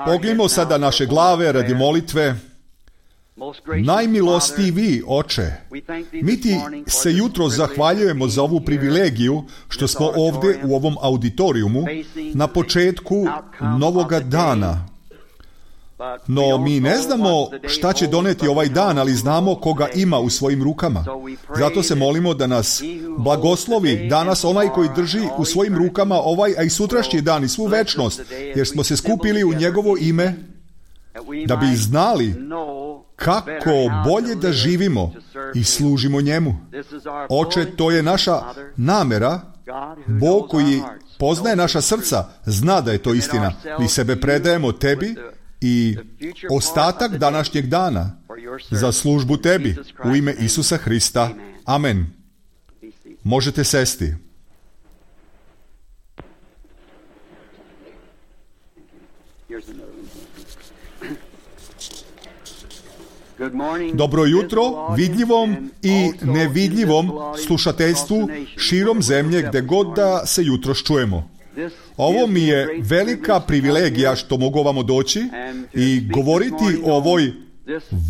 Pognimo sada naše glave radi molitve. Najmilostiviji Oče, mi ti se jutro zahvaljujemo za ovu privilegiju što smo ovdje u ovom auditorijumu na početku novoga dana. No mi ne znamo šta će doneti ovaj dan, ali znamo koga ima u svojim rukama. Zato se molimo da nas blagoslovi danas onaj koji drži u svojim rukama ovaj, a i sutrašnji dan i svu večnost, jer smo se skupili u njegovo ime da bi znali kako bolje da živimo i služimo njemu. Oče, to je naša namera. Bog koji poznaje naša srca zna da je to istina. Mi sebe predajemo tebi i ostatak današnjeg dana za službu tebi u ime Isusa Hrista. Amen. Možete sesti. Dobro jutro vidljivom i nevidljivom slušateljstvu širom zemlje gdje god da se jutros čujemo. Ovo mi je velika privilegija što mogu ovamo doći i govoriti o ovoj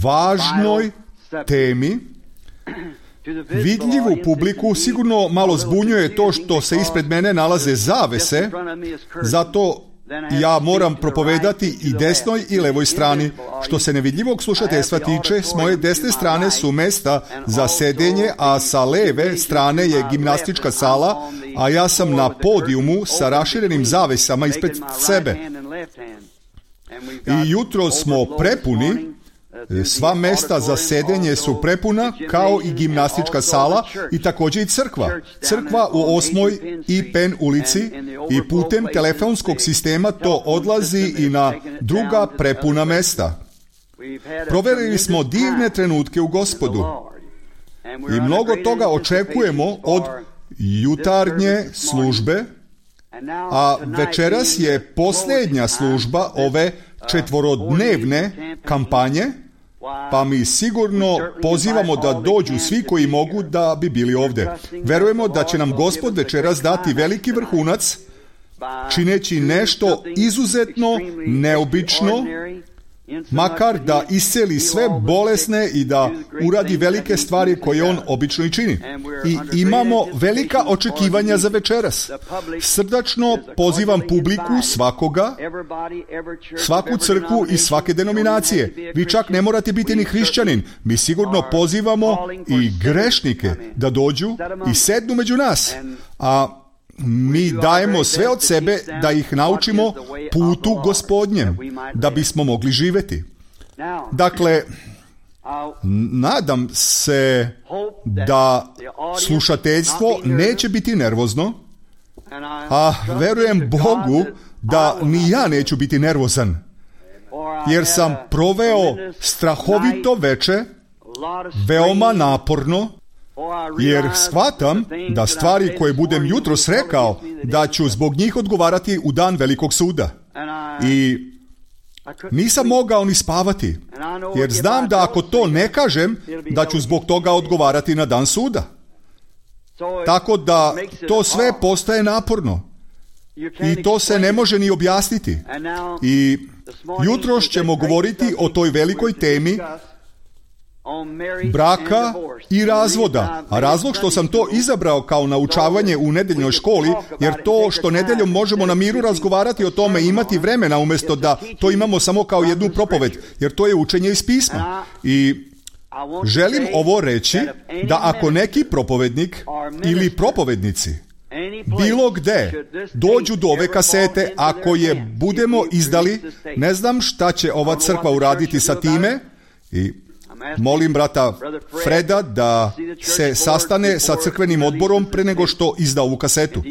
važnoj temi. Vidljivu publiku sigurno malo zbunjuje to što se ispred mene nalaze zavese, zato ja moram propovedati i desnoj i levoj strani. Što se nevidljivog slušateljstva tiče, s moje desne strane su mesta za sedenje, a sa leve strane je gimnastička sala, a ja sam na podijumu sa raširenim zavesama ispred sebe. I jutro smo prepuni, sva mesta za sedenje su prepuna, kao i gimnastička sala i također i crkva. Crkva u 8. i Penn ulici i putem telefonskog sistema to odlazi i na druga prepuna mesta. Proverili smo divne trenutke u Gospodu i mnogo toga očekujemo od jutarnje službe, a večeras je posljednja služba ove četvorodnevne kampanje, pa mi sigurno pozivamo da dođu svi koji mogu da bi bili ovdje. Verujemo da će nam Gospod večeras dati veliki vrhunac, čineći nešto izuzetno neobično, makar da isceli sve bolesne i da uradi velike stvari koje on obično i čini. I imamo velika očekivanja za večeras. Srdačno pozivam publiku svakoga, svaku crkvu i svake denominacije. Vi čak ne morate biti ni hrišćanin. Mi sigurno pozivamo i grešnike da dođu i sednu među nas. A mi dajemo sve od sebe da ih naučimo putu Gospodnjem, da bismo mogli živjeti. Dakle, nadam se da slušateljstvo neće biti nervozno, a verujem Bogu da ni ja neću biti nervozan, jer sam proveo strahovito veče, veoma naporno, jer shvatam da stvari koje budem jutros rekao, da ću zbog njih odgovarati u dan velikog suda. I nisam mogao ni spavati, jer znam da ako to ne kažem, da ću zbog toga odgovarati na dan suda. Tako da to sve postaje naporno. I to se ne može ni objasniti. I jutros ćemo govoriti o toj velikoj temi braka i razvoda. A razlog što sam to izabrao kao naučavanje u nedeljnoj školi, jer to što nedeljom možemo na miru razgovarati o tome, imati vremena umjesto da to imamo samo kao jednu propoved, jer to je učenje iz pisma. I želim ovo reći, da ako neki propovednik ili propovednici bilo gde dođu do ove kasete, ako je budemo izdali, ne znam šta će ova crkva uraditi sa time. I molim brata Freda da se sastane sa crkvenim odborom pre nego što izda ovu kasetu.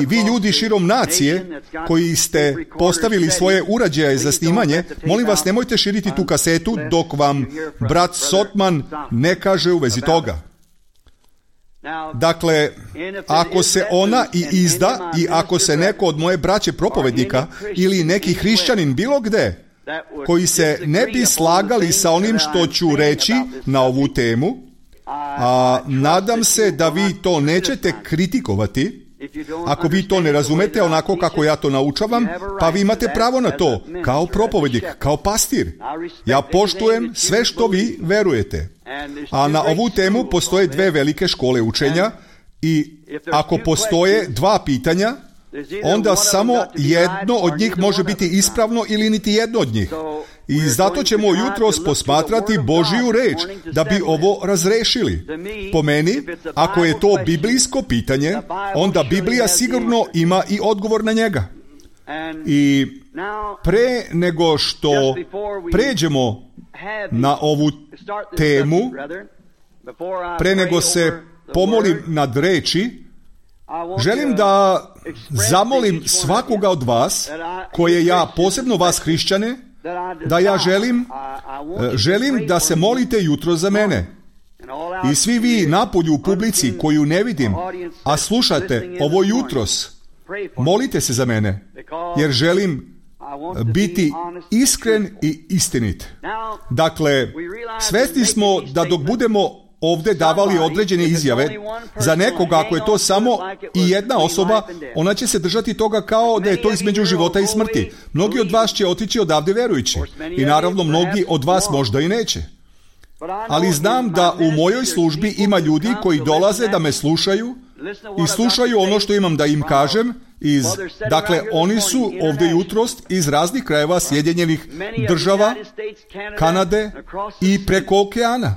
I vi ljudi širom nacije koji ste postavili svoje uređaje za snimanje, molim vas, nemojte širiti tu kasetu dok vam brat Sotman ne kaže u vezi toga. Dakle, ako se ona i izda i ako se neko od moje braće propovednika ili neki hrišćanin bilo gde koji se ne bi slagali sa onim što ću reći na ovu temu, a nadam se da vi to nećete kritikovati, Ako vi to ne razumete onako kako ja to naučavam, pa vi imate pravo na to, kao propovednik, kao pastir. Ja poštujem sve što vi verujete. A na ovu temu postoje dve velike škole učenja i ako postoje dva pitanja, onda samo jedno od njih može biti ispravno ili niti jedno od njih. I zato ćemo jutros posmatrati Božju reč da bi ovo razrešili. Po meni, ako je to biblijsko pitanje, onda Biblija sigurno ima i odgovor na njega. I pre nego što pređemo na ovu temu, pre nego se pomolim nad reči, želim da zamolim svakoga od vas, koje ja, posebno vas hrišćane, da ja želim da se molite jutro za mene. I svi vi napolju u publici koju ne vidim, a slušate ovo jutros, molite se za mene, jer želim biti iskren i istinit. Dakle, svesni smo da dok budemo ovdje davali određene izjave, za nekoga ako je to samo i jedna osoba, ona će se držati toga kao da je to između života i smrti. Mnogi od vas će otići odavde verujući i naravno mnogi od vas možda i neće. Ali znam da u mojoj službi ima ljudi koji dolaze da me slušaju i slušaju ono što imam da im kažem. Dakle, oni su ovdje jutros iz raznih krajeva Sjedinjenih država, Kanade i preko okeana.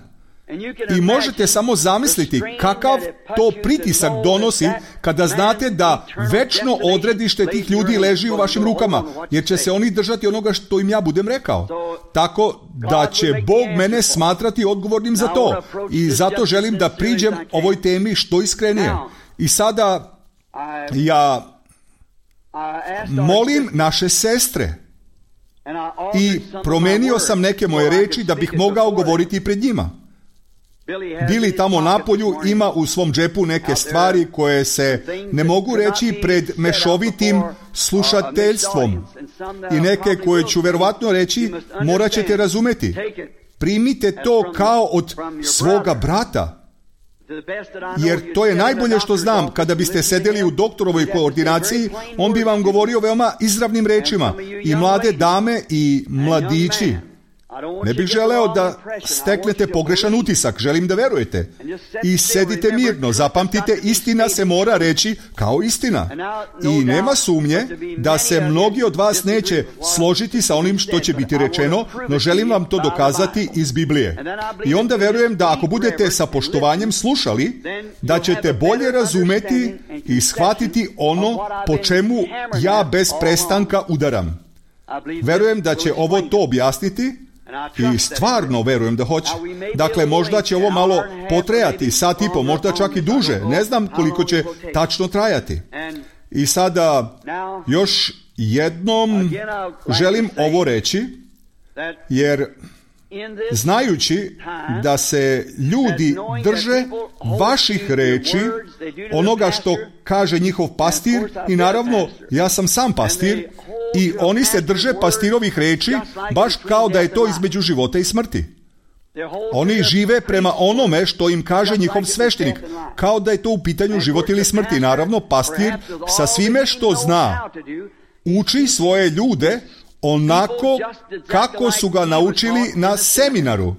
I možete samo zamisliti kakav to pritisak donosi kada znate da večno odredište tih ljudi leži u vašim rukama, jer će se oni držati onoga što im ja budem rekao. Tako da će Bog mene smatrati odgovornim za to. I zato želim da priđem ovoj temi što iskrenije. I sada ja molim naše sestre i promenio sam neke moje reči da bih mogao govoriti pred njima. Bili tamo napolju ima u svom džepu neke stvari koje se ne mogu reći pred mešovitim slušateljstvom i neke koje ću verovatno reći morat ćete razumeti. Primite to kao od svoga brata, jer to je najbolje što znam. Kada biste sedeli u doktorovoj koordinaciji, on bi vam govorio veoma izravnim rečima. I mlade dame i mladići, ne bih želeo da steknete pogrešan utisak, želim da verujete. I sedite mirno, zapamtite, istina se mora reći kao istina. I nema sumnje da se mnogi od vas neće složiti sa onim što će biti rečeno, no želim vam to dokazati iz Biblije. I onda verujem da ako budete sa poštovanjem slušali, da ćete bolje razumeti i shvatiti ono po čemu ja bez prestanka udaram. Verujem da će ovo to objasniti, i stvarno verujem da hoće. Dakle, možda će ovo malo potrajati, sat i po, možda čak i duže. Ne znam koliko će tačno trajati. I sada još jednom želim ovo reći, jer znajući da se ljudi drže vaših reči, onoga što kaže njihov pastir, i naravno ja sam sam pastir, i oni se drže pastirovih reči baš kao da je to između života i smrti. Oni žive prema onome što im kaže njihov sveštenik, kao da je to u pitanju život ili smrti. Naravno, pastir sa svime što zna uči svoje ljude onako kako su ga naučili na seminaru.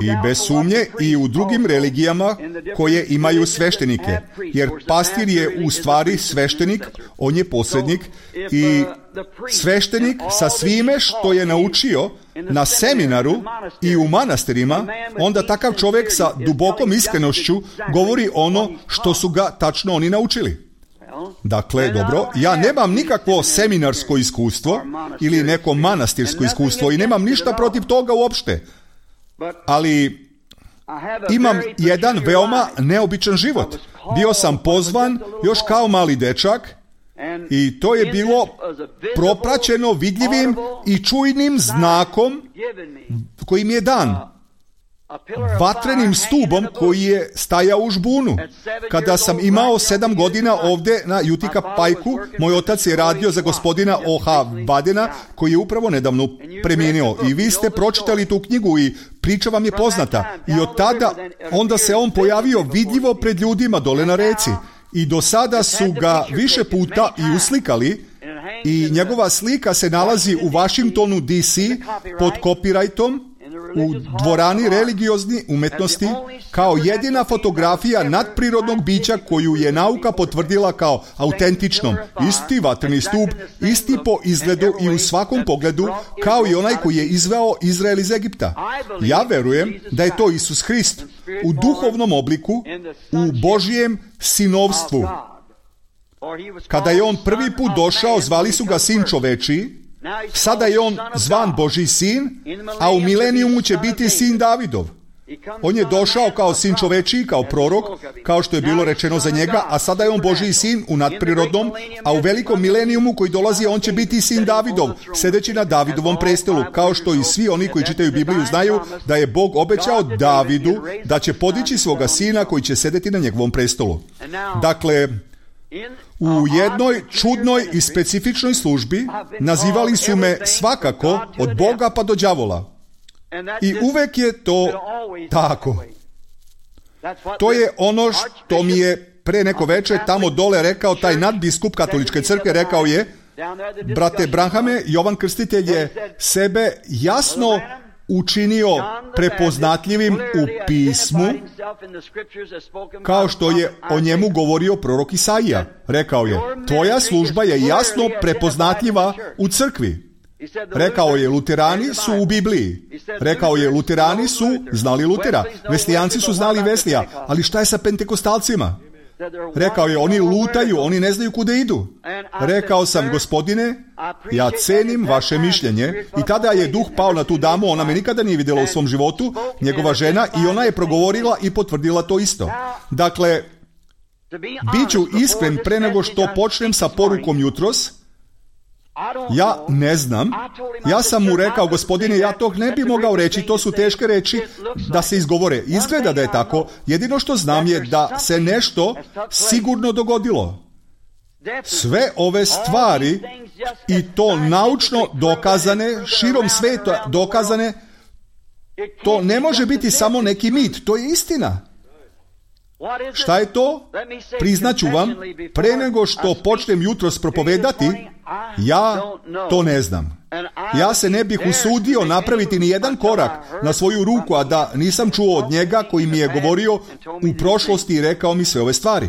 I bez sumnje i u drugim religijama koje imaju sveštenike. Jer pastir je u stvari sveštenik, on je posrednik, i sveštenik sa svime što je naučio na seminaru i u manastirima, onda takav čovjek sa dubokom iskrenošću govori ono što su ga tačno oni naučili. Dakle, dobro, ja nemam nikakvo seminarsko iskustvo ili neko manastirsko iskustvo i nemam ništa protiv toga uopšte. Ali imam jedan veoma neobičan život. Bio sam pozvan još kao mali dečak i to je bilo propraćeno vidljivim i čujnim znakom koji mi je dan. Vatrenim stubom koji je stajao u žbunu. Kada sam imao 7 godina ovdje na Utica Pike-u, moj otac je radio za gospodina O.H. Badena, koji je upravo nedavno premijenio. I vi ste pročitali tu knjigu i priča vam je poznata. I od tada onda se on pojavio vidljivo pred ljudima dole na reci. I do sada su ga više puta i uslikali i njegova slika se nalazi u Washingtonu DC pod copyrightom u dvorani religiozne umetnosti kao jedina fotografija nadprirodnog bića koju je nauka potvrdila kao autentičnom. Isti vatreni stup, isti po izgledu i u svakom pogledu kao i onaj koji je izveo Izrael iz Egipta. Ja verujem da je to Isus Hrist u duhovnom obliku, u Božjem sinovstvu. Kada je on prvi put došao, zvali su ga Sin čovečiji. Sada je on zvan Božji sin, a u milenijumu će biti sin Davidov. On je došao kao sin čovečiji, kao prorok, kao što je bilo rečeno za njega, a sada je on Božji sin u nadprirodnom, a u velikom milenijumu koji dolazi on će biti sin Davidov, sedeći na Davidovom prestolu, kao što i svi oni koji čitaju Bibliju znaju da je Bog obećao Davidu da će podići svoga sina koji će sedeti na njegovom prestolu. Dakle, u jednoj čudnoj i specifičnoj službi nazivali su me svakako od Boga pa do đavola. I uvek je to tako. To je ono što mi je pre neko veče tamo dole rekao taj nadbiskup katoličke crkve, rekao je: brate Branhame, Jovan Krstitelj je sebe jasno učinio prepoznatljivim u pismu, kao što je o njemu govorio prorok Isaija. Rekao je: tvoja služba je jasno prepoznatljiva u crkvi. Rekao je: luterani su u Bibliji. Rekao je: luterani su znali Lutera, veslijanci su znali Veslija, ali šta je sa pentekostalcima? Rekao je: oni lutaju, oni ne znaju kuda idu. Rekao sam: gospodine, ja cenim vaše mišljenje. I tada je duh pao na tu damu, ona me nikada nije vidjela u svom životu, njegova žena, i ona je progovorila i potvrdila to isto. Dakle, bit ću iskren pre nego što počnem sa porukom jutros. Ja ne znam. Ja sam mu rekao: gospodine, ja to ne bi mogao reći, to su teške reči da se izgovore. Izgleda da je tako. Jedino što znam je da se nešto sigurno dogodilo. Sve ove stvari, i to naučno dokazane, širom sveta dokazane, to ne može biti samo neki mit, to je istina. Šta je to? Priznaću vam, pre nego što počnem jutros propovedati, ja to ne znam. Ja se ne bih usudio napraviti ni jedan korak na svoju ruku, a da nisam čuo od njega koji mi je govorio u prošlosti i rekao mi sve ove stvari.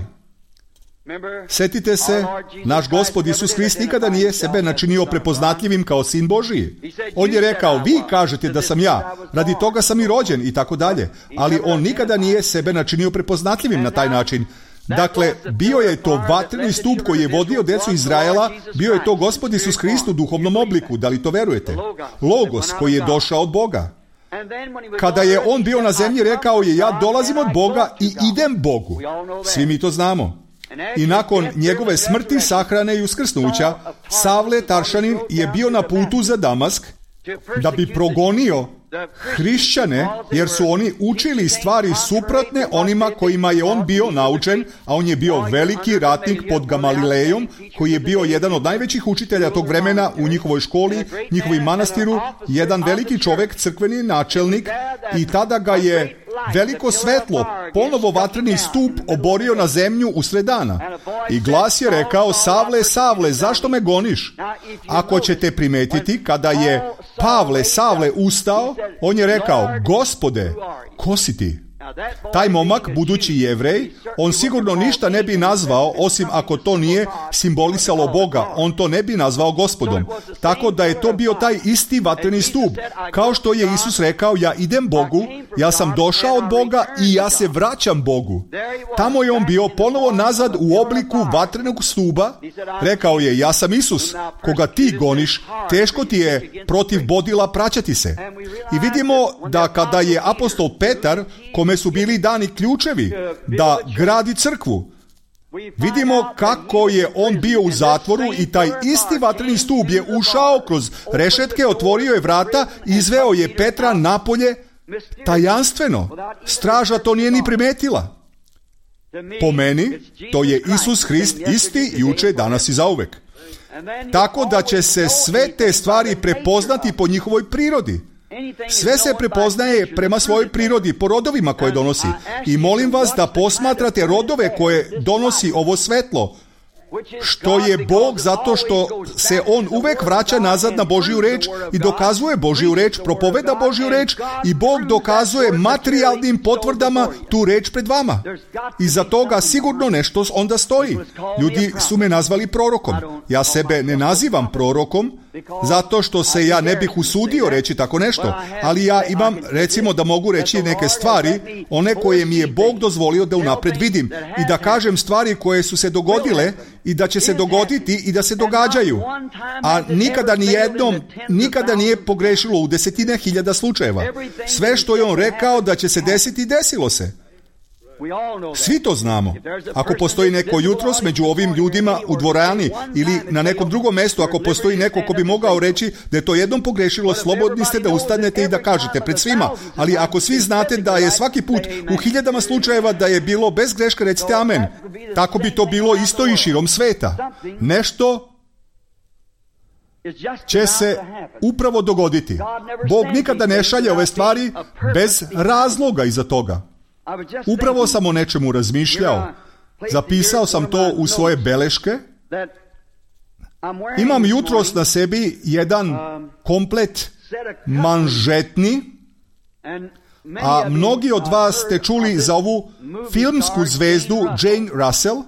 Setite se, naš Gospod Isus Hrist nikada nije sebe načinio prepoznatljivim kao sin Božiji. On je rekao: vi kažete da sam ja, radi toga sam i rođen i tako dalje, ali on nikada nije sebe načinio prepoznatljivim na taj način. Dakle, bio je to vatreni stup koji je vodio decu Izraela, bio je to Gospod Isus Hrist u duhovnom obliku, da li to verujete? Logos koji je došao od Boga. Kada je on bio na zemlji, rekao je: ja dolazim od Boga i idem Bogu. Svi mi to znamo. I nakon njegove smrti, sahrane i uskrsnuća, Savle Taršanin je bio na putu za Damask da bi progonio hrišćane, jer su oni učili stvari suprotne onima kojima je on bio naučen, a on je bio veliki ratnik pod Gamalilejom, koji je bio jedan od najvećih učitelja tog vremena u njihovoj školi, njihovom manastiru, jedan veliki čovek, crkveni načelnik, i tada ga je veliko svetlo, ponovo vatreni stup, oborio na zemlju usred dana. I glas je rekao: Savle, Savle, zašto me goniš? Ako ćete primetiti, kada je Pavle, Savle, ustao, on je rekao: Gospode, ko si ti? Taj momak, budući Jevrej, on sigurno ništa ne bi nazvao, osim ako to nije simbolisalo Boga, on to ne bi nazvao Gospodom. Tako da je to bio taj isti vatreni stup. Kao što je Isus rekao: ja idem Bogu, ja sam došao od Boga i ja se vraćam Bogu. Tamo je on bio ponovo nazad u obliku vatrenog stuba. Rekao je: ja sam Isus, koga ti goniš, teško ti je protiv bodila praćati se. I vidimo da kada je apostol Petar, kome su bili dani ključevi da gradi crkvu, vidimo kako je on bio u zatvoru i taj isti vatreni stup je ušao kroz rešetke, otvorio je vrata, izveo je Petra napolje tajanstveno. Straža to nije ni primetila. Po meni, to je Isus Hrist isti juče, danas i zauvek. Tako da će se sve te stvari prepoznati po njihovoj prirodi. Sve se prepoznaje prema svojoj prirodi, po rodovima koje donosi. I molim vas da posmatrate rodove koje donosi ovo svetlo. Što je Bog, zato što se On uvek vraća nazad na Božju reč i dokazuje Božju reč, propoveda Božju reč i Bog dokazuje materijalnim potvrdama tu reč pred vama. I za toga sigurno nešto onda stoji. Ljudi su me nazvali prorokom. Ja sebe ne nazivam prorokom, zato što se ja ne bih usudio reći tako nešto, ali ja imam, recimo, da mogu reći neke stvari, one koje mi je Bog dozvolio da unapred vidim i da kažem stvari koje su se dogodile i da će se dogoditi i da se događaju. A nikada nije pogrešilo u desetine hiljada slučajeva. Sve što je On rekao da će se desiti, desilo se. Svi to znamo. Ako postoji neko jutros među ovim ljudima u dvorani ili na nekom drugom mjestu, ako postoji neko ko bi mogao reći da je to jednom pogrešilo, slobodni ste da ustanete i da kažete pred svima. Ali ako svi znate da je svaki put u hiljadama slučajeva da je bilo bez greške, recite amen. Tako bi to bilo isto i širom sveta. Nešto će se upravo dogoditi. Bog nikada ne šalje ove stvari bez razloga iza toga. Upravo sam o nečemu razmišljao. Zapisao sam to u svoje beleške. Imam jutros na sebi jedan komplet manžetni, a mnogi od vas ste čuli za ovu filmsku zvezdu Jane Russell,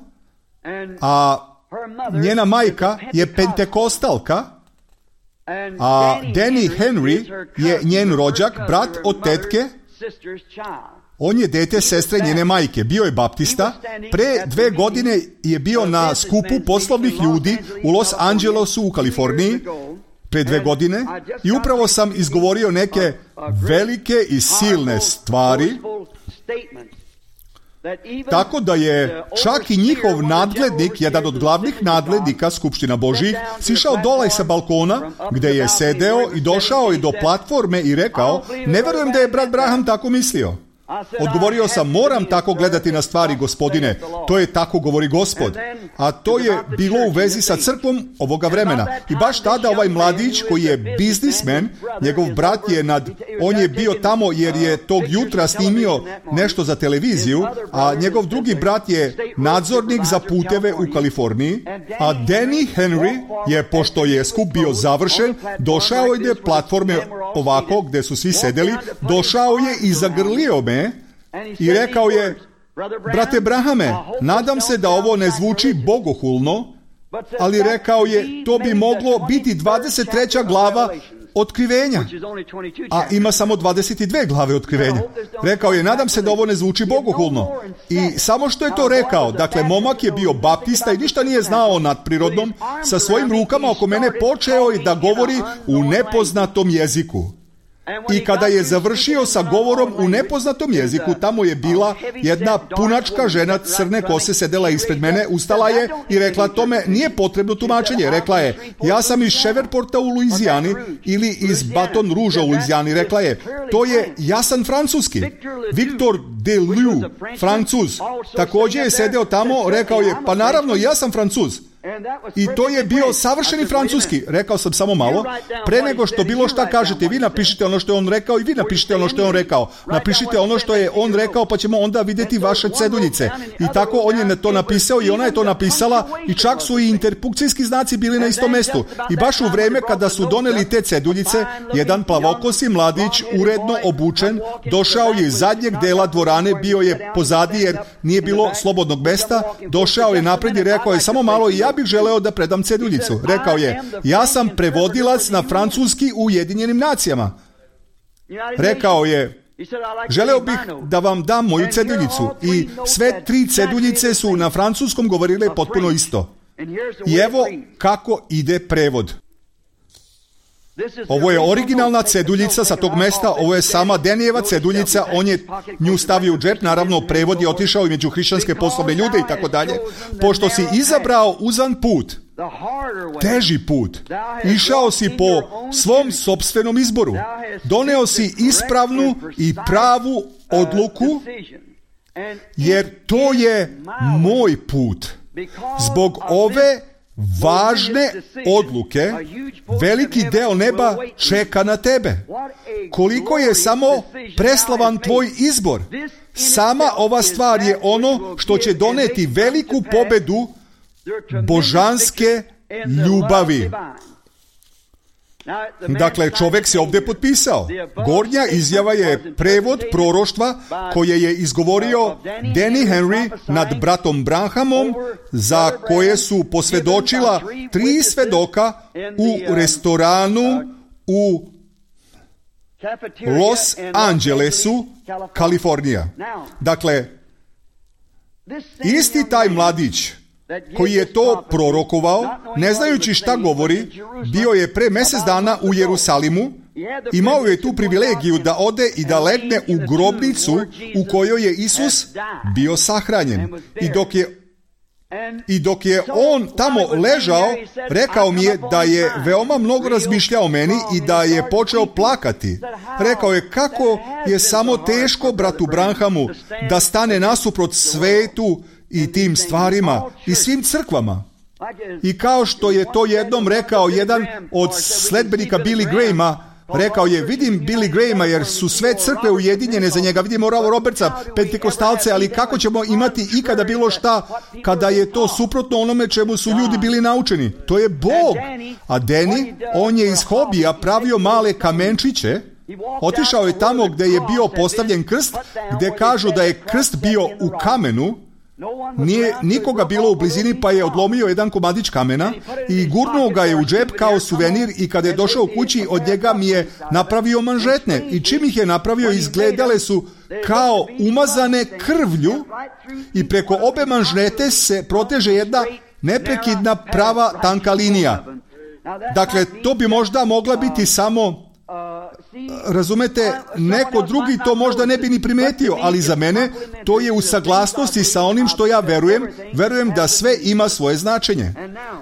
a njena majka je pentekostalka, a Danny Henry je njen rođak, brat od tetke. On je dete sestre njene majke, bio je baptista. Pre 2 godine je bio na skupu poslovnih ljudi u Los Angelesu u Kaliforniji, pre 2 godine, i upravo sam izgovorio neke velike i silne stvari, tako da je čak i njihov nadglednik, jedan od glavnih nadglednika Skupština Božjih, sišao dole sa balkona gde je sedeo i došao je do platforme i rekao: ne verujem da je brat Branham tako mislio. Odgovorio sam: moram tako gledati na stvari, gospodine, to je tako govori Gospod. A to je bilo u vezi sa crkvom ovoga vremena. I baš tada ovaj mladić koji je biznismen, njegov brat je on je bio tamo jer je tog jutra snimio nešto za televiziju, a njegov drugi brat je nadzornik za puteve u Kaliforniji, a Danny Henry je, pošto je skup bio završen, došao je do platforme ovako gde su svi sedeli, došao je i zagrlio me i rekao je: brate Brahame, nadam se da ovo ne zvuči bogohulno, ali rekao je, to bi moglo biti 23. glava Otkrivenja, a ima samo 22 glave Otkrivenja. Rekao je: nadam se da ovo ne zvuči bogohulno. I samo što je to rekao, dakle, momak je bio baptista i ništa nije znao o nadprirodnom, sa svojim rukama oko mene počeo je da govori u nepoznatom jeziku. I kada je završio sa govorom u nepoznatom jeziku, tamo je bila jedna punačka žena crne kose, sedela ispred mene, ustala je i rekla: tome nije potrebno tumačenje. Rekla je: ja sam iz Shreveport u Luizijani ili iz Baton Rouge u Luizijani. Rekla je: to je jasan francuski. Victor Deleu, Francuz, također je sedeo tamo, rekao je: pa naravno, ja sam Francuz. I to je bio savršeni francuski. Rekao sam: samo malo, pre nego što bilo šta kažete, vi napišite ono što je on rekao i vi napišite ono što je on rekao. Napišite ono što je on rekao, pa ćemo onda vidjeti vaše ceduljice. I tako on je to napisao i ona je to napisala i čak su i interpunkcijski znaci bili na istom mestu. I baš u vreme kada su doneli te ceduljice, jedan plavokosi mladić, uredno obučen, došao je iz zadnjeg dela dvorane, bio je pozadi jer nije bilo slobodnog mesta, došao je napred i rekao je: samo malo, i ja bih želeo da predam ceduljicu. Rekao je: ja sam prevodilac na francuski u Ujedinjenim nacijama. Rekao je: želeo bih da vam dam moju ceduljicu. I sve 3 ceduljice su na francuskom govorile potpuno isto. I evo kako ide prevod. Ovo je originalna ceduljica sa tog mesta, ovo je sama Denijeva ceduljica, on je nju stavio u džep, naravno prevod je otišao i među hrišćanske poslovne ljude i tako dalje. Pošto si izabrao uzan put, teži put, išao si po svom sopstvenom izboru, doneo si ispravnu i pravu odluku, jer to je moj put. Zbog ove važne odluke, veliki deo neba čeka na tebe. Koliko je samo preslavan tvoj izbor. Sama ova stvar je ono što će doneti veliku pobedu božanske ljubavi. Dakle, čovjek se ovdje potpisao. Gornja izjava je prevod proroštva koje je izgovorio Danny Henry nad bratom Branhamom, za koje su posvjedočila 3 svedoka u restoranu u Los Angelesu, Kalifornija. Dakle, isti taj mladić koji je to prorokovao, ne znajući šta govori, bio je pre mjesec dana u Jerusalimu, imao je tu privilegiju da ode i da legne u grobnicu u kojoj je Isus bio sahranjen. I dok je on tamo ležao, rekao mi je da je veoma mnogo razmišljao o meni i da je počeo plakati. Rekao je kako je samo teško bratu Branhamu da stane nasuprot svetu i tim stvarima i svim crkvama. I kao što je to jednom rekao jedan od sledbenika Billy Grahama, rekao je, vidim Billy Grahama jer su sve crkve ujedinjene za njega, vidimo Oral Robertsa, pentekostalce, ali kako ćemo imati ikada bilo šta kada je to suprotno onome čemu su ljudi bili naučeni? To je Bog. A Danny, on je iz hobija pravio male kamenčiće, otišao je tamo gdje je bio postavljen krst, gdje kažu da je krst bio u kamenu. Nije nikoga bilo u blizini, pa je odlomio jedan komadić kamena i gurnuo ga je u džep kao suvenir, i kada je došao kući od njega mi je napravio manžetne, i čim ih je napravio izgledale su kao umazane krvlju i preko obe manžete se proteže jedna neprekidna prava tanka linija. Dakle, to bi možda mogla biti samo, razumete, neko drugi to možda ne bi ni primetio, ali za mene to je u saglasnosti sa onim što ja verujem da sve ima svoje značenje.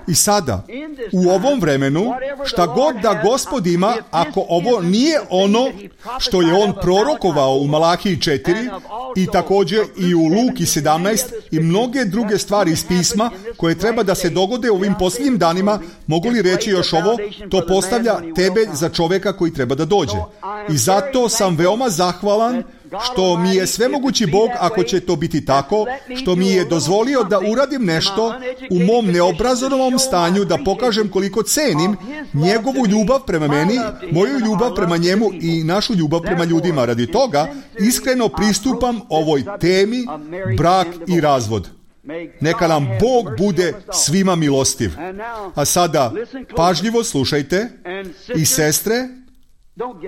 I sada, u ovom vremenu, šta god da Gospod ima, ako ovo nije ono što je on prorokovao u Malahiji 4 i također i u Luki 17 i mnoge druge stvari iz pisma koje treba da se dogode u ovim posljednjim danima, mogu li reći još ovo, to postavlja tebe za čovjeka koji treba da dođe. I zato sam veoma zahvalan što mi je svemogući Bog, ako će to biti tako, što mi je dozvolio da uradim nešto u mom neobrazovanom stanju, da pokažem koliko cenim njegovu ljubav prema meni, moju ljubav prema njemu i našu ljubav prema ljudima. Radi toga iskreno pristupam ovoj temi brak i razvod. Neka nam Bog bude svima milostiv. A sada pažljivo slušajte, i sestre,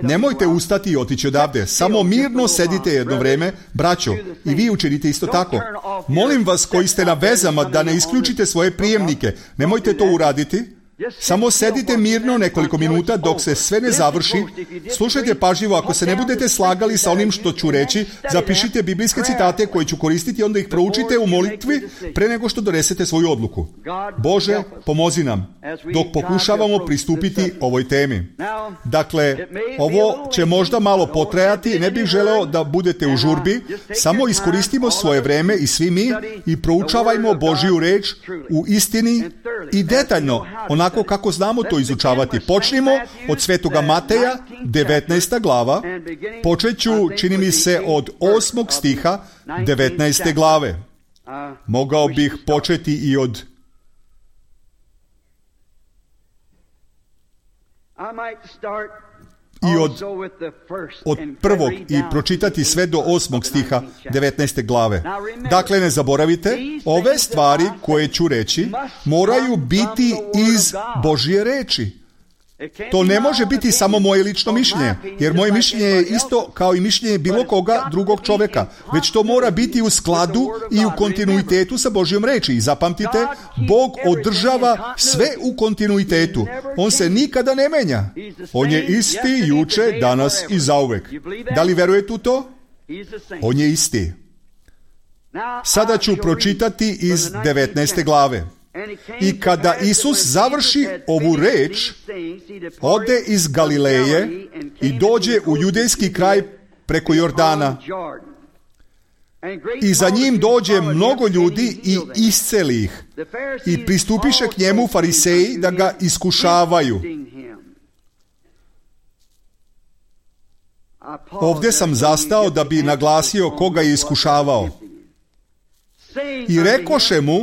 nemojte ustati i otići odavde. Samo mirno sedite jedno vreme, braćo, i vi učinite isto tako. Molim vas koji ste na vezama da ne isključite svoje prijemnike. Nemojte to uraditi. Samo sedite mirno nekoliko minuta dok se sve ne završi. Slušajte pažljivo, ako se ne budete slagali sa onim što ću reći, zapišite biblijske citate koje ću koristiti, onda ih proučite u molitvi pre nego što donesete svoju odluku. Bože, pomozi nam dok pokušavamo pristupiti ovoj temi. Dakle, ovo će možda malo potrajati, ne bih želeo da budete u žurbi, samo iskoristimo svoje vreme i svi mi i proučavajmo Božju reč u istini i detaljno, onako kako znamo to izučavati. Počnimo od Svetoga Mateja, 19. glava. Počet ću, čini mi se, od 8. stiha 19. glave. Mogao bih početi i od prvog i pročitati sve do 8. stiha 19. glave. Dakle, ne zaboravite, ove stvari koje ću reći moraju biti iz Božje reči. To ne može biti samo moje lično mišljenje, jer moje mišljenje je isto kao i mišljenje bilo koga drugog čovjeka, već to mora biti u skladu i u kontinuitetu sa Božjom reči. I zapamtite, Bog održava sve u kontinuitetu. On se nikada ne menja. On je isti juče, danas i zauvek. Da li verujete u to? On je isti. Sada ću pročitati iz 19. glave. I kada Isus završi ovu reč, ode iz Galileje i dođe u judejski kraj preko Jordana. I za njim dođe mnogo ljudi i isceli ih. I pristupiše k njemu fariseji da ga iskušavaju. Ovdje sam zastao da bi naglasio koga je iskušavao. I rekoše mu,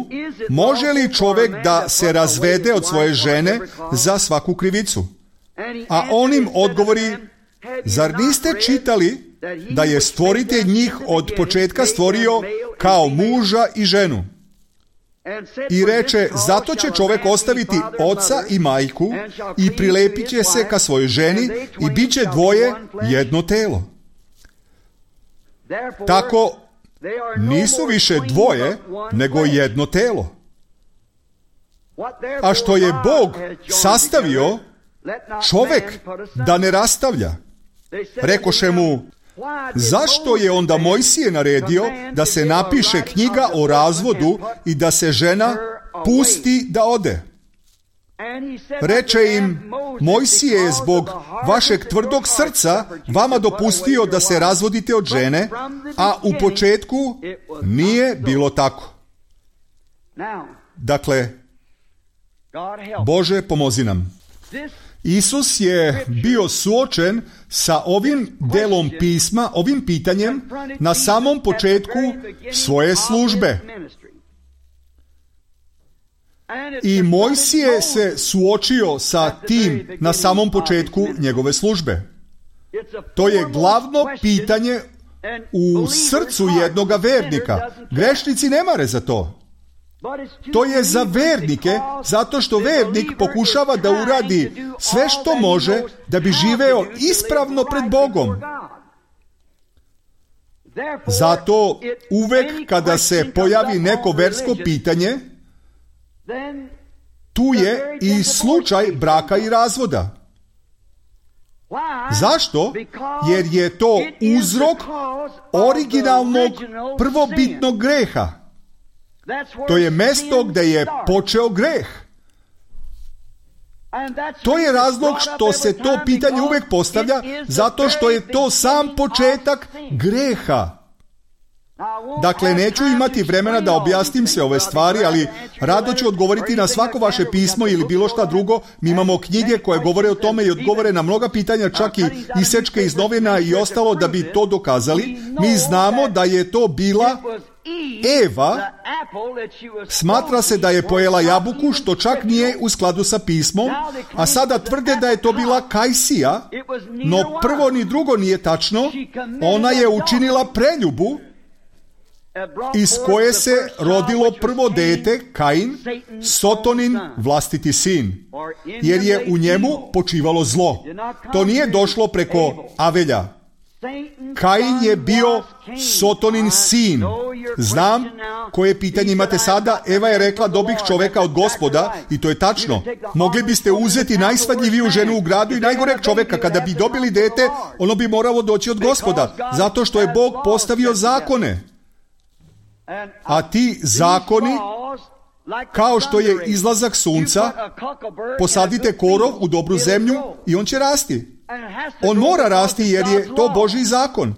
može li čovjek da se razvede od svoje žene za svaku krivicu? A on im odgovori, zar niste čitali da je stvoritelj njih od početka stvorio kao muža i ženu? I reče, zato će čovjek ostaviti oca i majku i prilepit će se ka svojoj ženi i bit će dvoje jedno telo. Tako nisu više dvoje, nego jedno telo. A što je Bog sastavio, čovjek da ne rastavlja. Rekoše mu, zašto je onda Mojsije naredio da se napiše knjiga o razvodu i da se žena pusti da ode? Reče im, Mojsije je zbog vašeg tvrdog srca vama dopustio da se razvodite od žene, a u početku nije bilo tako. Dakle, Bože, pomozi nam. Isus je bio suočen sa ovim delom pisma, ovim pitanjem na samom početku svoje službe. I Mojsije se suočio sa tim na samom početku njegove službe. To je glavno pitanje u srcu jednoga vernika. Grešnici ne mare za to. To je za vernike, zato što vernik pokušava da uradi sve što može da bi živeo ispravno pred Bogom. Zato uvek kada se pojavi neko versko pitanje, tu je i slučaj braka i razvoda. Zašto? Jer je to uzrok originalnog prvobitnog greha. To je mesto gdje je počeo greh. To je razlog što se to pitanje uvijek postavlja, zato što je to sam početak greha. Dakle, neću imati vremena da objasnim sve ove stvari, ali rado ću odgovoriti na svako vaše pismo ili bilo šta drugo. Mi imamo knjige koje govore o tome i odgovore na mnoga pitanja, čak i isečke iz novina i ostalo da bi to dokazali. Mi znamo da je to bila Eva. Smatra se da je pojela jabuku, što čak nije u skladu sa pismom, a sada tvrde da je to bila Kajsija, no prvo ni drugo nije tačno. Ona je učinila preljubu iz koje se rodilo prvo dete, Kain, Sotonin vlastiti sin, jer je u njemu počivalo zlo. To nije došlo preko Avelja. Kain je bio Sotonin sin. Znam koje pitanje imate sada. Eva je rekla, dobih čoveka od Gospoda, i to je tačno. Mogli biste uzeti najsvadljiviju ženu u gradu i najgoreg čoveka. Kada bi dobili dete, ono bi moralo doći od Gospoda, zato što je Bog postavio zakone. A ti zakoni, kao što je izlazak sunca, posadite korov u dobru zemlju i on će rasti. On mora rasti jer je to Božji zakon.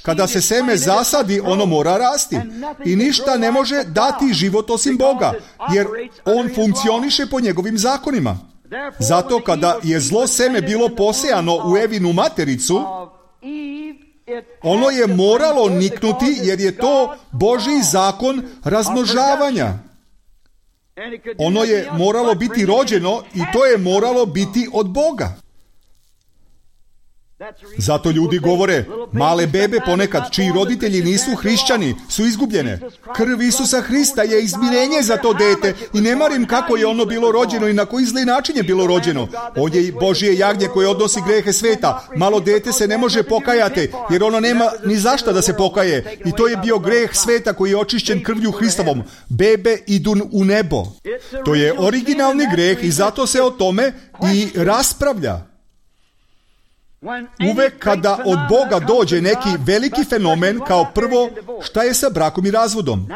Kada se seme zasadi, ono mora rasti. I ništa ne može dati život osim Boga, jer on funkcioniše po njegovim zakonima. Zato kada je zlo seme bilo posejano u Evinu matericu, ono je moralo niknuti jer je to Božji zakon razmnožavanja. Ono je moralo biti rođeno i to je moralo biti od Boga. Zato ljudi govore, male bebe ponekad čiji roditelji nisu hrišćani su izgubljene. Krv Isusa Hrista je izmirenje za to dete i ne marim kako je ono bilo rođeno i na koji zli način je bilo rođeno. On je Božje jagnje koje odnosi grehe sveta. Malo dete se ne može pokajati jer ono nema ni zašta da se pokaje. I to je bio greh sveta koji je očišćen krvlju Hristovom. Bebe idu u nebo. To je originalni greh i zato se o tome i raspravlja. Uvek kada od Boga dođe neki veliki fenomen, kao prvo, šta je sa brakom i razvodom?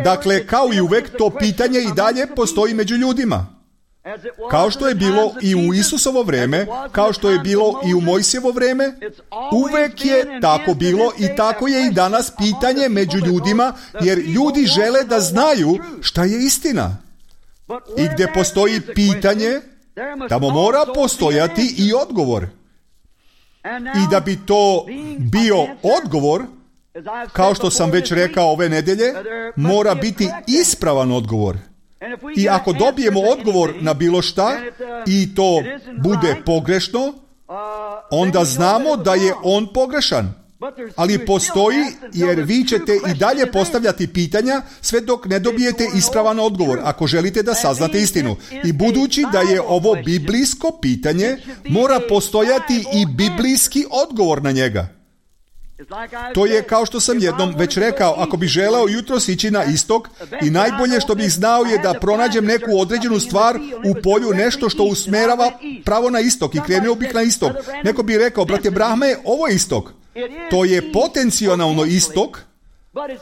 Dakle, kao i uvek, to pitanje i dalje postoji među ljudima. Kao što je bilo i u Isusovo vreme, kao što je bilo i u Mojsijevo vreme, uvek je tako bilo i tako je i danas pitanje među ljudima, jer ljudi žele da znaju šta je istina. I gdje postoji pitanje, tamo mora postojati i odgovor. I da bi to bio odgovor, kao što sam već rekao ove nedelje, mora biti ispravan odgovor. I ako dobijemo odgovor na bilo šta i to bude pogrešno, onda znamo da je on pogrešan. Ali postoji, jer vi ćete i dalje postavljati pitanja sve dok ne dobijete ispravan odgovor, ako želite da saznate istinu. I budući da je ovo biblijsko pitanje, mora postojati i biblijski odgovor na njega. To je kao što sam jednom već rekao, ako bi želeo jutros ići na istok i najbolje što bih znao je da pronađem neku određenu stvar u polju, nešto što usmerava pravo na istok i krenuo bih na istok. Neko bi rekao, brate Brahme, ovo je istok. To je potencijalno istok,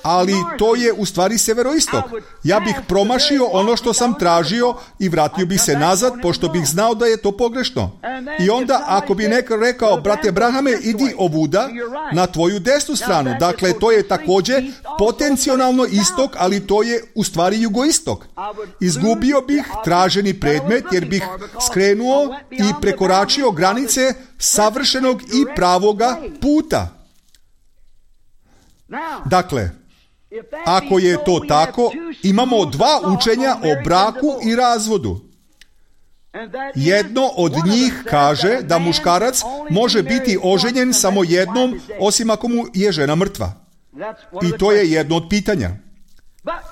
ali to je u stvari severoistok. Ja bih promašio ono što sam tražio i vratio bih se nazad, pošto bih znao da je to pogrešno. I onda, ako bi neko rekao, brate Brahame, idi ovuda na tvoju desnu stranu. Dakle, to je također potencijalno istok, ali to je u stvari jugoistok. Izgubio bih traženi predmet, jer bih skrenuo i prekoračio granice savršenog i pravoga puta. Dakle, ako je to tako, imamo dva učenja o braku i razvodu. Jedno od njih kaže da muškarac može biti oženjen samo jednom, osim ako mu je žena mrtva. I to je jedno od pitanja.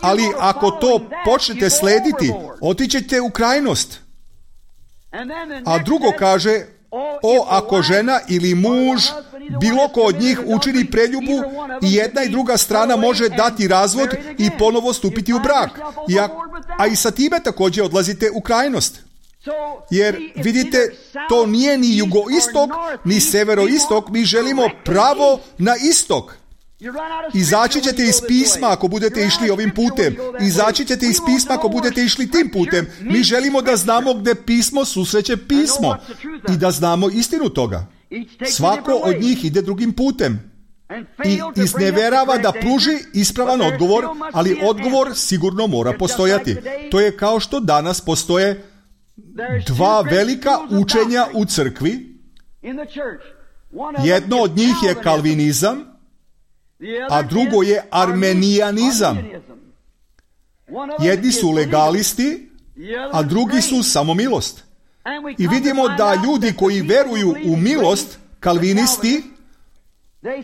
Ali ako to počnete slediti, otićete u krajnost. A drugo kaže, ako žena ili muž, bilo ko od njih učini preljubu i jedna i druga strana može dati razvod i ponovo stupiti u brak. A i sa time također odlazite u krajnost. Jer vidite, to nije ni jugoistok, ni severoistok, mi želimo pravo na istok. Izaći ćete iz pisma ako budete išli ovim putem. Izaći ćete iz pisma ako budete išli tim putem. Mi želimo da znamo gdje pismo susreće pismo i da znamo istinu toga. Svako od njih ide drugim putem i izneverava da pruži ispravan odgovor, ali odgovor sigurno mora postojati. To je kao što danas postoje dva velika učenja u crkvi. Jedno od njih je kalvinizam, a drugo je armenijanizam. Jedni su legalisti, a drugi su samo milost. I vidimo da ljudi koji veruju u milost, kalvinisti,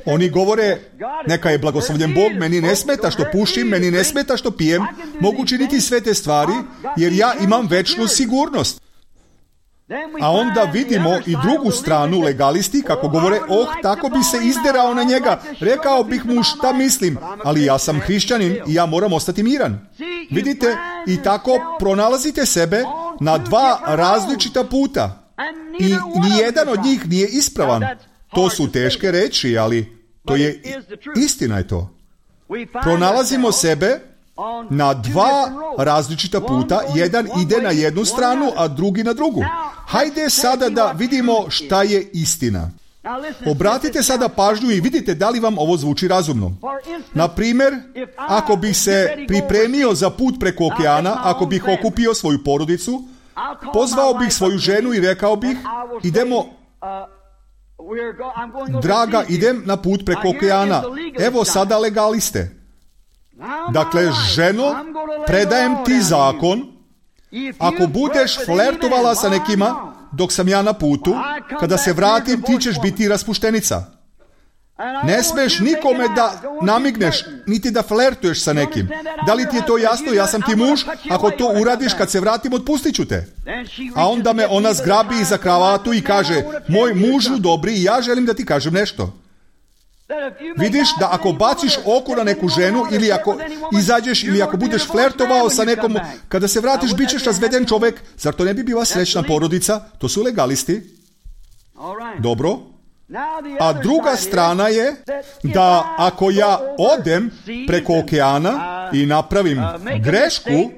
oni govore, neka je blagoslovljen Bog, meni ne smeta što pušim, meni ne smeta što pijem, mogu činiti sve te stvari, jer ja imam večnu sigurnost. A onda vidimo i drugu stranu, legalisti, kako govore, tako bi se izderao na njega, rekao bih mu šta mislim, ali ja sam hrišćanin i ja moram ostati miran. Vidite, i tako pronalazite sebe na dva različita puta. I nijedan od njih nije ispravan. To su teške reči, ali to je istina je to. Pronalazimo sebe na dva različita puta, jedan ide na jednu stranu, a drugi na drugu. Hajde sada da vidimo šta je istina. Obratite sada pažnju i vidite da li vam ovo zvuči razumno. Na primjer, ako bih se pripremio za put preko okeana, ako bih okupio svoju porodicu, pozvao bih svoju ženu i rekao bih, idemo, draga, idem na put preko okeana, evo sada legaliste. Dakle, ženo, predajem ti zakon, ako budeš flertovala sa nekima dok sam ja na putu, kada se vratim ti ćeš biti raspuštenica. Ne smeš nikome da namigneš, niti da flertuješ sa nekim. Da li ti je to jasno? Ja sam ti muž, ako to uradiš kad se vratim, otpustit ću te. A onda me ona zgrabi za kravatu i kaže, moj mužu dobri, ja želim da ti kažem nešto. Vidiš da ako baciš oko na neku ženu ili ako izađeš ili ako budeš flertovao sa nekom, kada se vratiš bit ćeš razveden čovjek, zar to ne bi bila srećna porodica? To su legalisti. Dobro. A druga strana je da ako ja odem preko okeana i napravim grešku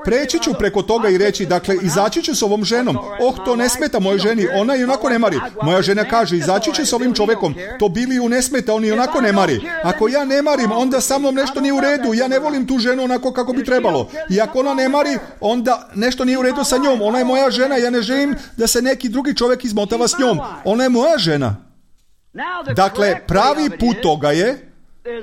preći ću preko toga i reći, dakle, izaći ću s ovom ženom. To ne smeta mojoj ženi, ona i onako ne mari. Moja žena kaže, izaći ću s ovim čovekom, to Biliju ne smeta, on i onako ne mari. Ako ja ne marim, onda sa mnom nešto nije u redu, ja ne volim tu ženu onako kako bi trebalo. I ako ona ne mari, onda nešto nije u redu sa njom, ona je moja žena, ja ne želim da se neki drugi čovjek izmotava s njom. Ona je moja žena. Dakle, pravi put toga je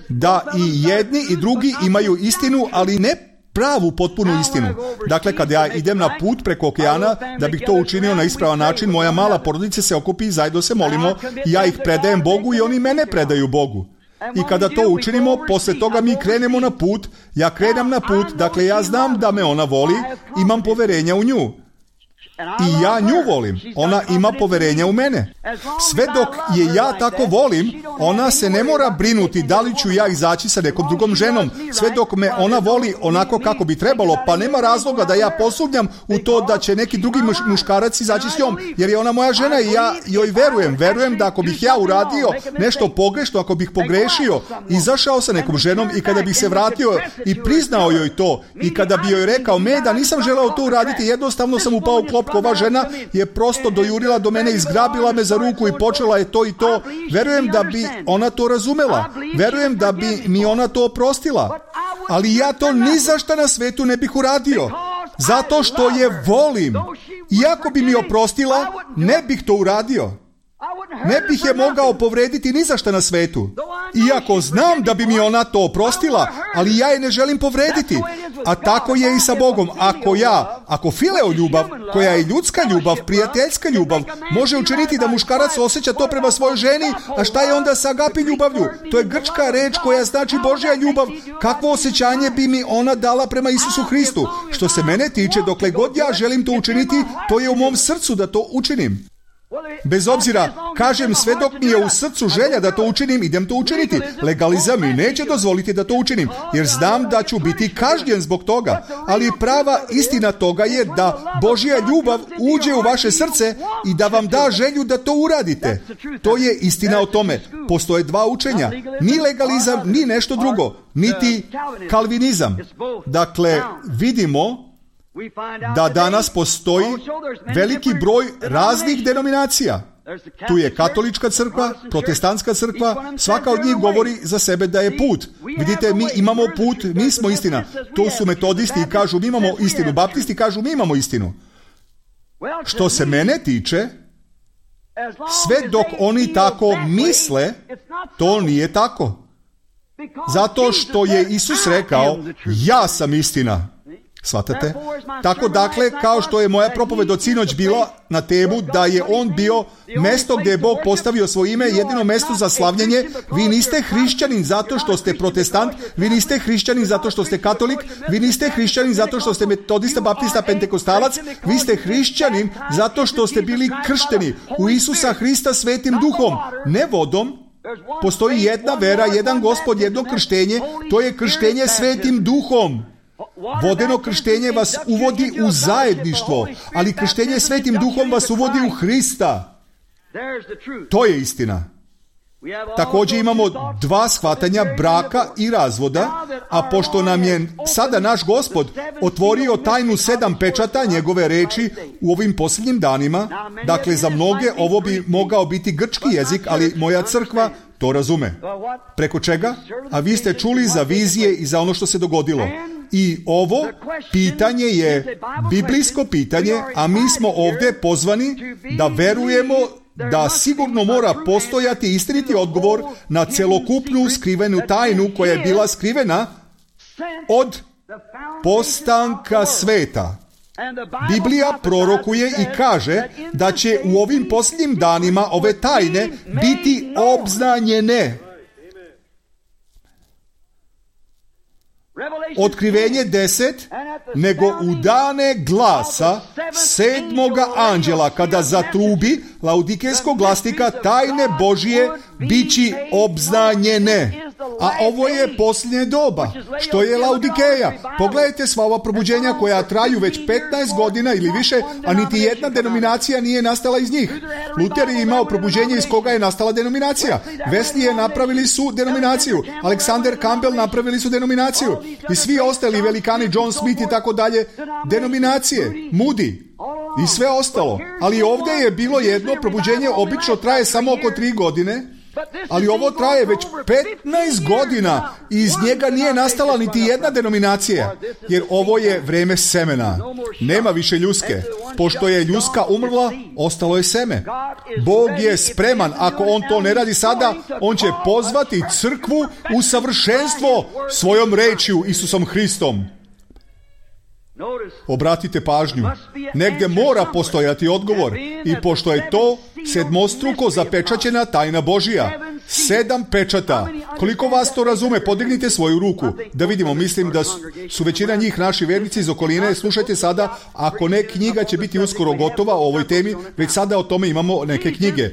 da i jedni i drugi imaju istinu, ali ne pravu, potpunu istinu. Dakle, kad ja idem na put preko okeana, da bih to učinio na ispravan način, moja mala porodica se okupi i zajedno se molimo, ja ih predajem Bogu i oni mene predaju Bogu. I kada to učinimo, posle toga mi krenemo na put, ja krenem na put, dakle ja znam da me ona voli, imam poverenja u nju. I ja nju volim, ona ima poverenja u mene. Sve dok je ja tako volim, ona se ne mora brinuti da li ću ja izaći sa nekom drugom ženom. Sve dok me ona voli onako kako bi trebalo, pa nema razloga da ja posumnjam u to da će neki drugi muškarac izaći s njom, jer je ona moja žena i ja joj verujem. Verujem da ako bih ja uradio nešto pogrešno, ako bih pogrešio, izašao sa nekom ženom i kada bih se vratio i priznao joj to i kada bi joj rekao, da nisam želeo to uraditi, jednostavno sam upao u klopku, ova žena je prosto dojurila do mene, izgrabila me za ruku i počela je to i to. Verujem da bi ona to razumela. Verujem da bi mi ona to oprostila. Ali ja to ni za šta na svetu ne bih uradio. Zato što je volim. Iako bi mi oprostila, ne bih to uradio. Ne bih je mogao povrediti ni za šta na svetu. Iako znam da bi mi ona to oprostila, ali ja je ne želim povrediti. A tako je i sa Bogom. Ako fileo ljubav, koja je ljudska ljubav, prijateljska ljubav, može učiniti da muškarac osjeća to prema svojoj ženi, a šta je onda sa agapi ljubavlju? To je grčka reč koja znači Božja ljubav. Kakvo osjećanje bi mi ona dala prema Isusu Hristu? Što se mene tiče, dokle god ja želim to učiniti, to je u mom srcu da to učinim. Bez obzira, kažem, sve dok mi je u srcu želja da to učinim, idem to učiniti. Legalizam mi neće dozvoliti da to učinim, jer znam da ću biti kažnjen zbog toga. Ali prava istina toga je da Božja ljubav uđe u vaše srce i da vam da želju da to uradite. To je istina o tome. Postoje dva učenja. Ni legalizam, ni nešto drugo. Niti kalvinizam. Dakle, vidimo da danas postoji veliki broj raznih denominacija. Tu je katolička crkva, protestantska crkva, svaka od njih govori za sebe da je put. Vidite, mi imamo put, mi smo istina. Tu su metodisti i kažu mi imamo istinu, baptisti kažu mi imamo istinu. Što se mene tiče, sve dok oni tako misle, to nije tako. Zato što je Isus rekao, ja sam istina. Shvatate? Tako dakle, kao što je moja propoved od sinoć bila na temu da je on bio mesto gdje je Bog postavio svoje ime, jedino mesto za slavljenje, vi niste hrišćanin zato što ste protestant, vi niste hrišćanin zato što ste katolik, vi niste hrišćanin zato što ste metodista, baptista, pentekostalac, vi ste hrišćanin zato što ste bili kršteni u Isusa Hrista Svetim Duhom, ne vodom. Postoji jedna vera, jedan Gospod, jedno krštenje, to je krštenje Svetim Duhom. Vodeno krštenje vas uvodi u zajedništvo, ali krštenje Svetim Duhom vas uvodi u Hrista. To je istina. Također imamo dva shvatanja braka i razvoda, a pošto nam je sada naš Gospod otvorio tajnu 7 pečata njegove reči u ovim posljednjim danima, dakle za mnoge ovo bi mogao biti grčki jezik, ali moja crkva to razume. Preko čega? A vi ste čuli za vizije i za ono što se dogodilo. I ovo pitanje je biblijsko pitanje, a mi smo ovdje pozvani da verujemo da sigurno mora postojati istiniti odgovor na celokupnu skrivenu tajnu koja je bila skrivena od postanka sveta. Biblija prorokuje i kaže da će u ovim posljednjim danima ove tajne biti obznanjene. Otkrivenje 10, nego u dane glasa 7. anđela, kada zatrubi laudikejskog glasnika, tajne Božije bići obznanjene. A ovo je posljednje doba, što je Laodikeja. Pogledajte sva ova probuđenja koja traju već 15 godina ili više, a niti jedna denominacija nije nastala iz njih. Luther je imao probuđenje iz koga je nastala denominacija. Wesley napravili su denominaciju. Alexander Campbell napravili su denominaciju. I svi ostali velikani, John Smith i tako dalje, denominacije. Moody i sve ostalo. Ali ovdje je bilo jedno probuđenje, obično traje samo oko 3 godine, ali ovo traje već 15 godina i iz njega nije nastala niti jedna denominacija, jer ovo je vreme semena. Nema više ljuske. Pošto je ljuska umrla, ostalo je seme. Bog je spreman, ako on to ne radi sada, on će pozvati crkvu u savršenstvo svojom rečju, Isusom Hristom. Obratite pažnju, negdje mora postojati odgovor i pošto je to sedmostruko zapečaćena tajna Božija, 7 pečata. Koliko vas to razume? Podignite svoju ruku da vidimo. Mislim da su većina njih naši vernici iz okoline. Slušajte sada, ako ne, knjiga će biti uskoro gotova o ovoj temi, već sada o tome imamo neke knjige.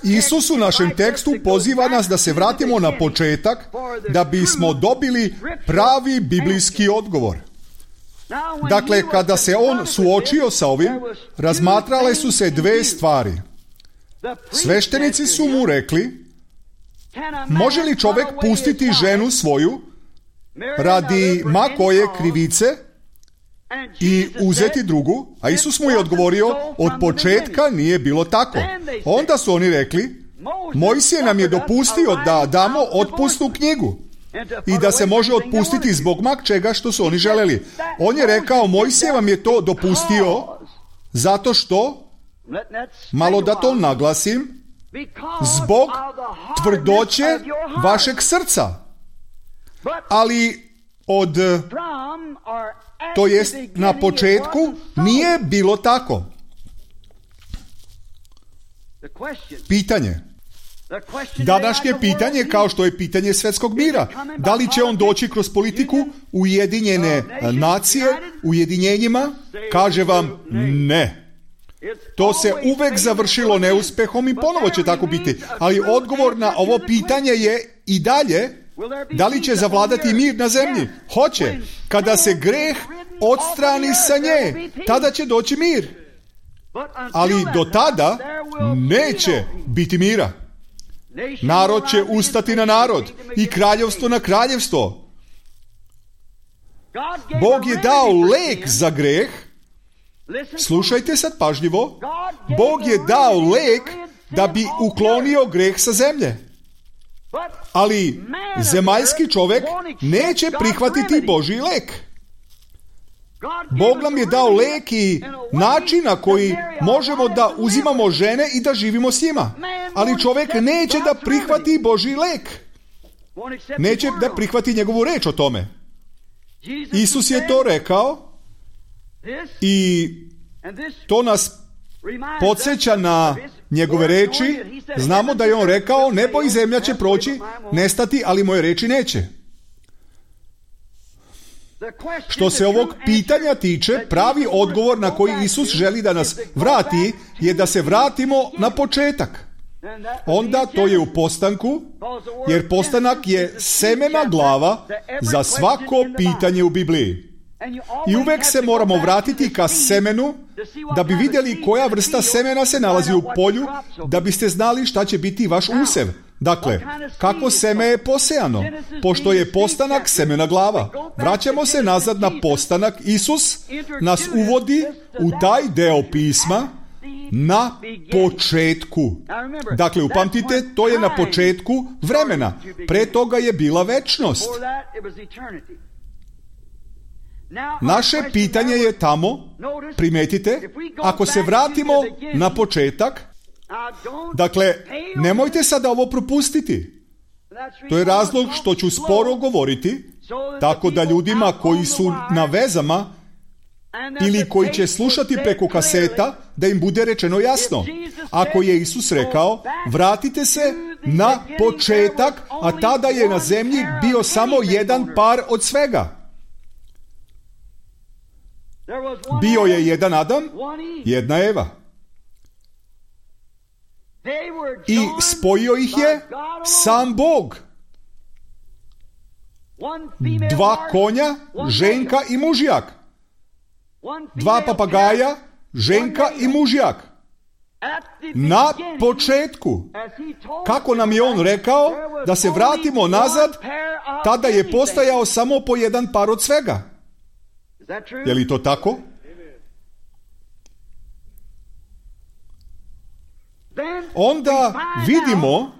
Isus u našem tekstu poziva nas da se vratimo na početak da bismo dobili pravi biblijski odgovor. Dakle, kada se on suočio sa ovim, razmatrale su se 2 stvari. Sveštenici su mu rekli, može li čovjek pustiti ženu svoju radi ma koje krivice i uzeti drugu? A Isus mu je odgovorio, od početka nije bilo tako. Onda su oni rekli, Mojsije nam je dopustio da damo otpusnu knjigu i da se može otpustiti zbog čega što su oni želeli. On je rekao, Mojsije vam je to dopustio zato što, malo da to naglasim, zbog tvrdoće vašeg srca. Ali to jest na početku nije bilo tako. Pitanje. Današnje pitanje, kao što je pitanje svjetskog mira, da li će on doći kroz politiku, Ujedinjene nacije, ujedinjenjima? Kaže vam ne. To se uvek završilo neuspehom i ponovo će tako biti. Ali odgovor na ovo pitanje je i dalje, da li će zavladati mir na zemlji? Hoće. Kada se greh odstrani sa nje, tada će doći mir. Ali do tada neće biti mira. Narod će ustati na narod i kraljevstvo na kraljevstvo. Bog je dao lek za greh. Slušajte sad pažljivo. Bog je dao lek da bi uklonio greh sa zemlje. Ali zemaljski čovjek neće prihvatiti Božji lek. Bog nam je dao lek i način na koji možemo da uzimamo žene i da živimo s njima. Ali čovjek neće da prihvati Božji lek. Neće da prihvati njegovu reč o tome. Isus je to rekao i to nas podsjeća na njegove reči. Znamo da je on rekao, nebo i zemlja će proći, nestati, ali moje reči neće. Što se ovog pitanja tiče, pravi odgovor na koji Isus želi da nas vrati je da se vratimo na početak. Onda to je u postanku, jer postanak je semena glava za svako pitanje u Bibliji. I uvek se moramo vratiti ka semenu da bi vidjeli koja vrsta semena se nalazi u polju, da biste znali šta će biti vaš usev. Dakle, kako seme je posejano, pošto je postanak semena glava. Vraćamo se nazad na postanak. Isus nas uvodi u taj deo pisma na početku. Dakle, upamtite, to je na početku vremena. Pre toga je bila večnost. Naše pitanje je tamo, primetite, ako se vratimo na početak, dakle, nemojte sada ovo propustiti. To je razlog što ću sporo govoriti, tako da ljudima koji su na vezama ili koji će slušati preko kaseta, da im bude rečeno jasno. Ako je Isus rekao, vratite se na početak, a tada je na zemlji bio samo jedan par od svega. Bio je jedan Adam, jedna Eva. I spojio ih je sam Bog. 2 konja, ženka i mužjak. 2 papagaja, ženka i mužjak. Na početku, kako nam je on rekao da se vratimo nazad, tada je postojao samo po jedan par od svega. Je li to tako? Onda vidimo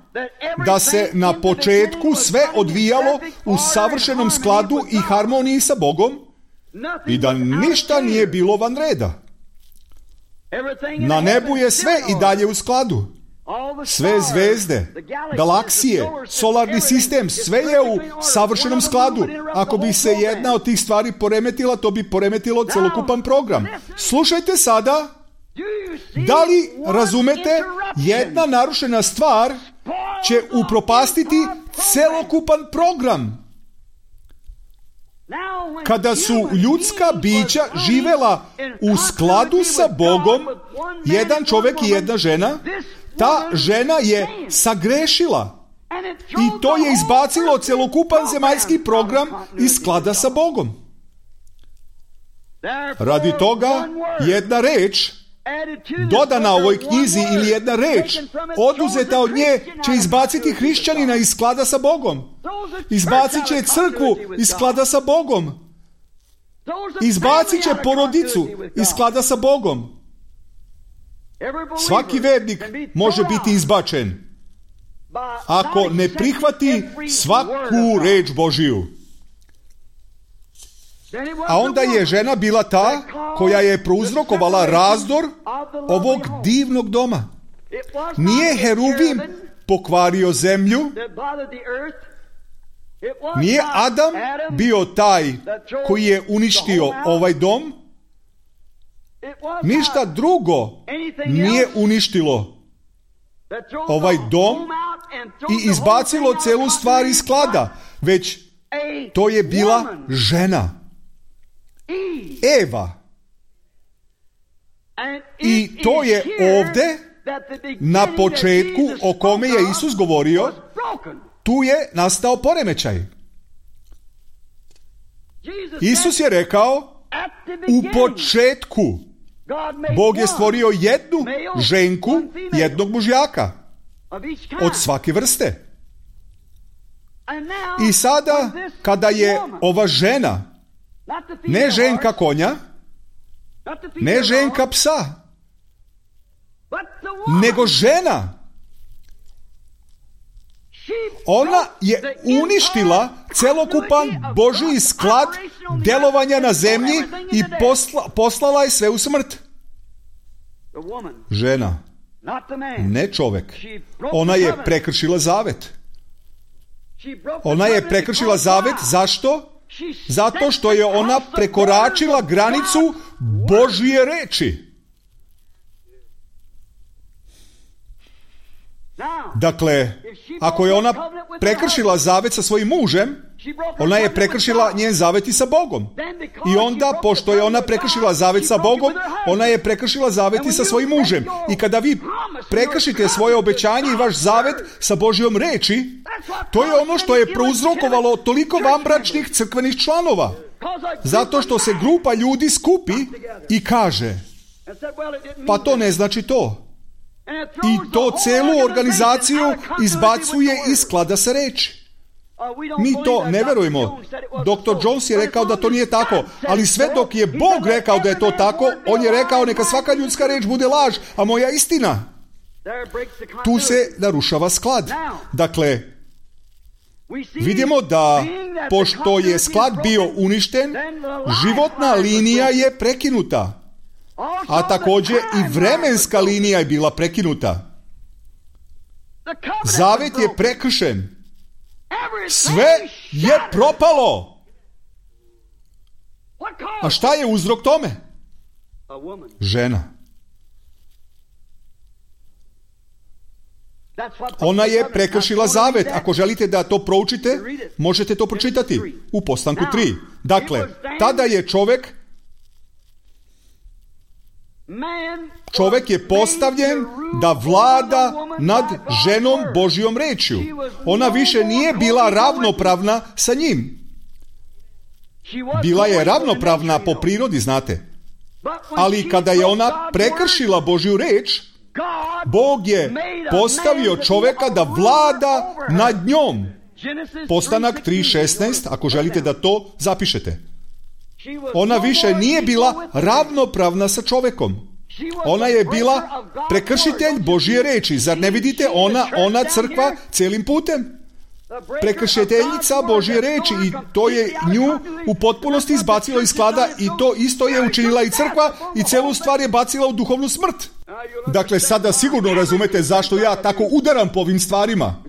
da se na početku sve odvijalo u savršenom skladu i harmoniji sa Bogom i da ništa nije bilo van reda. Na nebu je sve i dalje u skladu. Sve zvezde, galaksije, solarni sistem, sve je u savršenom skladu. Ako bi se jedna od tih stvari poremetila, to bi poremetilo celokupan program. Slušajte sada, da li razumete, jedna narušena stvar će upropastiti celokupan program. Kada su ljudska bića živela u skladu sa Bogom, jedan čovjek i jedna žena, ta žena je sagrešila i to je izbacilo celokupan zemaljski program iz sklada sa Bogom. Radi toga jedna reč dodana ovoj knjizi ili jedna reč oduzeta od nje će izbaciti hrišćanina iz sklada sa Bogom. Izbacit će crkvu iz sklada sa Bogom. Izbacit će porodicu iz sklada sa Bogom. Svaki vernik može biti izbačen ako ne prihvati svaku reč Božiju. A onda je žena bila ta koja je prouzrokovala razdor ovog divnog doma. Nije heruvim pokvario zemlju, nije Adam bio taj koji je uništio ovaj dom, ništa drugo nije uništilo ovaj dom i izbacilo celu stvar iz sklada, već to je bila žena, Eva. I to je ovdje na početku o kome je Isus govorio, tu je nastao poremećaj. Isus je rekao, u početku Bog je stvorio jednu ženku, jednog mužjaka od svake vrste. I sada, kada je ova žena, ne ženka konja, ne ženka psa, nego žena, ona je uništila celokupan Božji sklad delovanja na zemlji i poslala je sve u smrt. Žena, ne čovek. Ona je prekršila zavet. Ona je prekršila zavet, zašto? Zato što je ona prekoračila granicu Božje reči. Dakle, ako je ona prekršila zavet sa svojim mužem, ona je prekršila njen zavet i sa Bogom. I onda, pošto je ona prekršila zavet sa Bogom, ona je prekršila zavet i sa svojim mužem. I kada vi prekršite svoje obećanje i vaš zavet sa Božjom reči, to je ono što je prouzrokovalo toliko vanbračnih crkvenih članova. Zato što se grupa ljudi skupi i kaže, pa to ne znači to. I to celu organizaciju izbacuje iz sklada sa reči. Mi to ne verujemo. Dr. Jones je rekao da to nije tako, ali sve dok je Bog rekao da je to tako, on je rekao neka svaka ljudska reč bude laž, a moja istina. Tu se narušava sklad. Dakle, vidimo da pošto je sklad bio uništen, životna linija je prekinuta. A također i vremenska linija je bila prekinuta. Zavet je prekršen. Sve je propalo. A šta je uzrok tome? Žena. Ona je prekršila zavet. Ako želite da to proučite, možete to pročitati u postanku 3. Dakle, tada je čovjek je postavljen da vlada nad ženom Božjom rečju. Ona više nije bila ravnopravna sa njim. Bila je ravnopravna po prirodi, znate. Ali kada je ona prekršila Božju reč, Bog je postavio čoveka da vlada nad njom. Postanak 3.16, ako želite da to zapišete. Ona više nije bila ravnopravna sa čovekom. Ona je bila prekršitelj Božje reči. Zar ne vidite? Ona crkva celim putem. Prekršiteljica Božje reči, i to je nju u potpunosti izbacilo iz sklada, i to isto je učinila i crkva, i celu stvar je bacila u duhovnu smrt. Dakle, sada sigurno razumete zašto ja tako udaram po ovim stvarima.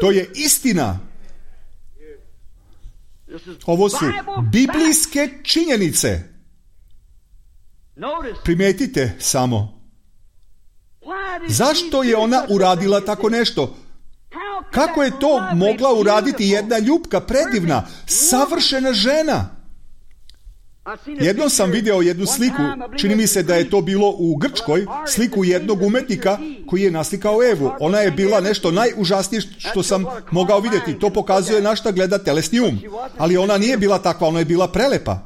To je istina. Ovo su biblijske činjenice. Primijetite samo. Zašto je ona uradila tako nešto? Kako je to mogla uraditi jedna ljupka, predivna, savršena žena? Jednom sam video jednu sliku, čini mi se da je to bilo u Grčkoj, sliku jednog umetnika koji je naslikao Evu. Ona je bila nešto najužasnije što sam mogao vidjeti. To pokazuje na šta gleda telesni um. Ali ona nije bila takva, ona je bila prelepa.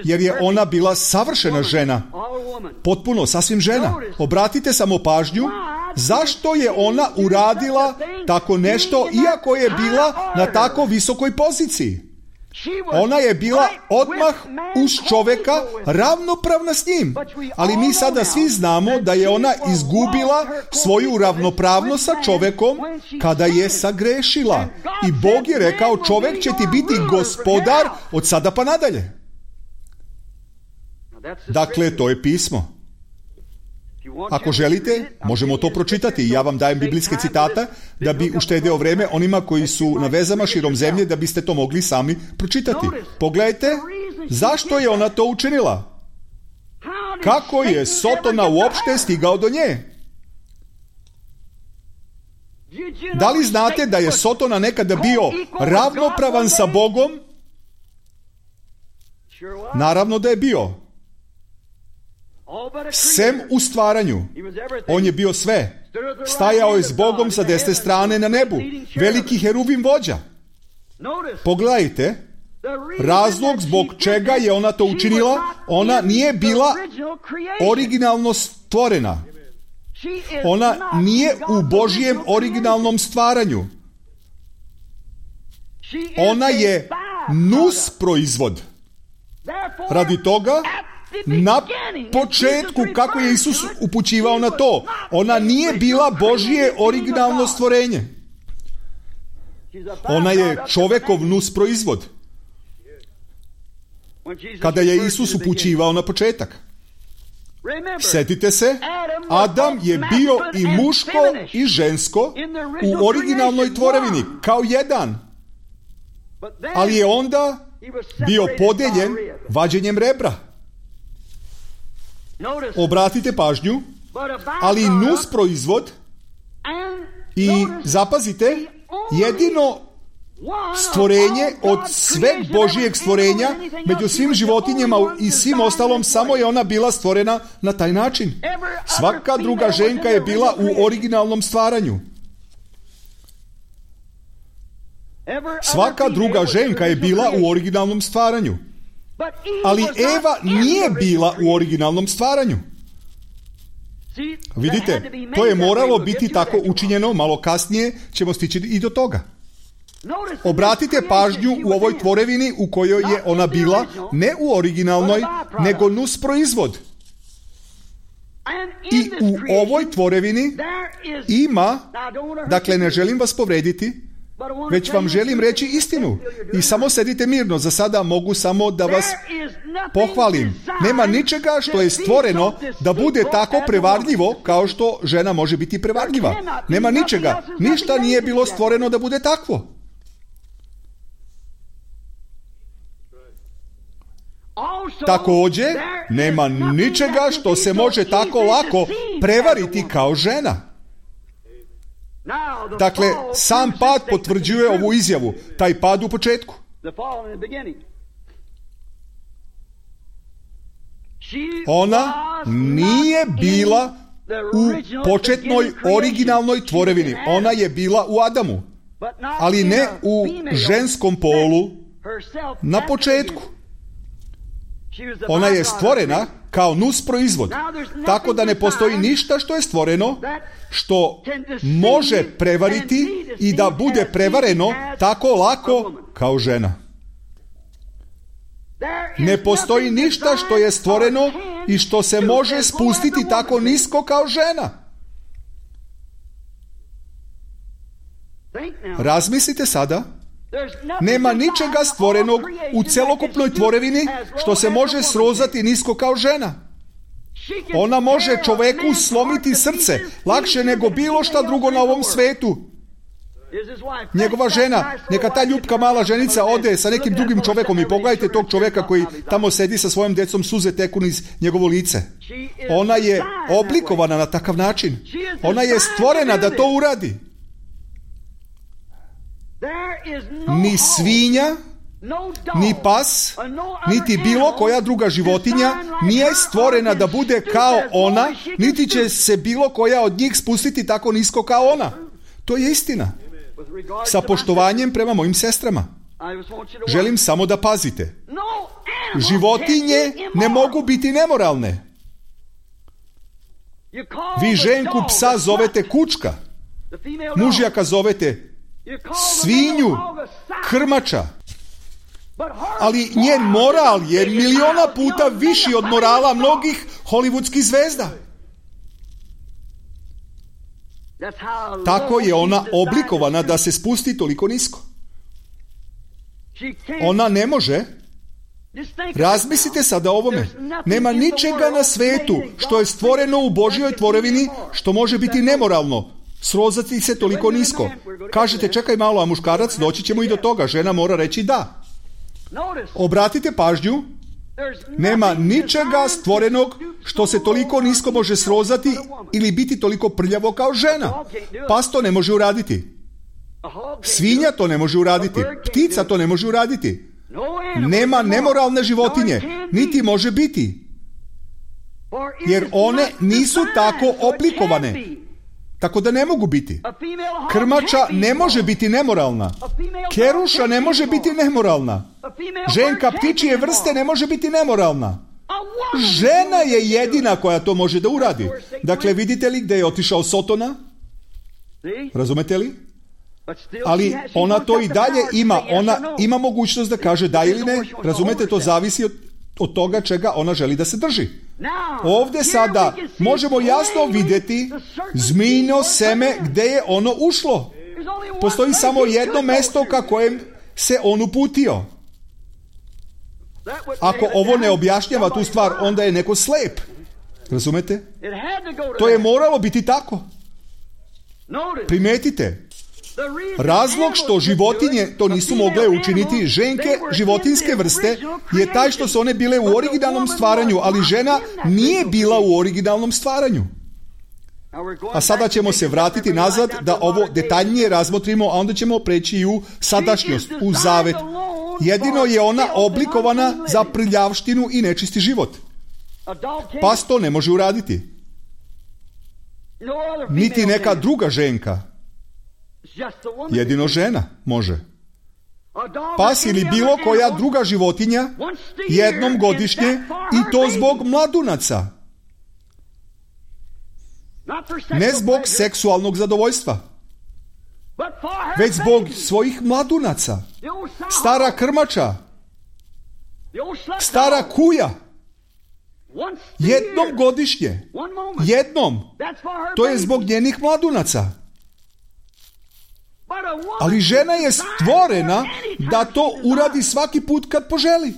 Jer je ona bila savršena žena. Potpuno, sasvim žena. Obratite samo pažnju, zašto je ona uradila tako nešto, iako je bila na tako visokoj poziciji? Ona je bila odmah uz čoveka ravnopravna s njim. Ali mi sada svi znamo da je ona izgubila svoju ravnopravnost sa čovekom kada je sagrešila. I Bog je rekao, čovek će ti biti gospodar od sada pa nadalje. Dakle, to je pismo. Ako želite, možemo to pročitati. Ja vam dajem biblijske citate da bi uštedeo vreme onima koji su na vezama širom zemlje, da biste to mogli sami pročitati. Pogledajte, zašto je ona to učinila? Kako je Sotona uopšte stigao do nje? Da li znate da je Sotona nekada bio ravnopravan sa Bogom? Naravno da je bio. Sem u stvaranju. On je bio sve. Stajao je s Bogom sa desne strane na nebu. Veliki heruvim vođa. Pogledajte, razlog zbog čega je ona to učinila, ona nije bila originalno stvorena. Ona nije u Božjem originalnom stvaranju. Ona je nus proizvod. Radi toga, na početku, kako je Isus upućivao na to, ona nije bila Božje originalno stvorenje. Ona je čovekov nus proizvod. Kada je Isus upućivao na početak. Sjetite se, Adam je bio i muško i žensko u originalnoj tvorevini, kao jedan. Ali je onda bio podeljen vađenjem rebra. Obratite pažnju, ali nus proizvod i zapazite, jedino stvorenje od sveg Božijeg stvorenja među svim životinjama i svim ostalom, samo je ona bila stvorena na taj način. Svaka druga ženka je bila u originalnom stvaranju. Svaka druga ženka je bila u originalnom stvaranju. Ali Eva nije bila u originalnom stvaranju. Vidite, to je moralo biti tako učinjeno, malo kasnije ćemo stići i do toga. Obratite pažnju u ovoj tvorevini u kojoj je ona bila, ne u originalnoj, nego nus proizvod. I u ovoj tvorevini ima, dakle ne želim vas povrediti, već vam želim reći istinu. I samo sedite mirno, za sada mogu samo da vas pohvalim. Nema ničega što je stvoreno da bude tako prevarljivo kao što žena može biti prevarljiva. Nema ničega. Ništa nije bilo stvoreno da bude takvo. Također, nema ničega što se može tako lako prevariti kao žena. Dakle, sam pad potvrđuje ovu izjavu, taj pad u početku. Ona nije bila u početnoj originalnoj tvorevini. Ona je bila u Adamu, ali ne u ženskom polu na početku. Ona je stvorena kao nus proizvod. Tako da ne postoji ništa što je stvoreno što može prevariti i da bude prevareno tako lako kao žena. Ne postoji ništa što je stvoreno i što se može spustiti tako nisko kao žena. Razmislite sada. Nema ničega stvorenog u celokupnoj tvorevini što se može srozati nisko kao žena. Ona može čoveku slomiti srce lakše nego bilo šta drugo na ovom svetu. Njegova žena, neka ta ljupka mala ženica ode sa nekim drugim čovekom i pogledajte tog čoveka koji tamo sedi sa svojom decom, suze teku niz njegovo lice. Ona je oblikovana na takav način. Ona je stvorena da to uradi. Ni svinja, ni pas, niti bilo koja druga životinja nije stvorena da bude kao ona, niti će se bilo koja od njih spustiti tako nisko kao ona. To je istina. Sa poštovanjem prema mojim sestrama. Želim samo da pazite. Životinje ne mogu biti nemoralne. Vi ženku psa zovete kučka, mužjaka zovete svinju, krmača. Ali njen moral je miliona puta viši od morala mnogih hollywoodskih zvezda. Tako je ona oblikovana da se spusti toliko nisko. Ona ne može. Razmislite sada o ovome. Nema ničega na svetu što je stvoreno u Božjoj tvorevini što može biti nemoralno. Srozati se toliko nisko. Kažete, čekaj malo, a muškarac, doći ćemo i do toga. Žena mora reći da. Obratite pažnju. Nema ničega stvorenog što se toliko nisko može srozati ili biti toliko prljavo kao žena. Pas to ne može uraditi. Svinja to ne može uraditi. Ptica to ne može uraditi. Nema nemoralne životinje, niti može biti. Jer one nisu tako oblikovane. Tako da ne mogu biti. Krmača ne može biti nemoralna. Keruša ne može biti nemoralna. Ženka ptičije vrste ne može biti nemoralna. Žena je jedina koja to može da uradi. Dakle, vidite li gde je otišao Sotona? Razumete li? Ali ona to i dalje ima. Ona ima mogućnost da kaže da ili ne. Razumete, to zavisi od toga čega ona želi da se drži. Ovdje sada možemo jasno vidjeti zmijino seme gdje je ono ušlo. Postoji samo jedno mesto ka kojem se on uputio. Ako ovo ne objašnjava tu stvar, onda je neko slep. Razumete? To je moralo biti tako. Primetite. Razlog što životinje to nisu mogle učiniti, ženke životinske vrste, je taj što su one bile u originalnom stvaranju, ali žena nije bila u originalnom stvaranju. A sada ćemo se vratiti nazad da ovo detaljnije razmotrimo, a onda ćemo preći i u sadašnjost, u zavet. Jedino je ona oblikovana za prljavštinu i nečisti život. Pas to ne može uraditi. Niti neka druga ženka. Jedino žena može. Pas ili bilo koja druga životinja jednom godišnje i to zbog mladunaca. Ne zbog seksualnog zadovoljstva, već zbog svojih mladunaca. Stara krmača, stara kuja, jednom godišnje, jednom, to je zbog njenih mladunaca. Ali žena je stvorena da to uradi svaki put kad poželi.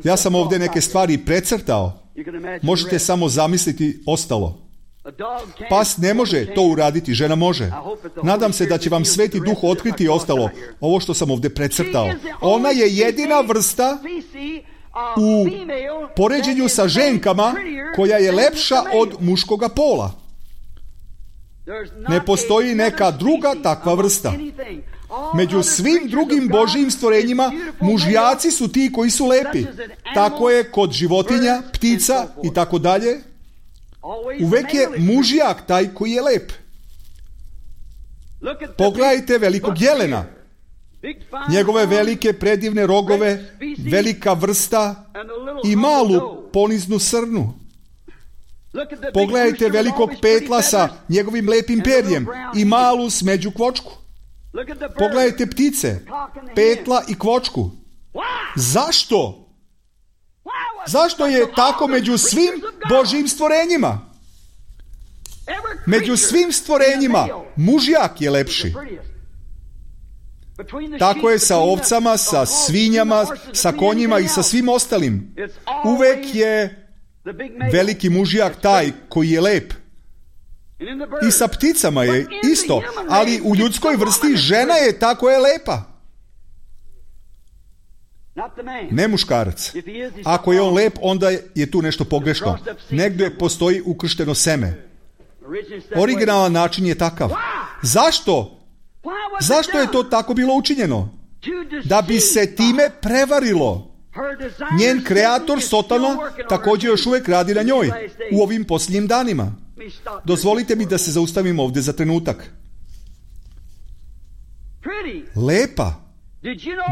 Ja sam ovdje neke stvari precrtao. Možete samo zamisliti ostalo. Pas ne može to uraditi, žena može. Nadam se da će vam Sveti Duh otkriti ostalo, ovo što sam ovdje precrtao. Ona je jedina vrsta u poređenju sa ženkama koja je lepša od muškoga pola. Ne postoji neka druga takva vrsta. Među svim drugim Božjim stvorenjima mužjaci su ti koji su lepi. Tako je kod životinja, ptica i tako dalje. Uvek je mužjak taj koji je lep. Pogledajte velikog jelena. njegove velike predivne rogove, velika vrsta i malu poniznu srnu. Pogledajte velikog petla sa njegovim lepim perjem i malu smeđu kvočku. Pogledajte ptice, petla i kvočku. Zašto? Zašto je tako među svim Božjim stvorenjima? Među svim stvorenjima mužjak je lepši. Tako je sa ovcama, sa svinjama, sa konjima i sa svim ostalim. Uvek je veliki mužjak taj koji je lep. I sa pticama je isto, ali u ljudskoj vrsti žena je ta koja je lepa. Ne muškarac. Ako je on lep, onda je tu nešto pogrešno. Negdje postoji ukršteno seme. Originalan način je takav. Zašto? Zašto je to tako bilo učinjeno? Da bi se time prevarilo. Njen kreator Sotona također još uvijek radi na njoj u ovim posljednjim danima. Dozvolite mi da se zaustavim ovdje za trenutak. Lepa.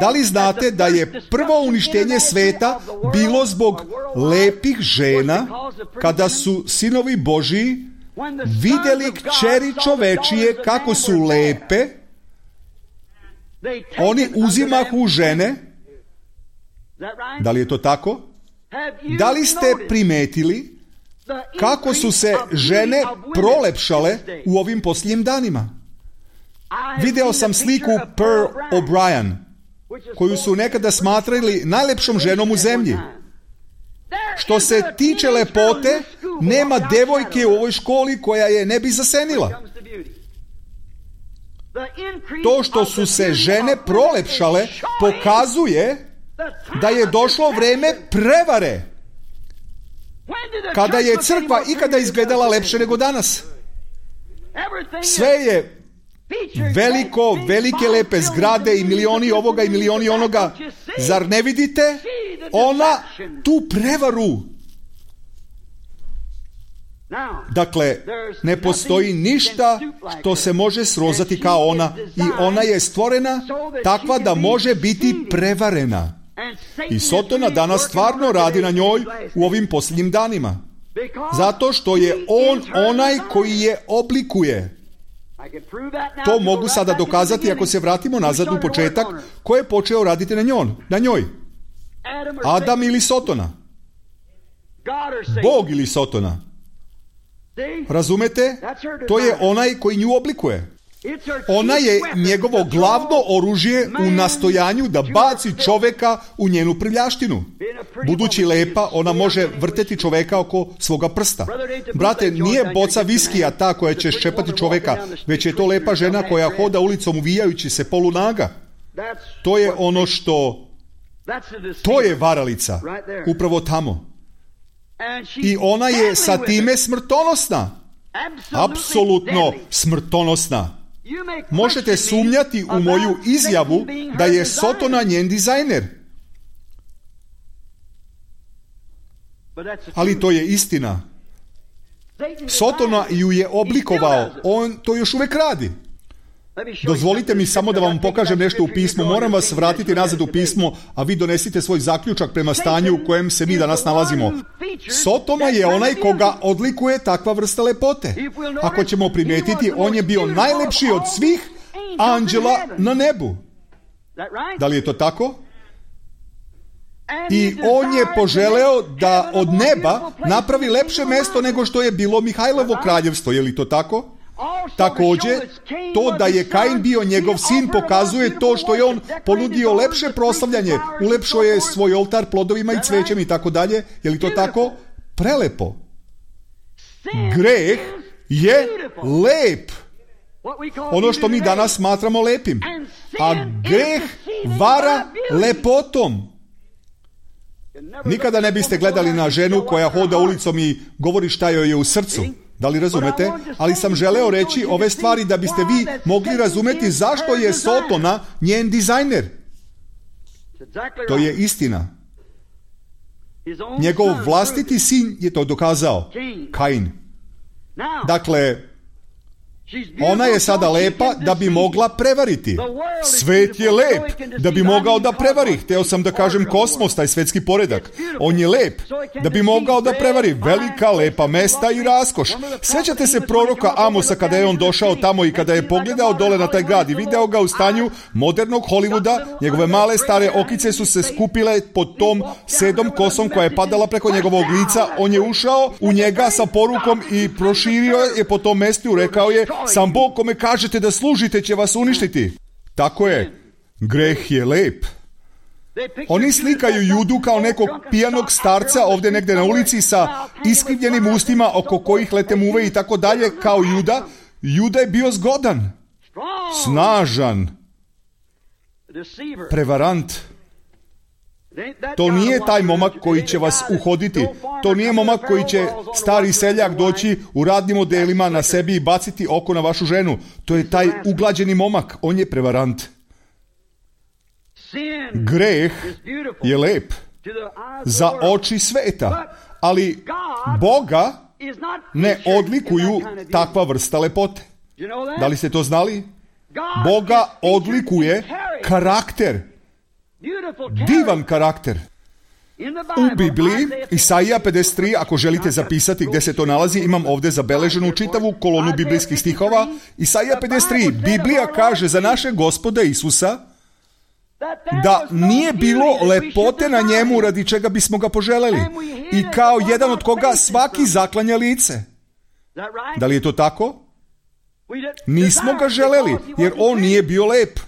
Da li znate da je prvo uništenje sveta bilo zbog lepih žena kada su sinovi Božiji vidjeli kćeri čovečije kako su lepe, oni uzimahu žene? Da li je to tako? Da li ste primetili kako su se žene prolepšale u ovim posljednjim danima? Video sam sliku Pearl O'Brien, koju su nekada smatrali najlepšom ženom u zemlji. Što se tiče lepote, nema devojke u ovoj školi koja je ne bi zasenila. To što su se žene prolepšale pokazuje da je došlo vrijeme prevare. Kada je crkva ikada izgledala lepše nego danas? Sve je veliko, velike lepe zgrade i milioni ovoga i milioni onoga. Zar ne vidite? Ona tu prevaru. Dakle, ne postoji ništa što se može srozati kao ona i ona je stvorena takva da može biti prevarena. I Sotona danas stvarno radi na njoj u ovim posljednjim danima. Zato što je on onaj koji je oblikuje. To mogu sada dokazati ako se vratimo nazad u početak, ko je počeo raditi na njoj. Adam ili Sotona? Bog ili Sotona? Razumete? To je onaj koji nju oblikuje. Ona je njegovo glavno oružje u nastojanju da baci čovjeka u njenu prljaštinu. Budući lepa, ona može vrteti čovjeka oko svoga prsta. Brate, nije boca viskija ta koja će ščepati čovjeka, već je to lepa žena koja hoda ulicom uvijajući se polunaga. To je ono što... To je varalica. Upravo tamo. I ona je sa time smrtonosna. Apsolutno smrtonosna. Možete sumnjati u moju izjavu da je Sotona njen dizajner. Ali to je istina. Sotona ju je oblikovao. On to još uvijek radi. Dozvolite mi samo da vam pokažem nešto u pismu. Moram vas vratiti nazad u pismo, a vi donesite svoj zaključak prema stanju u kojem se mi danas nalazimo. Sotona je onaj koga odlikuje takva vrsta lepote. Ako ćemo primijetiti, on je bio najlepši od svih anđela na nebu. Da li je to tako? I on je poželeo da od neba napravi lepše mesto nego što je bilo Mihajlovo kraljevstvo. Je li to tako? Također, to da je Kain bio njegov sin pokazuje to što je on ponudio lepše proslavljanje, ulepšao je svoj oltar plodovima i cvećem i tako dalje. Je li to tako? Prelepo. Greh je lep. Ono što mi danas smatramo lepim. A greh vara lepotom. Nikada ne biste gledali na ženu koja hoda ulicom i govori šta joj je u srcu. Da li razumete? Ali sam želeo reći ove stvari da biste vi mogli razumjeti zašto je Sotona njen dizajner. To je istina. Njegov vlastiti sin je to dokazao. Kain. Dakle, Ona je sada lepa da bi mogla prevariti. Svet je lep da bi mogao da prevari. Hteo sam da kažem kosmos, taj svetski poredak. On je lep da bi mogao da prevari. Velika, lepa mesta i raskoš. Sjećate se proroka Amosa kada je on došao tamo i kada je pogledao dole na taj grad i video ga u stanju modernog Hollywooda. Njegove male stare okice su se skupile pod tom sedom kosom koja je padala preko njegovog lica. On je ušao u njega sa porukom i proširio je po tom mestu i rekao je: sam Bog kome kažete da služite će vas uništiti. Tako je, greh je lep. Oni slikaju Judu kao nekog pijanog starca ovdje negdje na ulici sa iskrivljenim ustima oko kojih lete muve i tako dalje kao Juda. Juda je bio zgodan, snažan, prevarant. To nije taj momak koji će vas uhoditi. To nije momak koji će stari seljak doći u radnim odelima na sebi i baciti oko na vašu ženu. To je taj uglađeni momak. On je prevarant. Greh je lep za oči sveta, ali Boga ne odlikuju takva vrsta lepote. Da li ste to znali? Boga odlikuje karakter. Divan karakter. U Bibliji, Isaija 53, ako želite zapisati gdje se to nalazi, imam ovdje zabeleženu čitavu kolonu biblijskih stihova. Isaija 53, Biblija kaže za našeg Gospoda Isusa da nije bilo lepote na njemu radi čega bismo ga poželeli i kao jedan od koga svaki zaklanja lice. Da li je to tako? Nismo ga želeli jer on nije bio lep.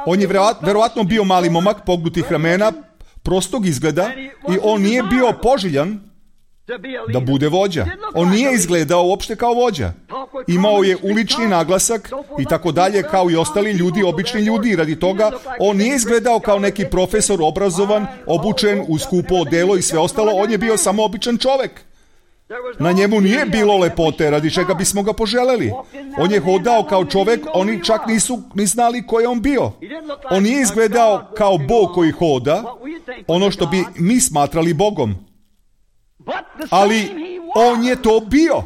On je verovatno bio mali momak pognutih ramena, prostog izgleda i on nije bio poželjan da bude vođa. On nije izgledao uopšte kao vođa. Imao je ulični naglasak i tako dalje kao i ostali ljudi, obični ljudi. Radi toga on nije izgledao kao neki profesor obrazovan, obučen u skupo odelo i sve ostalo. On je bio samo običan čovek. Na njemu nije bilo lepote radi čega bismo ga poželeli. On je hodao kao čovek, oni čak nisu ni znali ko je on bio. On nije izgledao kao Bog koji hoda, ono što bi mi smatrali Bogom. Ali on je to bio.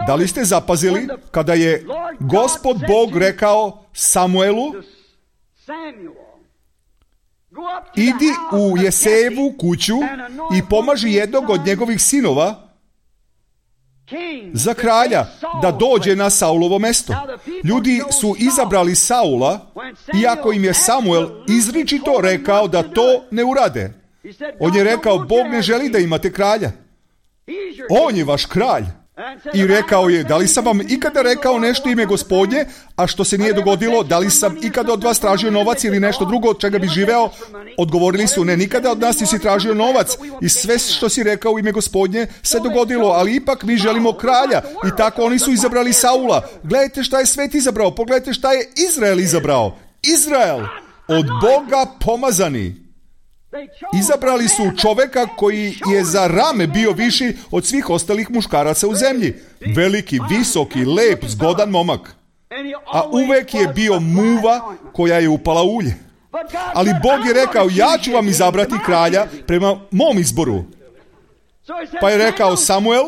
Da li ste zapazili kada je Gospod Bog rekao Samuelu: idi u Jesejevu kuću i pomaži jednog od njegovih sinova za kralja da dođe na Saulovo mesto. Ljudi su izabrali Saula, iako im je Samuel izričito rekao da to ne urade. On je rekao: Bog ne želi da imate kralja. On je vaš kralj. I rekao je: da li sam vam ikada rekao nešto ime Gospodnje, a što se nije dogodilo? Da li sam ikada od vas tražio novac ili nešto drugo od čega bi živeo? Odgovorili su: ne, nikada od nas nisi tražio novac i sve što si rekao u ime Gospodnje se dogodilo, ali ipak mi želimo kralja. I tako oni su izabrali Saula. Gledajte šta je svet izabrao, pogledajte šta je Izrael izabrao. Izrael, od Boga pomazani. Izabrali su čoveka koji je za rame bio viši od svih ostalih muškaraca u zemlji. Veliki, visoki, lep, zgodan momak. A uvek je bio muva koja je upala ulje. Ali Bog je rekao: ja ću vam izabrati kralja prema mom izboru. Pa je rekao: Samuel,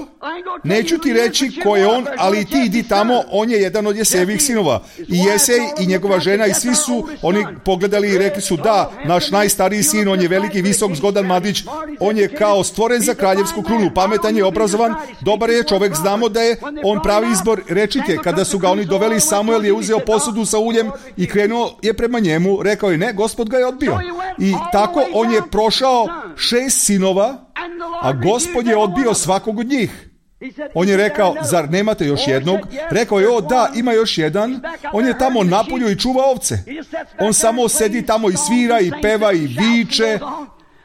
neću ti reći ko je on, ali ti idi tamo, on je jedan od Jesejevih sinova. I Jesej i njegova žena i svi su oni pogledali i rekli su: da, naš najstariji sin, on je veliki, visok, zgodan mladić, on je kao stvoren za kraljevsku krunu, pametan je, obrazovan, dobar je čovek, znamo da je on pravi izbor. Rečite, kada su ga oni doveli, Samuel je uzeo posudu sa uljem i krenuo je prema njemu, rekao je: ne, Gospod ga je odbio. I tako on je prošao 6 sinova, a Gospod je odbio svakog od njih. On je rekao: zar nemate još jednog? Rekao je: o da, ima još jedan. On je tamo napolju i čuva ovce. On samo sedi tamo i svira i peva i viče,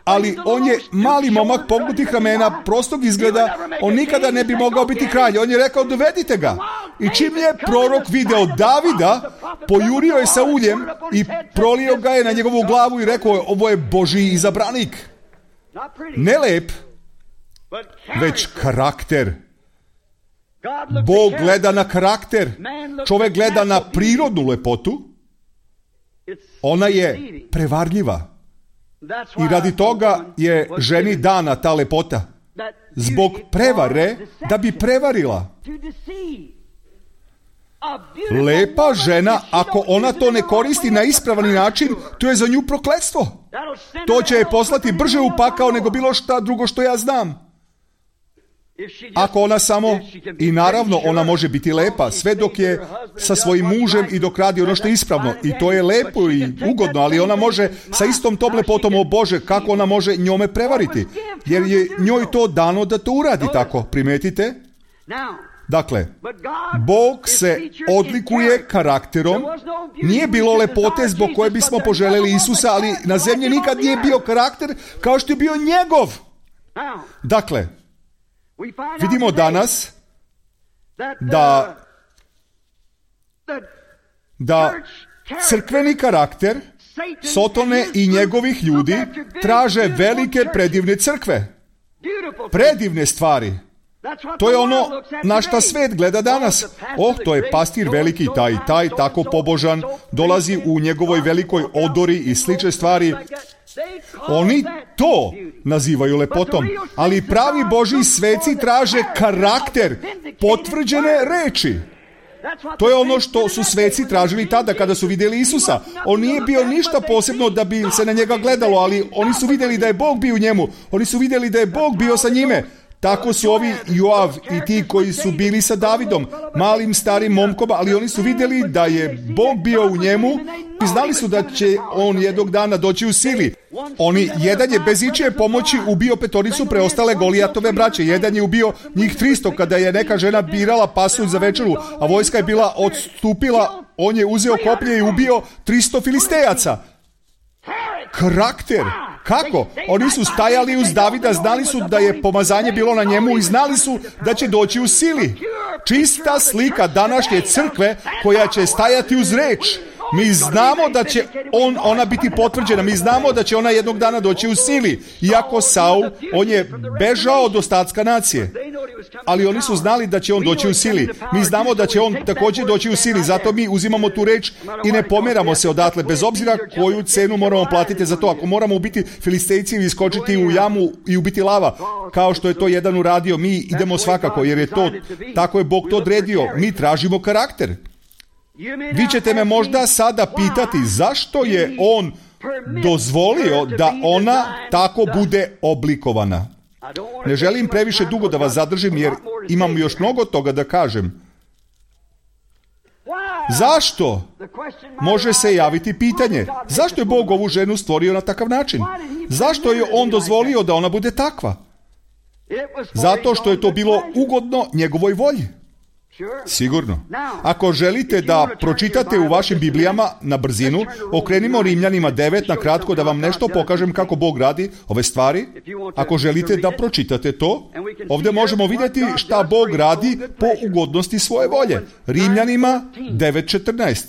ali on je mali momak pognutih ramena, prostog izgleda. On nikada ne bi mogao biti kralj. On je rekao: dovedite ga. I čim je prorok video Davida, pojurio je sa uljem i prolio ga je na njegovu glavu i rekao: ovo je Božji izabranik. Ne lep, već karakter. Bog gleda na karakter. Čovjek gleda na prirodnu lepotu. Ona je prevarljiva. I radi toga je ženi dana ta lepota. zbog prevare da bi prevarila. Lepa žena, ako ona to ne koristi na ispravan način, to je za nju prokletstvo. To će je poslati brže u pakao nego bilo šta drugo što ja znam. Ako ona samo, i naravno ona može biti lepa, sve dok je sa svojim mužem i dok radi ono što je ispravno. I to je lepo i ugodno, ali ona može sa istom tom lepotom, o Bože, kako ona može njome prevariti? Jer je njoj to dano da to uradi tako, primetite? Dakle, Bog se odlikuje karakterom. Nije bilo lepote zbog koje bismo poželjeli Isusa, ali na zemlji nikad nije bio karakter kao što je bio njegov. Dakle, vidimo danas da crkveni karakter Sotone i njegovih ljudi traže velike predivne crkve. Predivne stvari. To je ono na šta svet gleda danas. To je pastir veliki taj, tako pobožan, dolazi u njegovoj velikoj odori i slične stvari. Oni to nazivaju lepotom, ali pravi Božji sveci traže karakter, potvrđene reči. To je ono što su sveci tražili tada kada su vidjeli Isusa. On nije bio ništa posebno da bi se na njega gledalo, ali oni su vidjeli da je Bog bio u njemu. Oni su vidjeli da je Bog bio sa njime. Tako su ovi Joav i ti koji su bili sa Davidom, malim starim momkom, ali oni su vidjeli da je Bog bio u njemu i znali su da će on jednog dana doći u sili. Jedan je bez ičije pomoći ubio 5 preostale Golijatove braće. Jedan je ubio njih 300 kada je neka žena birala pasulj za večeru, a vojska je bila odstupila. On je uzeo koplje i ubio 300 Filistejaca. Karakter. Kako? Oni su stajali uz Davida, znali su da je pomazanje bilo na njemu i znali su da će doći u sili. Čista slika današnje crkve koja će stajati uz reč. Mi znamo da će ona biti potvrđena, mi znamo da će ona jednog dana doći u sili. Iako Saul, on je bežao od ostatka nacije. Ali oni su znali da će on doći u sili. Mi znamo da će on također doći u sili, zato mi uzimamo tu reč i ne pomeramo se odatle, bez obzira koju cenu moramo platiti za to. Ako moramo ubiti Filistejci i iskočiti u jamu i ubiti lava, kao što je to jedan uradio, mi idemo svakako, jer je to, tako je Bog to odredio. Mi tražimo karakter. Vi ćete me možda sada pitati zašto je on dozvolio da ona tako bude oblikovana. Ne želim previše dugo da vas zadržim jer imam još mnogo toga da kažem. Zašto? Može se javiti pitanje. Zašto je Bog ovu ženu stvorio na takav način? Zašto je on dozvolio da ona bude takva? Zato što je to bilo ugodno njegovoj volji. Sigurno. Ako želite da pročitate u vašim Biblijama na brzinu, okrenimo Rimljanima 9 na kratko da vam nešto pokažem kako Bog radi ove stvari. Ako želite da pročitate to, ovdje možemo vidjeti šta Bog radi po ugodnosti svoje volje. Rimljanima 9:14.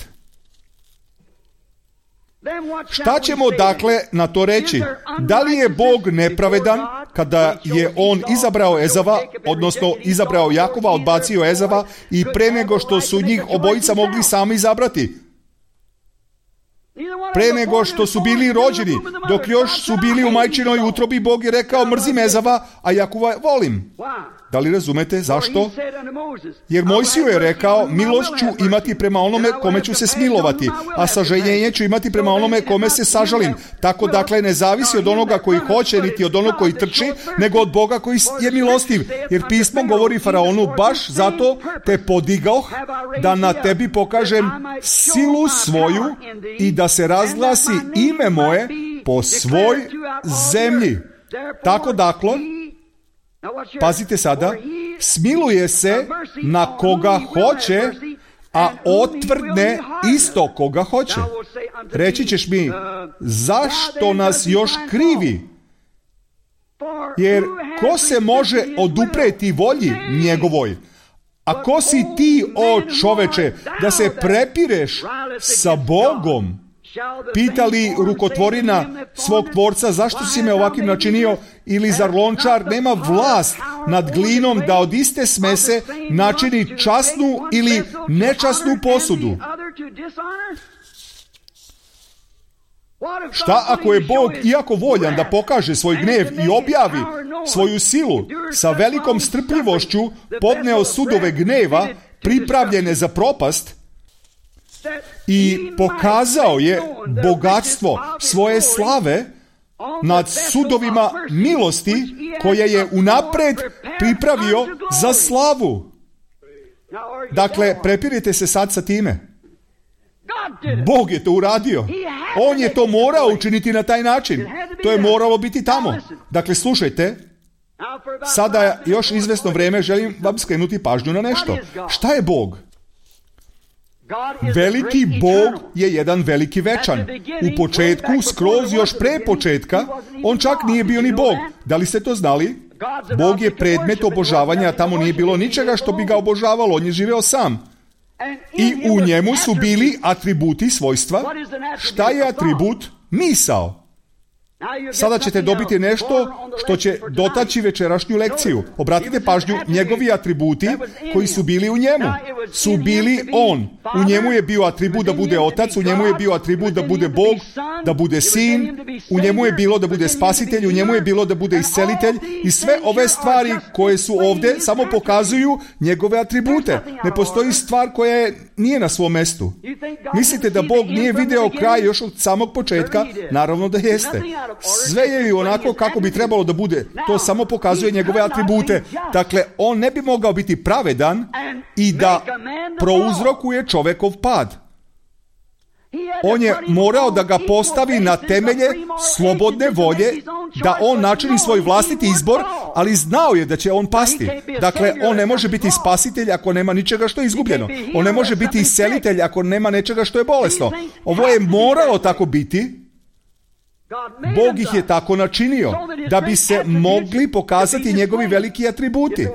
Šta ćemo dakle na to reći? Da li je Bog nepravedan kada je on izabrao Ezava, odnosno izabrao Jakova, odbacio Ezava i pre nego što su njih obojica mogli sami izabrati? Pre nego što su bili rođeni, dok još su bili u majčinoj utrobi, Bog je rekao mrzim Ezava, a Jakova volim. Da li razumete zašto? Jer Mojsiju je rekao, milost ću imati prema onome kome ću se smilovati, a sažaljenje ću imati prema onome kome se sažalim. Tako dakle ne zavisi od onoga koji hoće, niti od onog koji trči, nego od Boga koji je milostiv. Jer pismo govori faraonu, baš zato te podigoh, da na tebi pokažem silu svoju i da se razglasi ime moje po svoj zemlji. Tako dakle, pazite sada, smiluje se na koga hoće, a otvrdne isto koga hoće. Reći ćeš mi, zašto nas još krivi? Jer ko se može odupreti volji njegovoj? A ko si ti, o čoveče, da se prepireš sa Bogom? Pitali rukotvorina svog tvorca, zašto si me ovakvim načinio? Ili zar lončar nema vlast nad glinom da od iste smese načini časnu ili nečasnu posudu? Šta ako je Bog, iako voljan da pokaže svoj gnev i objavi svoju silu, sa velikom strpljivošću podneo sudove gneva pripravljene za propast i pokazao je bogatstvo svoje slave nad sudovima milosti koje je unapred pripravio za slavu. Dakle, prepirite se sad sa time. Bog je to uradio. On je to morao učiniti na taj način. To je moralo biti tamo. Dakle, slušajte, sada još izvesno vrijeme želim vam skrenuti pažnju na nešto. Šta je Bog? Veliki Bog je jedan veliki večan. U početku, skroz još pre početka, on čak nije bio ni Bog. Da li ste to znali? Bog je predmet obožavanja, a tamo nije bilo ničega što bi ga obožavalo. On je živeo sam. I u njemu su bili atributi svojstva. Šta je atribut? Misao. Sada ćete dobiti nešto što će dotaći večerašnju lekciju. Obratite pažnju, njegovi atributi koji su bili u njemu su bili on. U njemu je bio atribut da bude otac, u njemu je bio atribut da bude Bog, da bude sin, u njemu je bilo da bude spasitelj, u njemu je bilo da bude iscelitelj i sve ove stvari koje su ovdje samo pokazuju njegove atribute. Ne postoji stvar koja nije na svom mestu. Mislite da Bog nije video kraj još od samog početka? Naravno da jeste. Sve je i onako kako bi trebalo da bude. To samo pokazuje njegove atribute. Dakle, on ne bi mogao biti pravedan i da prouzrokuje čovekov pad. On je morao da ga postavi na temelje slobodne volje, da on načini svoj vlastiti izbor, ali znao je da će on pasti. Dakle, on ne može biti spasitelj ako nema ničega što je izgubljeno. On ne može biti iscelitelj ako nema nečega što je bolesno. Ovo je moralo tako biti. Bog ih je tako načinio, da bi se mogli pokazati njegovi veliki atributi.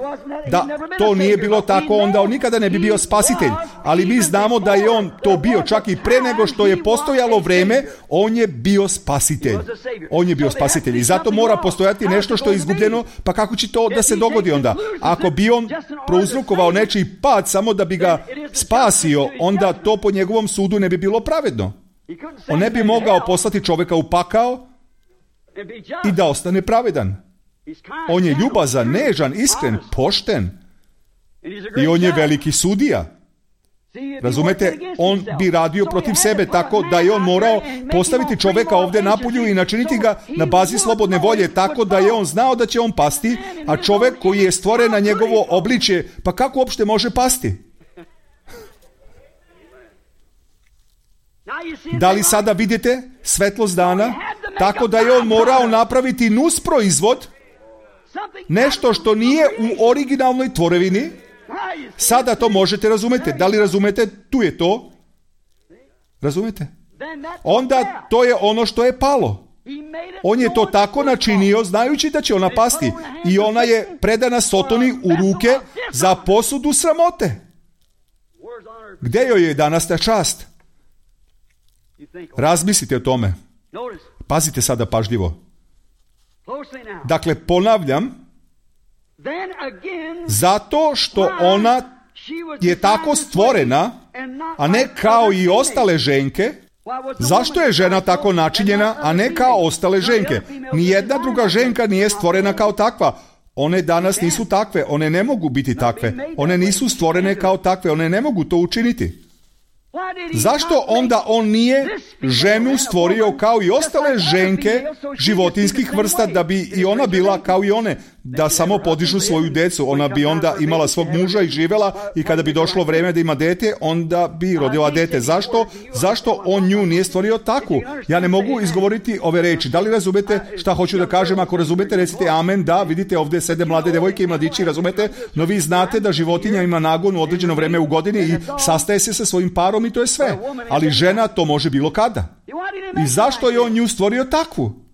Da to nije bilo tako, onda on nikada ne bi bio spasitelj. Ali mi znamo da je on to bio čak i pre nego što je postojalo vreme, on je bio spasitelj. On je bio spasitelj i zato mora postojati nešto što je izgubljeno, pa kako će to da se dogodi onda? Ako bi on prouzrokovao nečiji pad samo da bi ga spasio, onda to po njegovom sudu ne bi bilo pravedno. On ne bi mogao poslati čovjeka u pakao i da ostane pravedan. On je ljubazan, nežan, iskren, pošten i on je veliki sudija. Razumete, on bi radio protiv sebe tako da je on morao postaviti čovjeka ovdje napolju i načiniti ga na bazi slobodne volje tako da je on znao da će on pasti, a čovjek koji je stvoren na njegovo obličje, pa kako uopšte može pasti? Da li sada vidite svetlost dana? Tako da je on morao napraviti nusproizvod, nešto što nije u originalnoj tvorevini. Sada to možete razumjeti. Da li razumete? Tu je to. Razumete? Onda to je ono što je palo. On je to tako načinio znajući da će ona pasti i ona je predana Sotoni u ruke za posudu sramote. Gdje joj je danas ta čast? Razmislite o tome. Pazite sada pažljivo. Dakle, ponavljam, zato što ona je tako stvorena, a ne kao i ostale ženke. Zašto je žena tako načinjena, a ne kao ostale ženke? Nijedna druga ženka nije stvorena kao takva. One danas nisu takve, one ne mogu biti takve. One nisu stvorene kao takve, one ne mogu to učiniti. Zašto onda on nije ženu stvorio kao i ostale ženke životinskih vrsta, da bi i ona bila kao i one, da samo podižu svoju decu? Ona bi onda imala svog muža i živela i kada bi došlo vrijeme da ima dete, onda bi rodila dete. Zašto on nju nije stvorio takvu? Ja ne mogu izgovoriti ove reči. Da li razumete šta hoću da kažem? Ako razumete, recite amen. Da, vidite ovdje sede mlade devojke i mladići, razumete? No vi znate da životinja ima nagon u određeno vrijeme u godini i sastaje se sa svojim parom i to je sve. Ali žena to može bilo kada. I zašto je on nju stvorio takvu?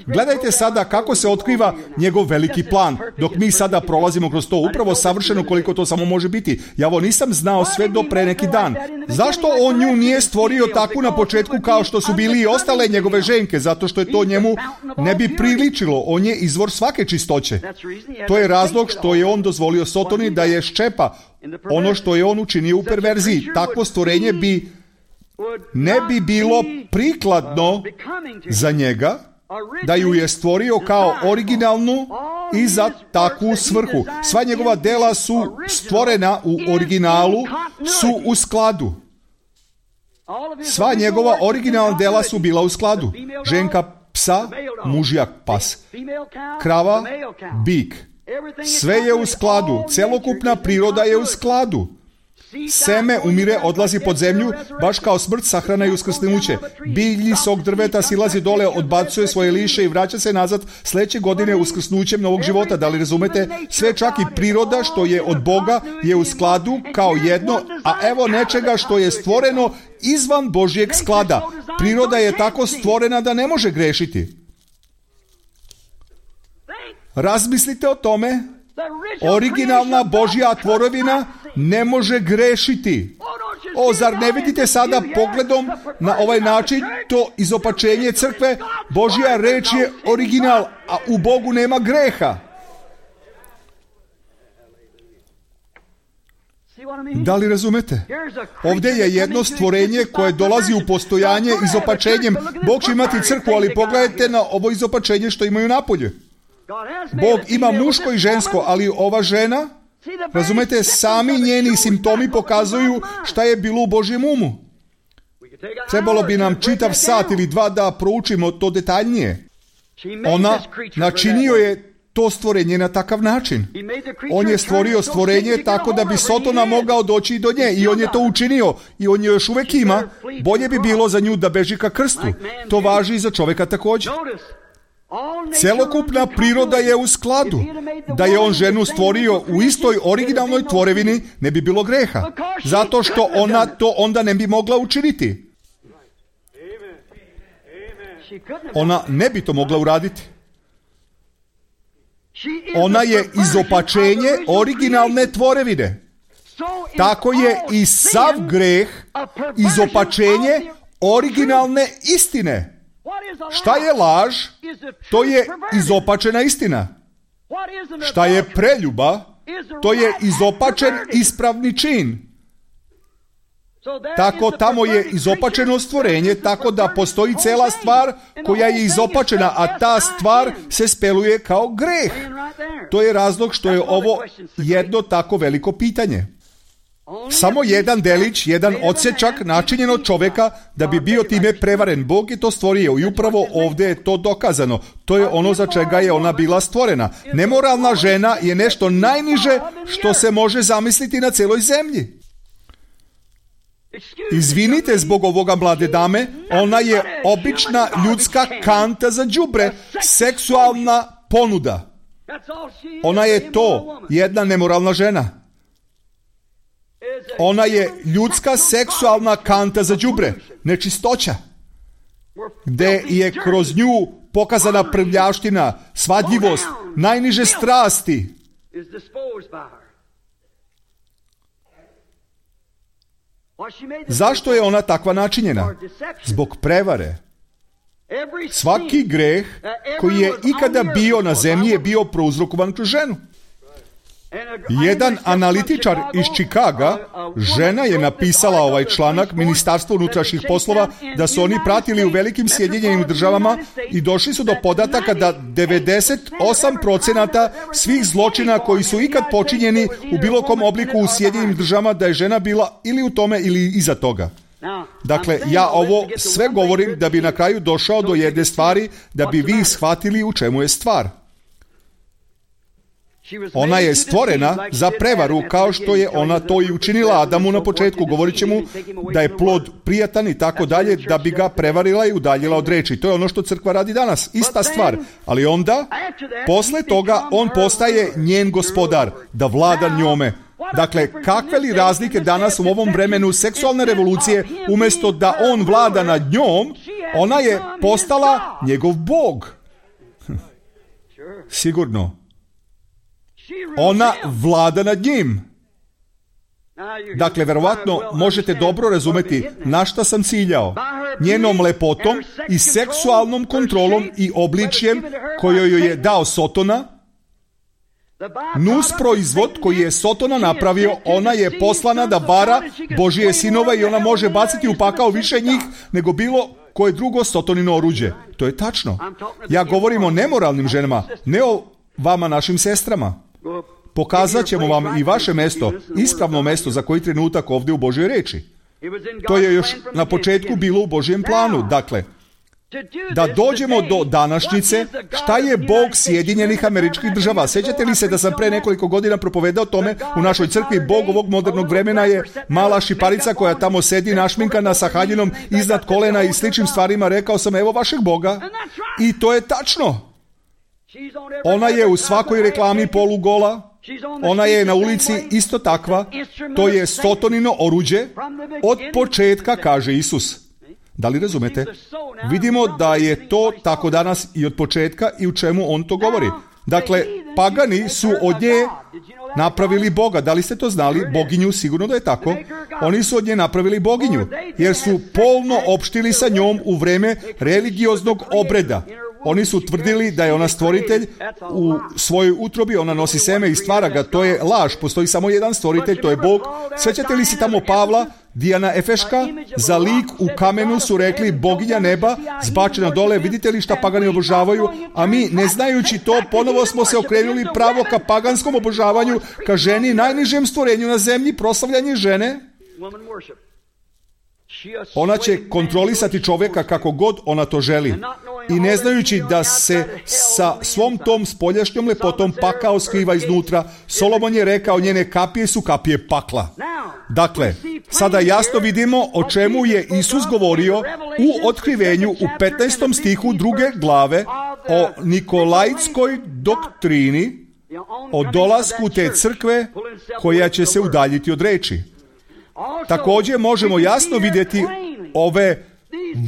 Gledajte sada kako se otkriva njegov veliki plan, dok mi sada prolazimo kroz to upravo savršeno koliko to samo može biti. Ja ovo nisam znao sve do pre neki dan. Zašto on nju nije stvorio takvu na početku kao što su bili i ostale njegove ženke? Zato što je to njemu ne bi priličilo. On je izvor svake čistoće. To je razlog što je on dozvolio Sotoni da je ščepa ono što je on učinio u perverziji. Takvo stvorenje bi ne bi bilo prikladno za njega da ju je stvorio kao originalnu i za takvu svrhu. Sva njegova dela su stvorena u originalu, su u skladu. Sva njegova originalna dela su bila u skladu. Ženka psa, mužjak pas. Krava, bik. Sve je u skladu. Celokupna priroda je u skladu. Seme umire, odlazi pod zemlju, baš kao smrt, sahrana i uskrsnuće. Biljni sok drveta silazi dole, odbacuje svoje liše i vraća se nazad sljedeće godine uskrsnućem novog života. Da li razumete? Sve, čak i priroda što je od Boga, je u skladu kao jedno, a evo nečega što je stvoreno izvan Božjeg sklada. Priroda je tako stvorena da ne može grešiti. Razmislite o tome. Originalna Božja tvorevina ne može grešiti. Zar ne vidite sada pogledom na ovaj način to izopačenje crkve? Božja reč je original, a u Bogu nema greha. Da li razumete? Ovdje je jedno stvorenje koje dolazi u postojanje izopačenjem. Bog će imati crkvu, ali pogledajte na ovo izopačenje što imaju napolje. Bog ima muško i žensko, ali ova žena, razumete, sami njeni simptomi pokazuju šta je bilo u Božjem umu. Trebalo bi nam čitav sat ili dva da proučimo to detaljnije. Ona načinio je to stvorenje na takav način. On je stvorio stvorenje tako da bi Sotona mogao doći do nje i on je to učinio i on je još uvijek ima. Bolje bi bilo za nju da beži ka krstu. To važi i za čovjeka također. Celokupna priroda je u skladu. Da je on ženu stvorio u istoj originalnoj tvorevini, ne bi bilo greha. Zato što ona to onda ne bi mogla učiniti. Ona ne bi to mogla uraditi. Ona je izopačenje originalne tvorevine. Tako je i sav greh izopačenje originalne istine. Šta je laž? To je izopačena istina. Šta je preljuba? To je izopačen ispravni čin. Tako tamo je izopačeno stvorenje, tako da postoji cela stvar koja je izopačena, a ta stvar se speluje kao greh. To je razlog što je ovo jedno tako veliko pitanje. Samo jedan delić, jedan odsečak načinjen od čovjeka da bi bio time prevaren. Bog je to stvorio i upravo ovdje je to dokazano. To je ono za čega je ona bila stvorena. Nemoralna žena je nešto najniže što se može zamisliti na celoj zemlji. Izvinite zbog ovoga, mlade dame, ona je obična ljudska kanta za đubre, seksualna ponuda. Ona je to, jedna nemoralna žena. Ona je ljudska seksualna kanta za đubre, nečistoća, gdje je kroz nju pokazana prljavština, svadljivost, najniže strasti. Zašto je ona takva načinjena? Zbog prevare. Svaki greh koji je ikada bio na zemlji je bio prouzrokovan kroz ženu. Jedan analitičar iz Čikaga, žena je napisala ovaj članak, Ministarstvo unutrašnjih poslova, da su oni pratili u velikim Sjedinjenim državama i došli su do podataka da 98% svih zločina koji su ikad počinjeni u bilo kom obliku u Sjedinjenim državama, da je žena bila ili u tome ili iza toga. Dakle, ja ovo sve govorim da bi na kraju došao do jedne stvari, da bi vi shvatili u čemu je stvar. Ona je stvorena za prevaru, kao što je ona to i učinila Adamu na početku. Govorit će mu da je plod prijatan i tako dalje, da bi ga prevarila i udaljila od reči. To je ono što crkva radi danas. Ista stvar. Ali onda, posle toga, on postaje njen gospodar, da vlada njome. Dakle, kakve li razlike danas u ovom vremenu seksualne revolucije, umjesto da on vlada nad njom, ona je postala njegov Bog. Sigurno. Ona vlada nad njim. Dakle, verovatno možete dobro razumeti na šta sam ciljao. Njenom lepotom i seksualnom kontrolom i obličjem koju joj je dao Sotona, Nus proizvod koji je Sotona napravio, ona je poslana da vara Božije sinove i ona može baciti u pakao više njih nego bilo koje drugo Sotonino oruđe. To je tačno. Ja govorim o nemoralnim ženama, ne o vama, našim sestrama. Pokazat ćemo vam i vaše mesto, ispravno mesto za koji trenutak ovdje u Božjoj reči. To je još na početku bilo u Božjem planu. Dakle, da dođemo do današnjice, šta je Bog Sjedinjenih Američkih Država? Sjećate li se da sam pre nekoliko godina propovedao tome u našoj crkvi? Bog ovog modernog vremena je mala šiparica koja tamo sedi našminkana sa haljinom iznad kolena i sličnim stvarima. Rekao sam, evo vašeg Boga. I to je tačno. Ona je u svakoj reklami polugola. Ona je na ulici isto takva. To je Sotonino oruđe od početka, kaže Isus. Da li razumete? Vidimo da je to tako danas i od početka i u čemu on to govori. Dakle, pagani su od nje napravili Boga. Da li ste to znali? Boginju, sigurno da je tako. Oni su od nje napravili boginju, jer su polno opštili sa njom u vreme religioznog obreda. Oni su tvrdili da je ona stvoritelj u svojoj utrobi, ona nosi seme i stvara ga. To je laž, postoji samo jedan stvoritelj, to je Bog. Sjećate li se tamo Pavla, Dijana Efeška? Za lik u kamenu su rekli boginja neba, zbačena dole. Vidite li šta pagani obožavaju? A mi, ne znajući to, ponovo smo se okrenuli pravo ka paganskom obožavanju, ka ženi, najnižem stvorenju na zemlji, proslavljanje žene. Ona će kontrolisati čovjeka kako god ona to želi. I ne znajući da se sa svom tom spoljašnjom lepotom pakao skriva iznutra, Solomon je rekao, njene kapije su kapije pakla. Dakle, sada jasno vidimo o čemu je Isus govorio u otkrivenju u 15. stihu 2. glave o Nikolajtskoj doktrini, o dolasku te crkve koja će se udaljiti od reči. Također možemo jasno vidjeti ove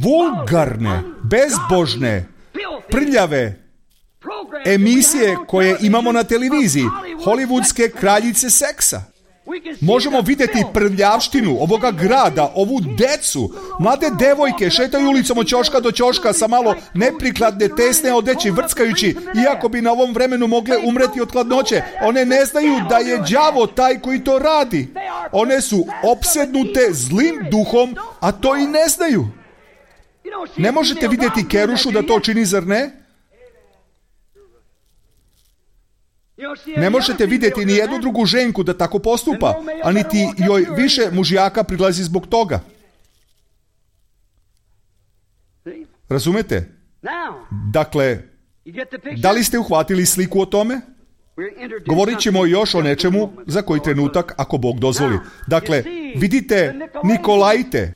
vulgarne, bezbožne, prljave emisije koje imamo na televiziji, hollywoodske kraljice seksa. Možemo vidjeti prljavštinu ovoga grada, ovu decu, mlade devojke šetaju ulicom od ćoška do ćoška sa malo neprikladne tesne odeći vrckajući, iako bi na ovom vremenu mogle umreti od hladnoće. One ne znaju da je đavo taj koji to radi. One su opsednute zlim duhom, a to i ne znaju. Ne možete vidjeti Kerušu da to čini, zar ne? Ne možete vidjeti ni jednu drugu ženku da tako postupa, a niti joj više mužjaka prilazi zbog toga. Razumete? Dakle, da li ste uhvatili sliku o tome? Govorit ćemo još o nečemu za koji trenutak, ako Bog dozvoli. Dakle, vidite Nikolajte,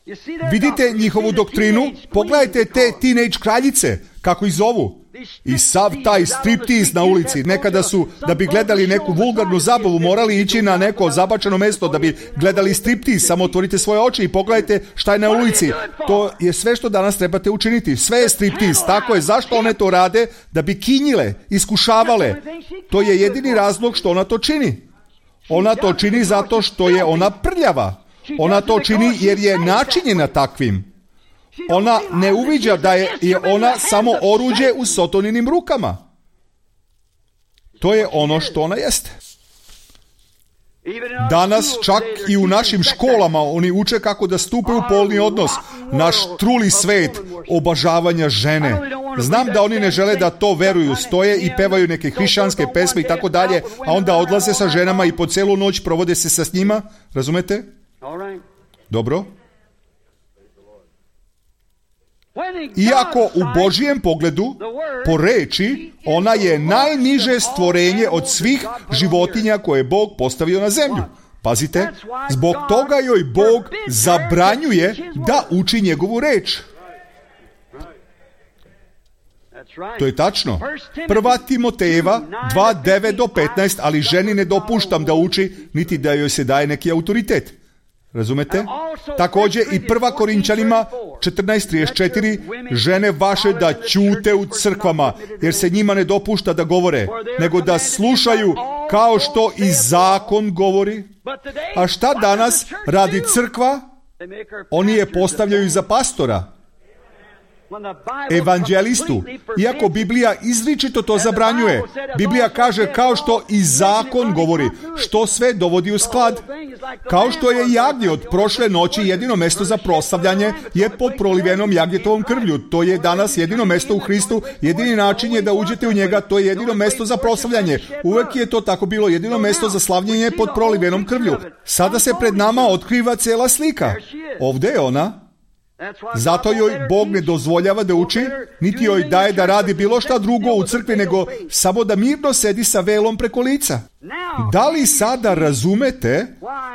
vidite njihovu doktrinu, pogledajte te teenage kraljice, kako ih zovu. I sav taj striptiz na ulici. Nekada su, da bi gledali neku vulgarnu zabavu, morali ići na neko zabačeno mjesto da bi gledali striptiz. Samo otvorite svoje oči i pogledajte šta je na ulici. To je sve što danas trebate učiniti. Sve je striptiz. Tako je. Zašto one to rade? Da bi kinjile, iskušavale. To je jedini razlog što ona to čini. Ona to čini zato što je ona prljava. Ona to čini jer je načinjena takvim. Ona ne uviđa da je ona samo oruđe u Sotoninim rukama. To je ono što ona jeste. Danas čak i u našim školama oni uče kako da stupe u polni odnos. Naš truli svet obožavanja žene. Znam da oni ne žele da to veruju, stoje i pevaju neke hrišćanske pesme i tako dalje, a onda odlaze sa ženama i po celu noć provode se sa njima. Razumete? Dobro. Iako u Božijem pogledu, po reči, ona je najniže stvorenje od svih životinja koje je Bog postavio na zemlju. Pazite, zbog toga joj Bog zabranjuje da uči njegovu reč. To je tačno. 1. Timotejeva 2:9 do 15, ali ženi ne dopuštam da uči, niti da joj se daje neki autoritet. Razumete? Također i 1. Korinčanima 14:34, žene vaše da ćute u crkvama, jer se njima ne dopušta da govore, nego da slušaju kao što i zakon govori. A šta danas radi crkva? Oni je postavljaju za pastora. evanđelistu, iako Biblija izričito to zabranjuje. Biblija kaže kao što i zakon govori, što sve dovodi u sklad. Kao što je jagnje od prošle noći jedino mesto za proslavljanje je pod prolivenom jagnjetovom krvlju. To je danas jedino mesto u Hristu, jedini način je da uđete u njega, to je jedino mesto za proslavljanje. Uvek je to tako bilo, jedino mesto za slavljenje pod prolivenom krvlju. Sada se pred nama otkriva cela slika. Ovdje je ona. Zato joj Bog ne dozvoljava da uči, niti joj daje da radi bilo šta drugo u crkvi, nego samo da mirno sedi sa velom preko lica. Da li sada razumete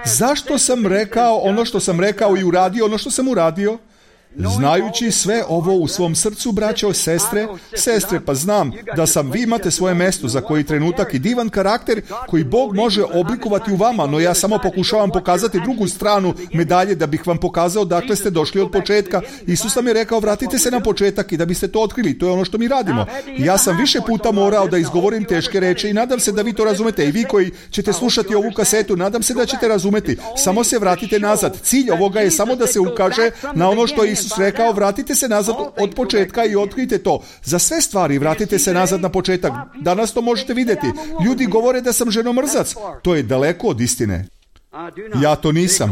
zašto sam rekao ono što sam rekao i uradio ono što sam uradio? Znajući sve ovo u svom srcu, braćo, sestre, pa znam da vi imate svoje mesto za koji trenutak i divan karakter koji Bog može oblikovati u vama, no ja samo pokušavam pokazati drugu stranu medalje da bih vam pokazao dakle ste došli od početka. Isus nam je rekao vratite se na početak i da biste to otkrili, to je ono što mi radimo. Ja sam više puta morao da izgovorim teške reči i nadam se da vi to razumete i vi koji ćete slušati ovu kasetu, nadam se da ćete razumeti. Samo se vratite nazad. Cilj ovoga je samo da se ukaže na ono što Isus rekao, vratite se nazad od početka i otkrite to. Za sve stvari vratite se nazad na početak. Danas to možete vidjeti. Ljudi govore da sam ženomrzac. To je daleko od istine. Ja to nisam.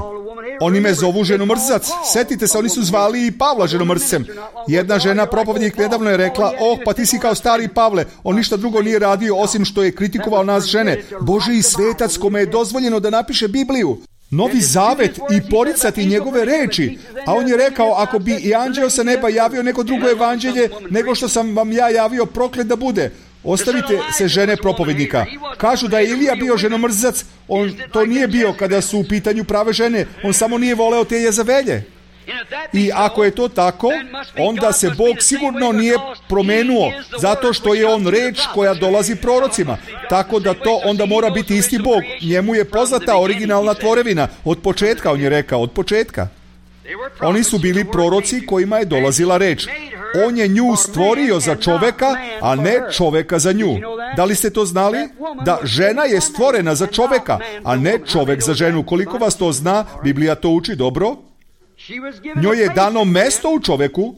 Oni me zovu ženomrzac. Setite se, oni su zvali i Pavla ženomrzcem. Jedna žena propovednik nedavno je rekla, pa ti si kao stari Pavle. On ništa drugo nije radio osim što je kritikovao nas žene. Božji svetac kome je dozvoljeno da napiše Bibliju. Novi zavet i poricati njegove reči. A on je rekao, ako bi i anđeo sa neba javio neko drugo evanđelje nego što sam vam ja javio, proklet da bude. Ostavite se žene propovednika. Kažu da je Ilija bio ženomrzac. On to nije bio kada su u pitanju prave žene. On samo nije voleo te Jezavelje. I ako je to tako, onda se Bog sigurno nije promenuo, zato što je on reč koja dolazi prorocima. Tako da to onda mora biti isti Bog. Njemu je poznata originalna tvorevina. Od početka, on je rekao, od početka. Oni su bili proroci kojima je dolazila reč. On je nju stvorio za čoveka, a ne čoveka za nju. Da li ste to znali? Da žena je stvorena za čoveka, a ne čovek za ženu. Koliko vas to zna, Biblija to uči dobro. Njoj je dano mesto u čoveku.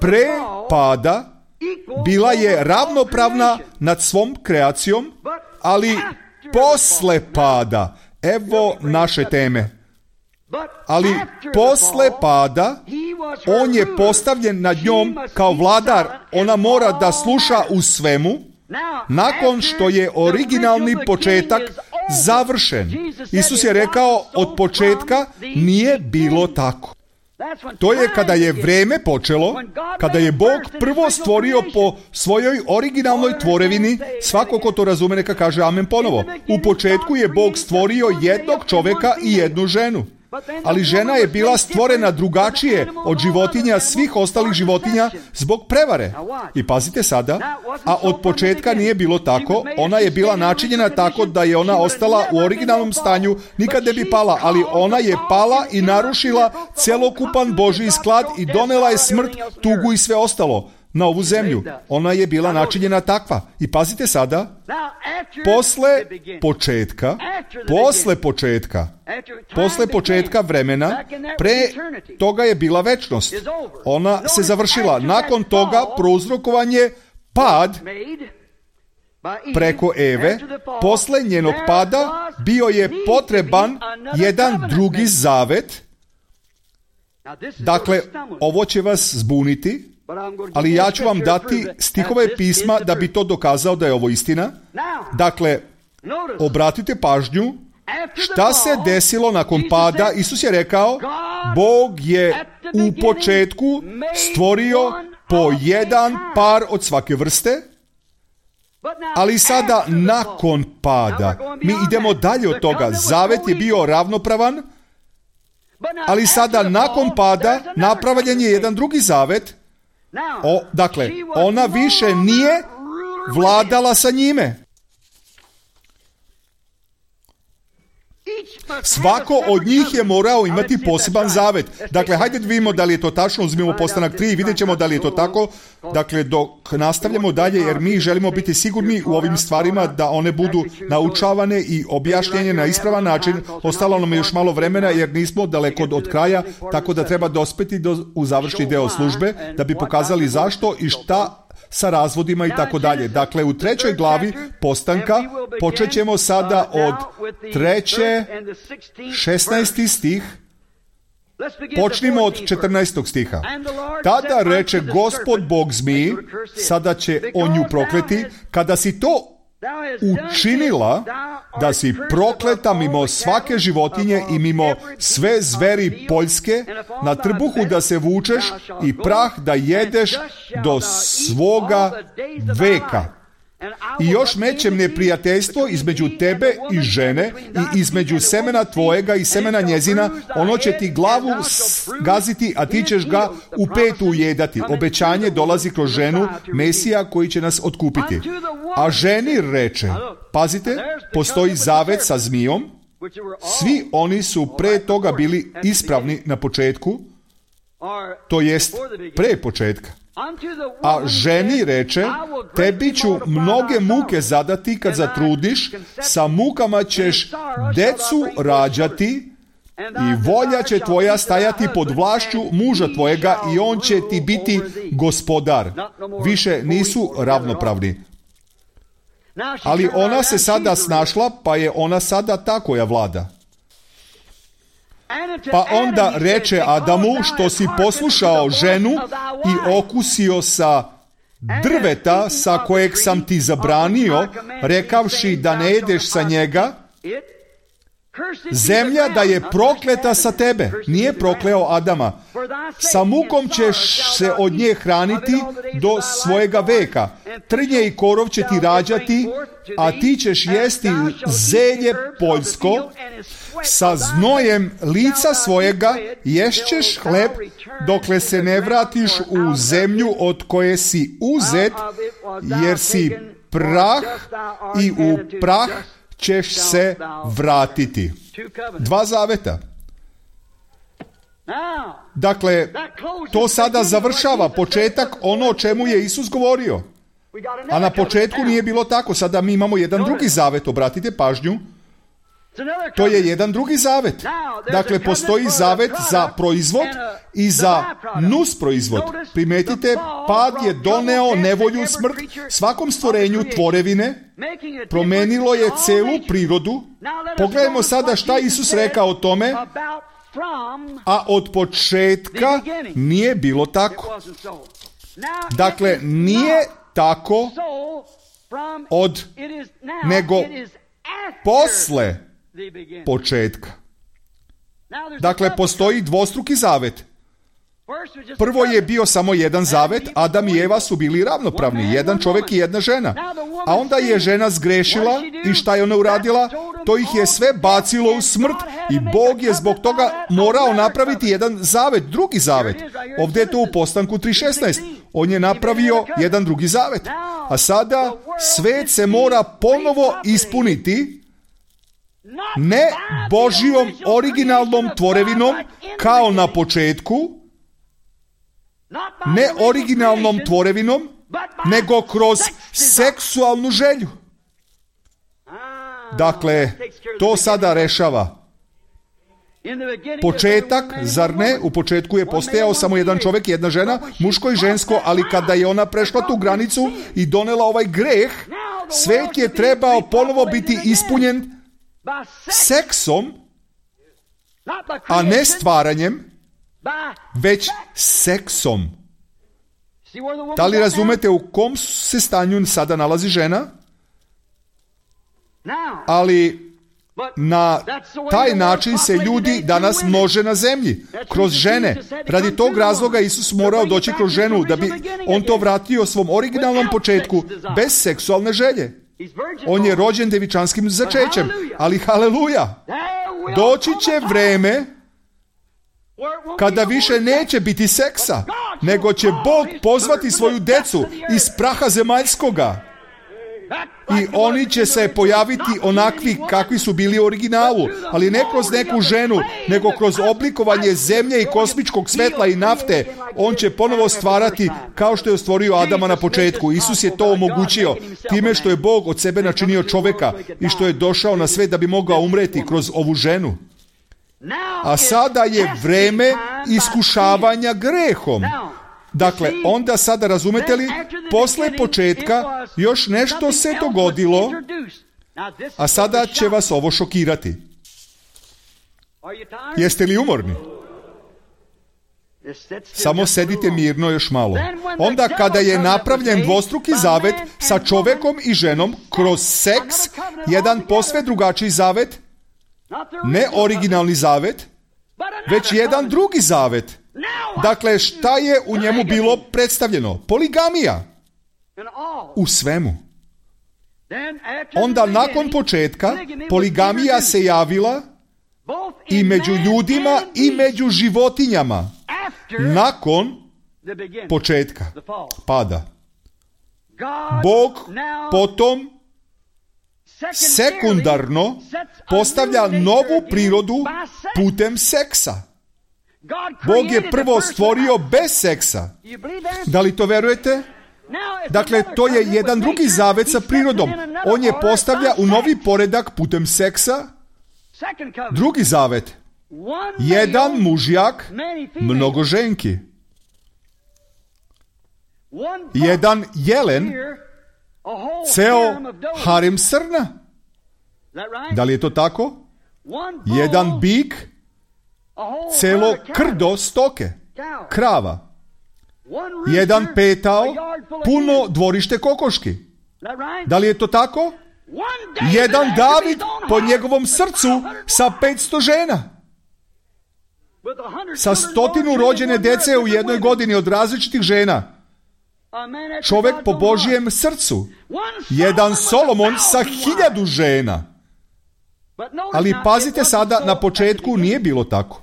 Pre pada bila je ravnopravna nad svom kreacijom, ali posle pada, evo naše teme. Ali posle pada on je postavljen nad njom kao vladar. Ona mora da sluša u svemu. Nakon što je originalni početak završen. Isus je rekao, od početka nije bilo tako. To je kada je vreme počelo, kada je Bog prvo stvorio po svojoj originalnoj tvorevini. Svako ko to razume neka kaže amen ponovo. U početku je Bog stvorio jednog čoveka i jednu ženu. Ali žena je bila stvorena drugačije od životinja, svih ostalih životinja, zbog prevare. I pazite sada, a od početka nije bilo tako, ona je bila načinjena tako da je ona ostala u originalnom stanju, nikad ne bi pala, ali ona je pala i narušila celokupan Božji sklad i donela je smrt, tugu i sve ostalo na ovu zemlju. Ona je bila načinjena takva. I pazite sada, posle početka vremena, pre toga je bila večnost. Ona se završila. Nakon toga prouzrokovan je pad preko Eve. Posle njenog pada bio je potreban jedan drugi zavet. Dakle, ovo će vas zbuniti, ali ja ću vam dati stihove pisma da bi to dokazao da je ovo istina. Dakle, obratite pažnju, šta se desilo nakon pada? Isus je rekao, Bog je u početku stvorio po jedan par od svake vrste, ali sada nakon pada, mi idemo dalje od toga. Zavet je bio ravnopravan, ali sada nakon pada napravljen je jedan drugi zavet. Dakle, ona više nije vladala sa njime. Svako od njih je morao imati poseban zavet. Dakle, hajde da vidimo da li je to tačno, uzmimo Postanak 3 i vidjet ćemo da li je to tako. Dakle, dok nastavljamo dalje, jer mi želimo biti sigurni u ovim stvarima da one budu naučavane i objašnjenje na ispravan način. Ostalo nam je još malo vremena jer nismo daleko od kraja, tako da treba dospeti u završni deo službe da bi pokazali zašto i šta sa razvodima i tako dalje. Dakle, u 3. glavi Postanka počet ćemo sada od 3. 16. stih. Počnimo od 14. stiha. Tada reče Gospod Bog zmiji, sada će on nju prokleti, kada si to učinila, da si prokleta mimo svake životinje i mimo sve zveri poljske, na trbuhu da se vučeš i prah da jedeš do svoga veka. I još mećem neprijateljstvo između tebe i žene i između semena tvojega i semena njezina, ono će ti glavu gaziti, a ti ćeš ga u petu ujedati. Obećanje dolazi kroz ženu, Mesija koji će nas otkupiti. A ženi reče, pazite, postoji zavet sa zmijom, svi oni su pre toga bili ispravni na početku, to jest pre početka. A ženi reče, tebi ću mnoge muke zadati kad zatrudiš, sa mukama ćeš decu rađati i volja će tvoja stajati pod vlašću muža tvojega i on će ti biti gospodar. Više nisu ravnopravni. Ali ona se sada snašla, pa je ona sada ta koja vlada. Pa onda reče Adamu, što si poslušao ženu i okusio sa drveta sa kojeg sam ti zabranio, rekavši da ne jedeš sa njega, zemlja da je prokleta sa tebe. Nije prokleo Adama. Sa mukom ćeš se od nje hraniti do svojega veka. Trnje i korov će ti rađati, a ti ćeš jesti zelje poljsko. Sa znojem lica svojega ješćeš hleb dokle se ne vratiš u zemlju od koje si uzet, jer si prah i u prah ćeš se vratiti. 2 zaveta. Dakle, to sada završava početak ono o čemu je Isus govorio. A na početku nije bilo tako. Sada mi imamo jedan drugi zavet, obratite pažnju. To je jedan drugi zavet. Dakle, postoji zavet za proizvod i za nus proizvod. Primetite, pad je doneo nevolju, smrt svakom stvorenju tvorevine, promenilo je celu prirodu. Pogledajmo sada šta Isus rekao o tome, a od početka nije bilo tako. Dakle, nije tako nego posle početka. Dakle, postoji dvostruki zavet. Prvo je bio samo jedan zavet, Adam i Eva su bili ravnopravni, jedan čovjek i jedna žena. A onda je žena zgrešila i šta je ona uradila? To ih je sve bacilo u smrt i Bog je zbog toga morao napraviti jedan zavet, drugi zavet. Ovdje je to u Postanku 3.16. On je napravio jedan drugi zavet. A sada svet se mora ponovo ispuniti, ne Božjom originalnom tvorevinom kao na početku, ne originalnom tvorevinom, nego kroz seksualnu želju. Dakle, to sada rešava. Početak, zar ne? U početku je postojao samo jedan čovjek i jedna žena, muško i žensko, ali kada je ona prešla tu granicu i donela ovaj greh, svet je trebao ponovo biti ispunjen seksom, a ne stvaranjem, već seksom. Da li razumete u kom se stanju sada nalazi žena? Ali na taj način se ljudi danas množe na zemlji, kroz žene. Radi tog razloga Isus morao doći kroz ženu, da bi on to vratio svom originalnom početku, bez seksualne želje. On je rođen devičanskim začećem, ali haleluja, doći će vreme kada više neće biti seksa, nego će Bog pozvati svoju decu iz praha zemaljskoga. i oni će se pojaviti onakvi kakvi su bili u originalu, ali ne kroz neku ženu, nego kroz oblikovanje zemlje i kosmičkog svetla i nafte. On će ponovo stvarati kao što je stvorio Adama na početku. Isus je to omogućio time što je Bog od sebe načinio čoveka i što je došao na svet da bi mogao umreti kroz ovu ženu. A sada je vreme iskušavanja grehom. Dakle, onda sada razumete li, posle početka još nešto se dogodilo, a sada će vas ovo šokirati. Jeste li umorni? Samo sedite mirno još malo. Onda kada je napravljen dvostruki zavet sa čovekom i ženom kroz seks, jedan posve drugačiji zavet, ne originalni zavet, već jedan drugi zavet. Dakle, šta je u njemu bilo predstavljeno? Poligamija. U svemu. Onda nakon početka poligamija se javila i među ljudima i među životinjama. Nakon početka pada. Bog potom sekundarno postavlja novu prirodu putem seksa. Bog je prvo stvorio bez seksa. Da li to verujete? Dakle, to je jedan drugi zavet sa prirodom. On je postavlja u novi poredak putem seksa. Drugi zavet. Jedan mužjak, mnogo ženki. Jedan jelen, ceo harem srna. Da li je to tako? Jedan bik, celo krdo stoke, krava. Jedan petao, puno dvorište kokoški. Da li je to tako? Jedan David po njegovom srcu sa 500 žena. Sa 100 rođene dece u jednoj godini od različitih žena. Čovek po Božjem srcu. Jedan Solomon sa 1000 žena. Ali pazite sada, na početku nije bilo tako.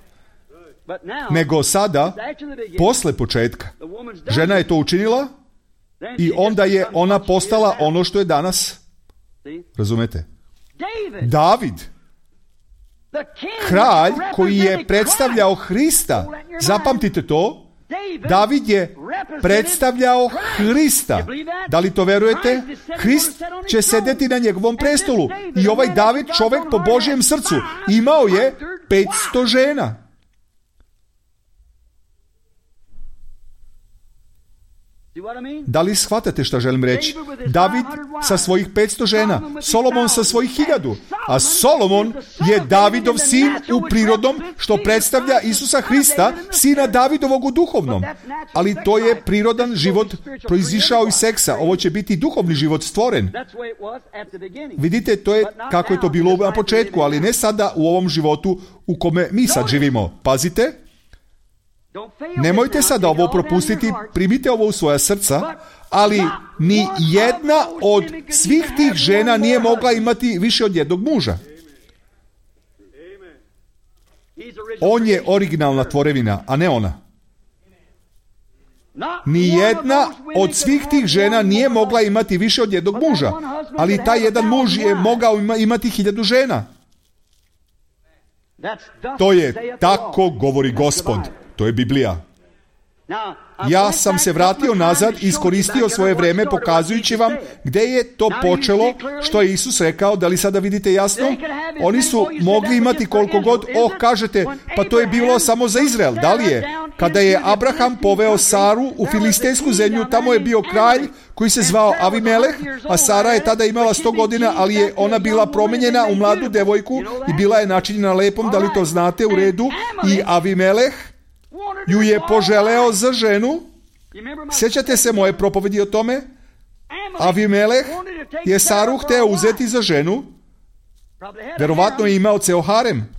Nego sada, posle početka, žena je to učinila i onda je ona postala ono što je danas. Razumete? David, kralj koji je predstavljao Hrista, zapamtite to, David je predstavljao Hrista. Da li to verujete? Hrist će sedeti na njegovom prestolu. I ovaj David, čovek po Božjem srcu, imao je 500 žena. Da li shvatate šta želim reći? David sa svojih 500 žena, Solomon sa svojih 1000, a Solomon je Davidov sin u prirodnom, što predstavlja Isusa Hrista, sina Davidovog u duhovnom. Ali to je prirodan život proizišao iz seksa. Ovo će biti duhovni život stvoren. Vidite, to je kako je to bilo na početku, ali ne sada u ovom životu u kome mi sad živimo. Pazite. Nemojte sada ovo propustiti, primite ovo u svoja srca, ali ni jedna od svih tih žena nije mogla imati više od jednog muža. On je originalna tvorevina, a ne ona. Ni jedna od svih tih žena nije mogla imati više od jednog muža, ali taj jedan muž je mogao imati 1000 žena. To je tako govori Gospod. To je Biblija. Ja sam se vratio nazad i iskoristio svoje vreme pokazujući vam gdje je to počelo, što je Isus rekao. Da li sada vidite jasno? Oni su mogli imati koliko god, kažete, pa to je bilo samo za Izrael. Da li je? Kada je Abraham poveo Saru u filistejsku zemlju, tamo je bio kralj koji se zvao Avimeleh, a Sara je tada imala 100 godina, ali je ona bila promenjena u mladu devojku i bila je načinjena lepom, da li to znate, u redu, i Avimeleh ju je poželeo za ženu. Sjećate se moje propovedi o tome? Avimeleh je Saru hteo uzeti za ženu. Verovatno je imao ceo harem.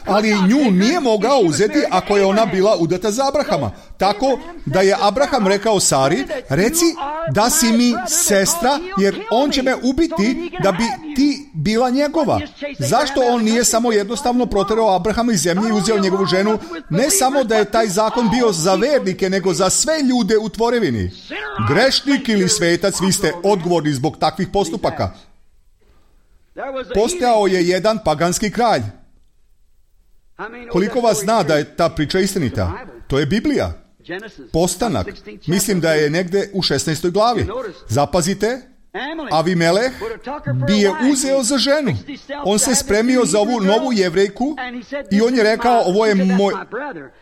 Ali nju nije mogao uzeti ako je ona bila udata za Abrahama. Tako da je Abraham rekao Sari, reci da si mi sestra, jer on će me ubiti da bi ti bila njegova. Zašto on nije samo jednostavno proterao Abrahama iz zemlje i uzeo njegovu ženu? Ne samo da je taj zakon bio za vernike, nego za sve ljude u tvorevini. Grešnik ili svetac, vi ste odgovorni zbog takvih postupaka. Postojao je jedan paganski kralj. Koliko vas zna da je ta priča istinita? To je Biblija. Postanak. Mislim da je negde u 16. glavi. Zapazite, Avimeleh bi je uzeo za ženu. On se spremio za ovu novu Jevrejku i on je rekao, ovo je moj...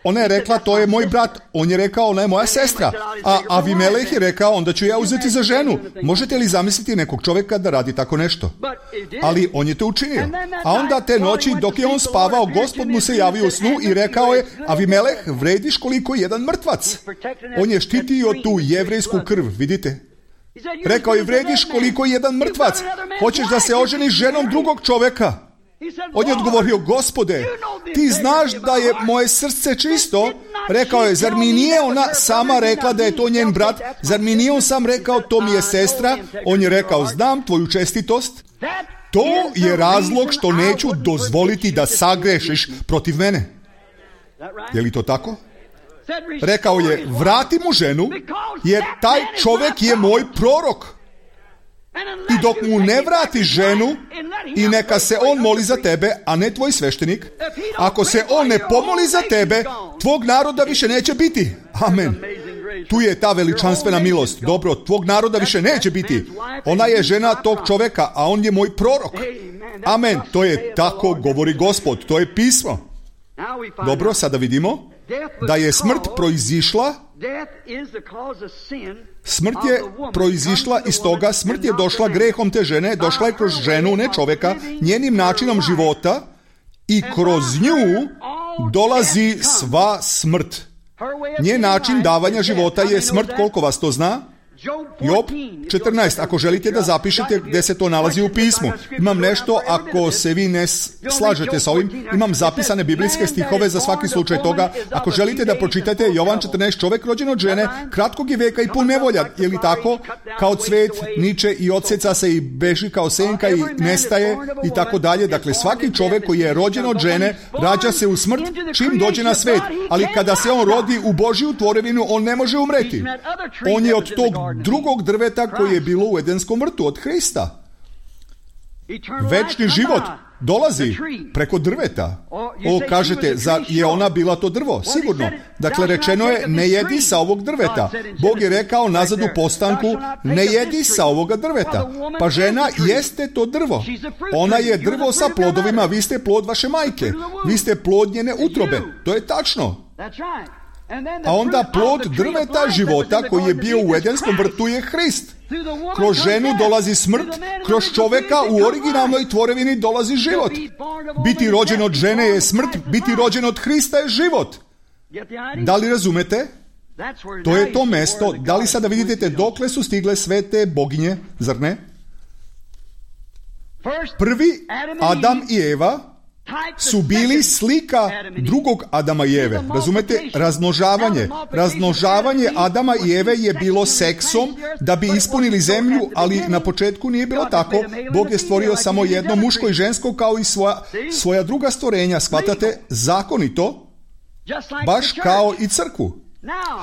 Ona je rekla, to je moj brat. On je rekao, ona je moja sestra. A Avimeleh je rekao, onda ću ja uzeti za ženu. Možete li zamisliti nekog čovjeka da radi tako nešto? Ali on je to učinio. A onda te noći, dok je on spavao, Gospod mu se javio u snu i rekao je, Avimeleh, vrediš koliko jedan mrtvac. On je štitio tu jevrejsku krv, vidite? Rekao je, vrediš koliko jedan mrtvac. Hoćeš da se oženiš ženom drugog čovjeka? On je odgovorio, Gospode, ti znaš da je moje srce čisto. Rekao je, zar mi nije ona sama rekla da je to njen brat? Zar mi nije on sam rekao, to mi je sestra? On je rekao, znam tvoju čestitost. To je razlog što neću dozvoliti da sagrešiš protiv mene. Je li to tako? Rekao je, vrati mu ženu, jer taj čovjek je moj prorok. I dok mu ne vrati ženu i neka se on moli za tebe, a ne tvoj sveštenik, ako se on ne pomoli za tebe, tvog naroda više neće biti. Amen. Tu je ta veličanstvena milost. Dobro, tvog naroda više neće biti. Ona je žena tog čovjeka, a on je moj prorok. Amen. To je tako, govori Gospod. To je pismo. Dobro, sada vidimo da je smrt proizišla. Smrt je proizišla iz toga, smrt je došla grehom te žene, došla je kroz ženu, ne čovjeka, njenim načinom života i kroz nju dolazi sva smrt. Njen način davanja života je smrt, koliko vas to zna? Job 14, ako želite da zapišete gdje se to nalazi u pismu. Imam nešto, ako se vi ne slažete sa ovim, imam zapisane biblijske stihove za svaki slučaj toga. Ako želite da pročitate Jovan 14, čovjek rođen od žene, kratkog je veka i pun nevolja, je li tako? Kao cvet niče i odseca se i beži kao senka i nestaje i tako dalje. Dakle, svaki čovjek koji je rođen od žene, rađa se u smrt čim dođe na svet. Ali kada se on rodi u Božju tvorevinu, on ne može umreti. On je od tog drugog drveta koji je bilo u Edenskom vrtu od Hrista. Večni život dolazi preko drveta. O, kažete, zar je ona bila to drvo? Sigurno. Dakle, rečeno je, ne jedi sa ovog drveta. Bog je rekao nazad u postanku, ne jedi sa ovoga drveta. Pa žena jeste to drvo. Ona je drvo sa plodovima, vi ste plod vaše majke. Vi ste plod njene utrobe. To je tačno. A onda plod drveta života koji je bio u Edenskom vrtu je Hrist. Kroz ženu dolazi smrt, kroz čovjeka u originalnoj tvorevini dolazi život. Biti rođen od žene je smrt, biti rođen od Hrista je život. Da li razumete? To je to mesto. Da li sada vidite dokle su stigle sve te boginje, zar ne? Prvi Adam i Eva su bili slika drugog Adama i Eve. Razumete? Razmnožavanje. Razmnožavanje Adama i Eve je bilo seksom da bi ispunili zemlju, ali na početku nije bilo tako. Bog je stvorio samo jedno, muško i žensko, kao i svoja druga stvorenja. Shvatate? Zakonito, baš kao i crkvu.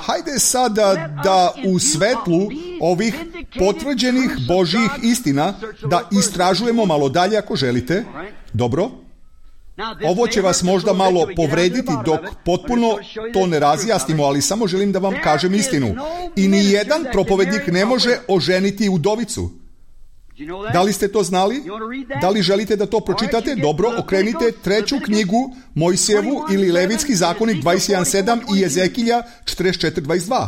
Hajde sada da u svetlu ovih potvrđenih Božjih istina da istražujemo malo dalje ako želite. Dobro? Ovo će vas možda malo povrediti dok potpuno to ne razjasnimo, ali samo želim da vam kažem istinu. I ni jedan propovednik ne može oženiti udovicu. Da li ste to znali? Da li želite da to pročitate? Dobro, okrenite 3. knjigu Mojsijevu ili Levitski zakonik 21.7 i Ezekilja 44.22.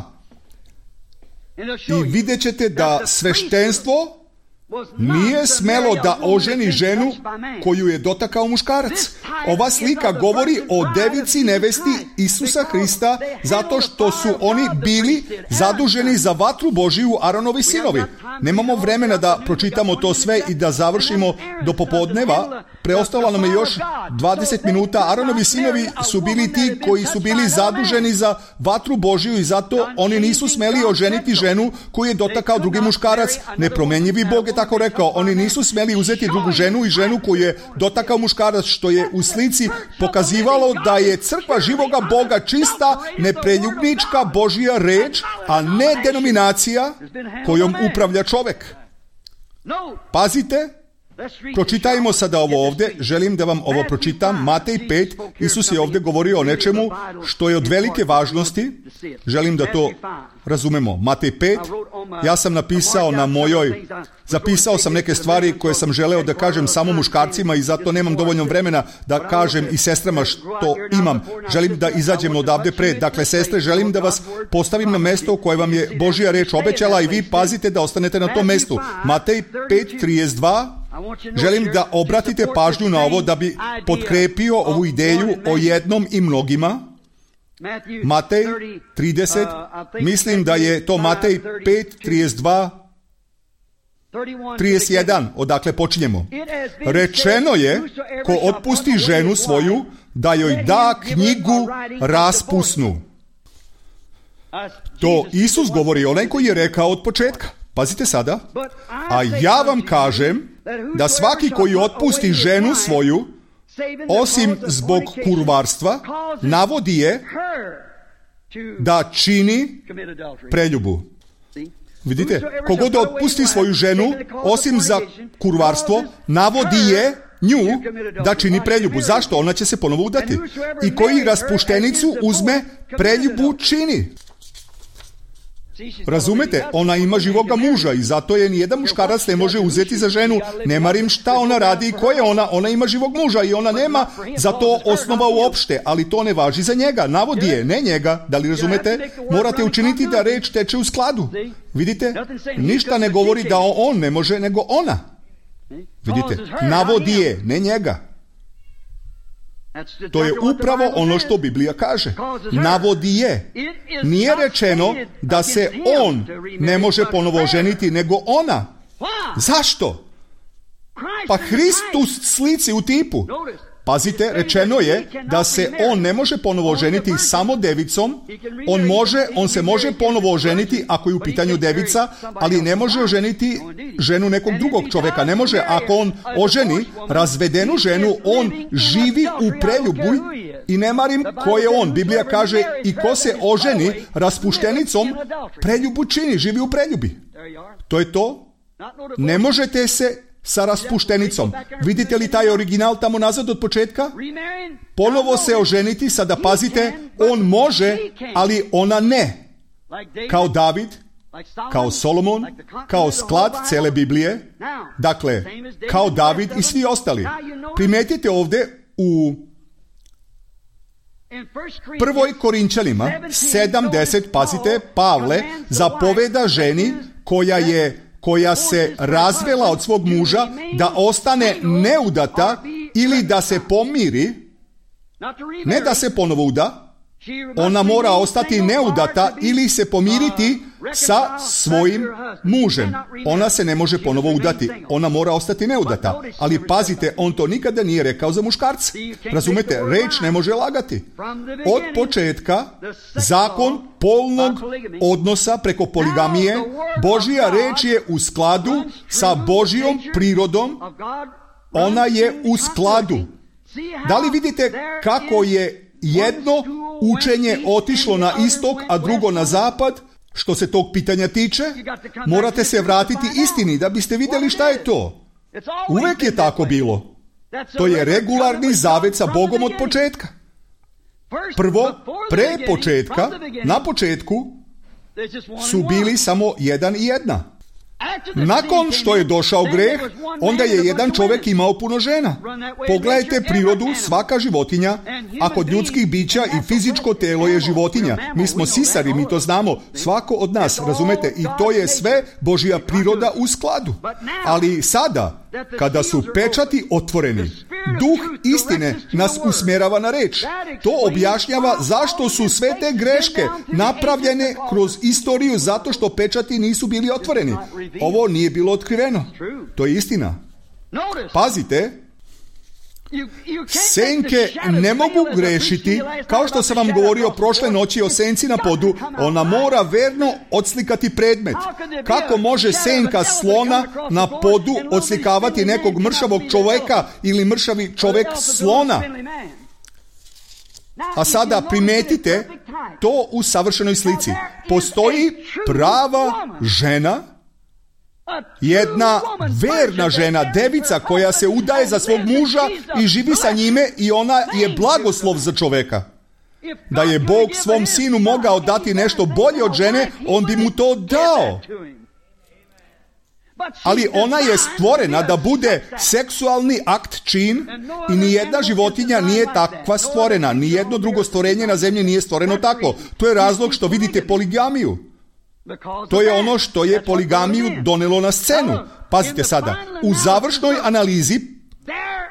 I vidjet ćete da sveštenstvo nije smelo da oženi ženu koju je dotakao muškarac. Ova slika govori o devici nevesti Isusa Hrista, zato što su oni bili zaduženi za vatru Božiju, Aronovi sinovi. Nemamo vremena da pročitamo to sve i da završimo do popodneva. Preostalo nam je još 20 minuta. Aronovi sinovi su bili ti koji su bili zaduženi za vatru Božiju i zato oni nisu smeli oženiti ženu koju je dotakao drugi muškarac. Nepromenjivi Bog je tako rekao. Oni nisu smeli uzeti drugu ženu i ženu koju je dotakao muškarac, što je u slici pokazivalo da je crkva živoga Boga čista, nepreljubnička Božja reč, a ne denominacija kojom upravlja čovek. Pazite, pročitajmo sada ovo ovdje. Želim da vam ovo pročitam. Matej 5. Isus je ovdje govorio o nečemu što je od velike važnosti. Želim da to razumemo. Matej 5. Ja sam napisao zapisao sam neke stvari koje sam želeo da kažem samo muškarcima i zato nemam dovoljno vremena da kažem i sestrama što imam. Želim da izađem odavde pred. Dakle, sestre, želim da vas postavim na mesto koje vam je Božja reč obećala i vi pazite da ostanete na tom mestu. Matej 5:32. Želim da obratite pažnju na ovo da bi potkrepio ovu ideju o jednom i mnogima. Matej 30, mislim da je to Matej 5:32, 31, odakle počinjemo. Rečeno je, ko otpusti ženu svoju, da joj da knjigu raspusnu. To Isus govori, onaj koji je rekao od početka. Pazite sada. A ja vam kažem da svaki koji otpusti ženu svoju, osim zbog kurvarstva, navodi je da čini preljubu. Vidite, kogod otpusti svoju ženu, osim za kurvarstvo, navodi je nju da čini preljubu. Zašto? Ona će se ponovo udati. I koji raspuštenicu uzme, preljubu čini. Razumete? Ona ima živoga muža i zato je nijedan muškarac ne može uzeti za ženu. Ne marim šta ona radi i ko je ona. Ona ima živog muža i ona nema za to osnova uopšte, ali to ne važi za njega. Navodi je, ne njega. Da li razumete? Morate učiniti da reč teče u skladu. Vidite? Ništa ne govori da on ne može, nego ona. Vidite? Navodi je, ne njega. To je upravo ono što Biblija kaže. Navodi je. Nije rečeno da se on ne može ponovo ženiti, nego ona. Zašto? Pa Hristus slici u tipu. Pazite, rečeno je da se on ne može ponovo ženiti samo devicom. On se može ponovo oženiti ako je u pitanju devica, ali ne može oženiti ženu nekog drugog čovjeka. Ne može, ako on oženi razvedenu ženu, on živi u preljubu i ne marim ko je on. Biblija kaže i ko se oženi raspuštenicom, preljubu čini, živi u preljubi. To je to. Ne možete se sa raspuštenicom. Vidite li taj original tamo nazad od početka? Ponovo se oženiti, sada pazite, on može, ali ona ne. Kao David, kao Solomon, kao sklad cele Biblije, dakle, kao David i svi ostali. Primetite ovdje u 1. Korinčanima 7:10, pazite, Pavle zapoveda ženi koja se razvela od svog muža da ostane neudata ili da se pomiri, ne da se ponovo uda, ona mora ostati neudata ili se pomiriti sa svojim mužem. Ona se ne može ponovo udati, ona mora ostati neudata. Ali pazite, on to nikada nije rekao za muškarca. Razumete, reč ne može lagati. Od početka, zakon polnog odnosa preko poligamije, Božja reč je u skladu sa Božjom prirodom, ona je u skladu. Da li vidite kako je jedno učenje otišlo na istok, a drugo na zapad? Što se tog pitanja tiče, morate se vratiti istini da biste vidjeli šta je to. Uvek je tako bilo. To je regularni zavet sa Bogom od početka. Prvo, pre početka, na početku, su bili samo jedan i jedna. Nakon što je došao greh, onda je jedan čovjek imao puno žena. Pogledajte prirodu, svaka životinja, a kod ljudskih bića i fizičko telo je životinja. Mi smo sisari, mi to znamo, svako od nas, razumete? I to je sve Božja priroda u skladu. Ali sada, kada su pečati otvoreni, duh istine nas usmjerava na reč. To objašnjava zašto su sve te greške napravljene kroz istoriju, zato što pečati nisu bili otvoreni. Ovo nije bilo otkriveno. To je istina. Pazite, senke ne mogu grešiti, kao što sam vam govorio prošle noći o senci na podu. Ona mora verno odslikati predmet. Kako može senka slona na podu odslikavati nekog mršavog čovjeka ili mršavi čovjek slona? A sada primetite to u savršenoj slici. Postoji prava žena, jedna verna žena, devica koja se udaje za svog muža i živi sa njime, i ona je blagoslov za čovjeka. Da je Bog svom sinu mogao dati nešto bolje od žene, on bi mu to dao. Ali ona je stvorena da bude seksualni akt, čin, i nijedna životinja nije takva stvorena. Nijedno drugo stvorenje na zemlji nije stvoreno tako. To je razlog što vidite poligamiju. To je ono što je poligamiju donelo na scenu. Pazite sada, u završnoj analizi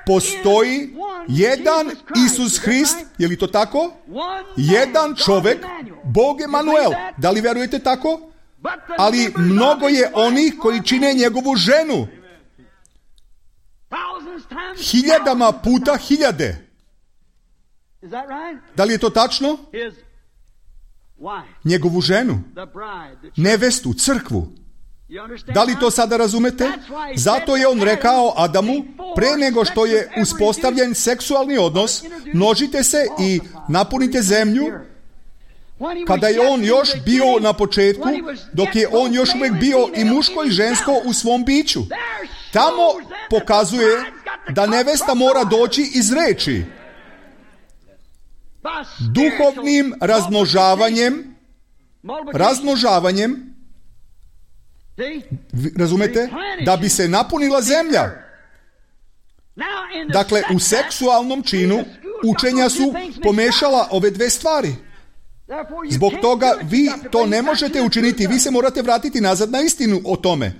postoji jedan Isus Hrist, je li to tako? Jedan čovjek, Bog Emanuel. Da li vjerujete tako? Ali mnogo je onih koji čine njegovu ženu. Hiljadama puta hiljade. Da li je to tačno? Njegovu ženu, nevestu, crkvu. Da li to sada razumete? Zato je on rekao Adamu, pre nego što je uspostavljen seksualni odnos, množite se i napunite zemlju. Kada je on još bio na početku, dok je on još uvijek bio i muško i žensko u svom biću. Tamo pokazuje da nevesta mora doći iz reči. Duhovnim razmnožavanjem, razumete, da bi se napunila zemlja. Dakle, u seksualnom činu učenja su pomešala ove dve stvari. Zbog toga vi to ne možete učiniti. Vi se morate vratiti nazad na istinu o tome.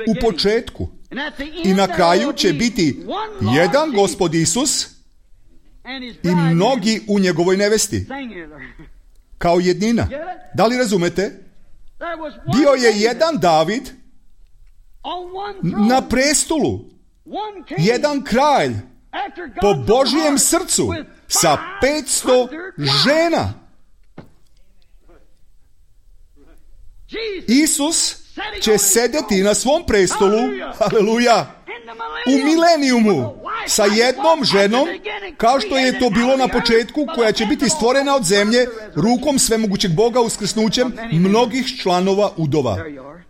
U početku. I na kraju će biti jedan Gospod Isus i mnogi u njegovoj nevesti. Kao jednina. Da li razumete? Bio je jedan David na prestolu. Jedan kralj po Božjem srcu sa 500 žena. Isus će sedeti na svom prestolu, haleluja, u milenijumu sa jednom ženom, kao što je to bilo na početku, koja će biti stvorena od zemlje rukom svemogućeg Boga uskrsnućem mnogih članova udova.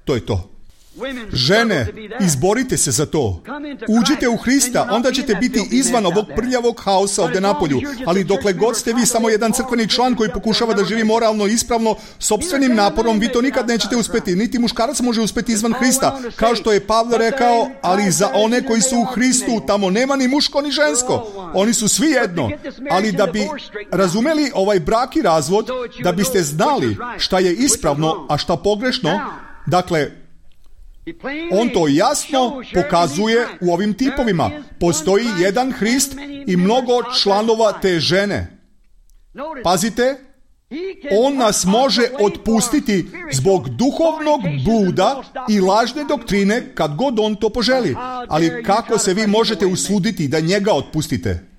To je to. Žene, izborite se za to. Uđite u Hrista, onda ćete biti izvan ovog prljavog haosa ovdje napolju. Ali dokle god ste vi samo jedan crkveni član koji pokušava da živi moralno i ispravno, sopstvenim naporom, vi to nikad nećete uspjeti. Niti muškarac može uspjeti izvan Hrista. Kao što je Pavle rekao, ali za one koji su u Hristu, tamo nema ni muško ni žensko. Oni su svi jedno. Ali da bi razumeli ovaj brak i razvod, da biste znali šta je ispravno, a šta pogrešno, dakle, on to jasno pokazuje u ovim tipovima. Postoji jedan Hrist i mnogo članova te žene. Pazite, on nas može otpustiti zbog duhovnog bluda i lažne doktrine kad god on to poželi. Ali kako se vi možete usuditi da njega otpustite?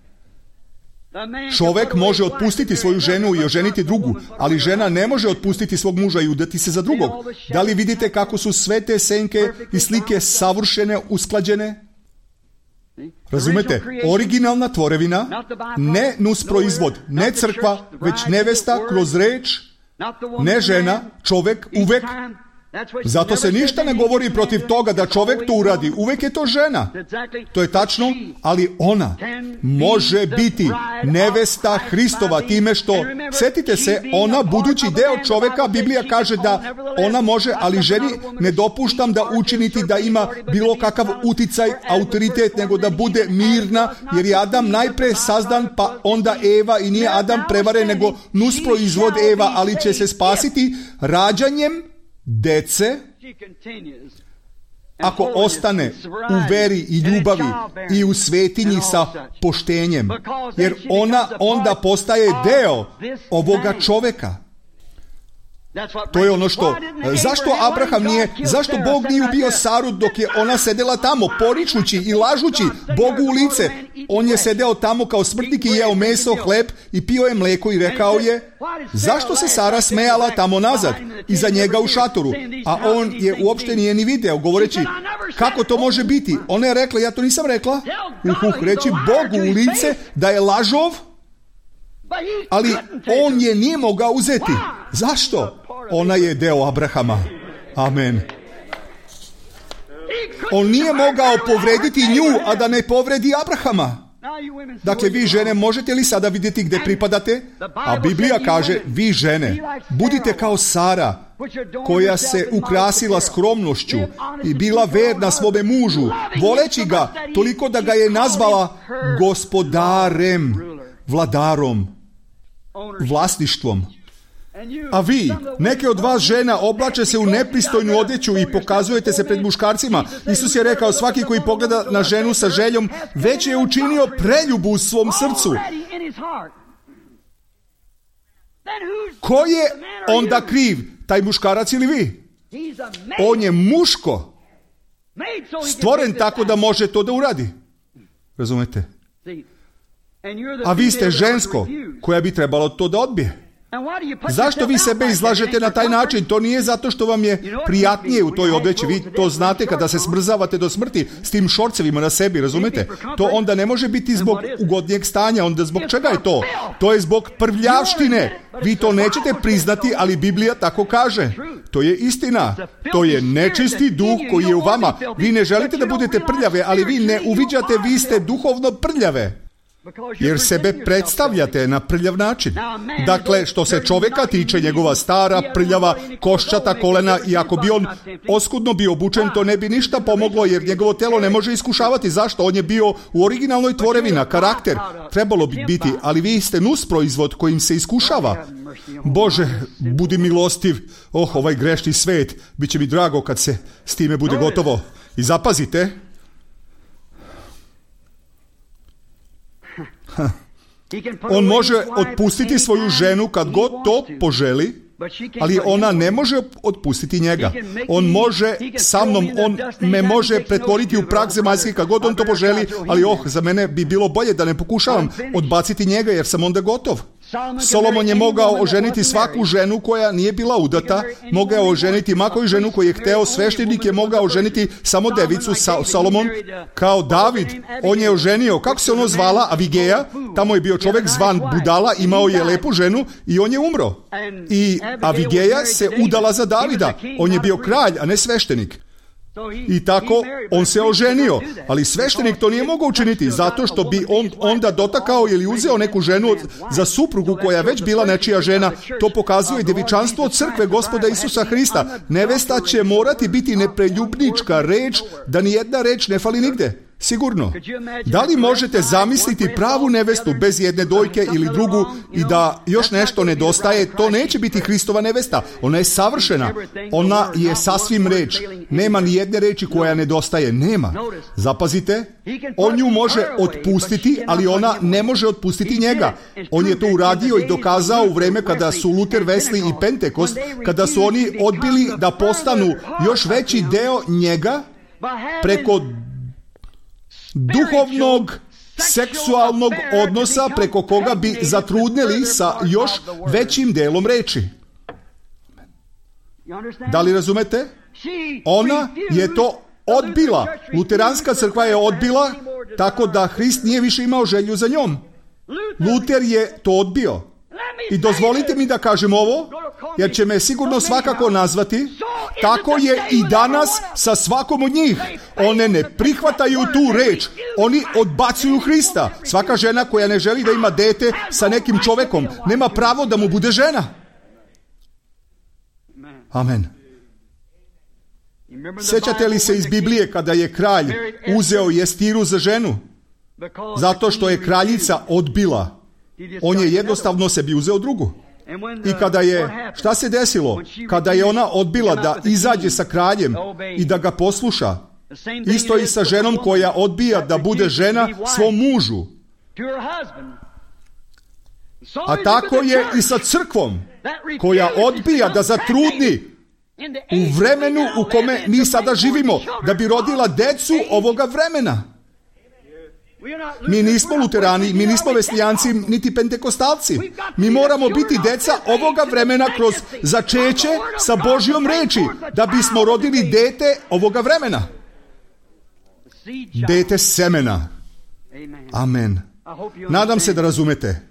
Čovjek može otpustiti svoju ženu i oženiti drugu, ali žena ne može otpustiti svog muža i udati se za drugog. Da li vidite kako su sve te senke i slike savršene, usklađene? Razumete? Originalna tvorevina, ne nusproizvod, ne crkva, već nevesta kroz reč, ne žena, čovjek uvek. Zato se ništa ne govori protiv toga da čovjek to uradi. Uvijek je to žena. To je tačno, ali ona može biti nevesta Hristova time što, sjetite se, ona budući deo čovjeka, Biblija kaže da ona može, ali ženi ne dopuštam da učiniti da ima bilo kakav uticaj, autoritet, nego da bude mirna, jer je Adam najpre sazdan, pa onda Eva, i nije Adam prevaren, nego nusproizvod Eva, ali će se spasiti rađanjem dece ako ostane u veri i ljubavi i u svetinji sa poštenjem, jer ona onda postaje deo ovoga čoveka. To je ono što, zašto Abraham nije, zašto Bog nije ubio Saru dok je ona sedela tamo, poričući i lažući Bogu u lice? On je sedeo tamo kao smrtnik i jeo meso, hleb i pio je mleko i rekao je, zašto se Sara smejala tamo nazad, iza njega u šatoru? A on je uopšte nije ni video, govoreći, kako to može biti? Ona je rekla, ja to nisam rekla. Reći Bogu u lice da je lažov, ali on je nije mogao uzeti. Zašto? Ona je deo Abrahama. Amen. On nije mogao povrediti nju, a da ne povredi Abrahama. Dakle, vi žene, možete li sada vidjeti gdje pripadate? A Biblija kaže, vi žene, budite kao Sara, koja se ukrasila skromnošću i bila verna svome mužu, voleći ga toliko da ga je nazvala gospodarem, vladarom, vlasništvom. A vi, neke od vas žena, oblače se u nepristojnu odjeću i pokazujete se pred muškarcima. Isus je rekao, svaki koji pogleda na ženu sa željom, već je učinio preljubu u svom srcu. Ko je onda kriv, taj muškarac ili vi? On je muško, stvoren tako da može to da uradi. Razumete? A vi ste žensko, koja bi trebalo to da odbije. Zašto vi sebe izlažete na taj način? To nije zato što vam je prijatnije u toj odjeći. Vi to znate kada se smrzavate do smrti s tim šorcevima na sebi, razumete? To onda ne može biti zbog ugodnijeg stanja. Onda zbog čega je to? To je zbog prljavštine. Vi to nećete priznati, ali Biblija tako kaže. To je istina. To je nečisti duh koji je u vama. Vi ne želite da budete prljave, ali vi ne uviđate, vi ste duhovno prljave. Jer sebe predstavljate na prljav način. Dakle, što se čovjeka tiče, njegova stara, prljava, koščata kolena, i ako bi on oskudno bio obučen, to ne bi ništa pomoglo, jer njegovo telo ne može iskušavati. Zašto? On je bio u originalnoj tvorevina, karakter. Trebalo bi biti, ali vi ste nusproizvod kojim se iskušava. Bože, budi milostiv. Ovaj grešni svet, bit će mi drago kad se s time bude gotovo. I zapazite, on može otpustiti svoju ženu kad god to poželi, ali ona ne može otpustiti njega. On može sa mnom, on me može pretvoriti u prag zemaljski kad god on to poželi, ali za mene bi bilo bolje da ne pokušavam odbaciti njega, jer sam onda gotov. Solomon je mogao oženiti svaku ženu koja nije bila udata, mogao oženiti ma koju ženu koju je hteo, sveštenik je mogao oženiti samo devicu. Solomon, kao David, on je oženio, kako se ono zvala, Avigeja, tamo je bio čovjek zvan budala, imao je lepu ženu i on je umro. I Avigeja se udala za Davida, on je bio kralj, a ne sveštenik. I tako on se oženio, ali sveštenik to nije mogao učiniti, zato što bi on onda dotakao ili uzeo neku ženu za suprugu koja je već bila nečija žena. To pokazuje djevičanstvo crkve Gospoda Isusa Hrista. Nevesta će morati biti nepreljubnička reč, da ni jedna reč ne fali nigde. Sigurno. Da li možete zamisliti pravu nevestu bez jedne dojke ili drugu i da još nešto nedostaje? To neće biti Hristova nevesta. Ona je savršena. Ona je sasvim reč. Nema ni jedne reči koja nedostaje. Nema. Zapazite. On nju može otpustiti, ali ona ne može otpustiti njega. On je to uradio i dokazao u vreme kada su Luther, Wesley i Pentekost, kada su oni odbili da postanu još veći deo njega preko duhovnog, seksualnog odnosa preko koga bi zatrudnili sa još većim delom reči. Da li razumete? Ona je to odbila. Luteranska crkva je odbila, tako da Hrist nije više imao želju za njom. Luter je to odbio. I dozvolite mi da kažem ovo, jer će me sigurno svakako nazvati. Tako je i danas sa svakom od njih. One ne prihvataju tu reč. Oni odbacuju Hrista. Svaka žena koja ne želi da ima dete sa nekim čovekom nema pravo da mu bude žena. Amen. Sjećate li se iz Biblije kada je kralj uzeo Jestiru za ženu? Zato što je kraljica odbila. On je jednostavno sebi uzeo drugu. I kada je, šta se desilo? Kada je ona odbila da izađe sa kraljem i da ga posluša, isto i sa ženom koja odbija da bude žena svom mužu. A tako je i sa crkvom koja odbija da zatrudni u vremenu u kome mi sada živimo, da bi rodila decu ovoga vremena. Mi nismo luterani, mi nismo veslijanci, niti pentekostalci. Mi moramo biti deca ovoga vremena kroz začeće sa Božjom reči, da bismo rodili dete ovoga vremena. Dete semena. Amen. Nadam se da razumete.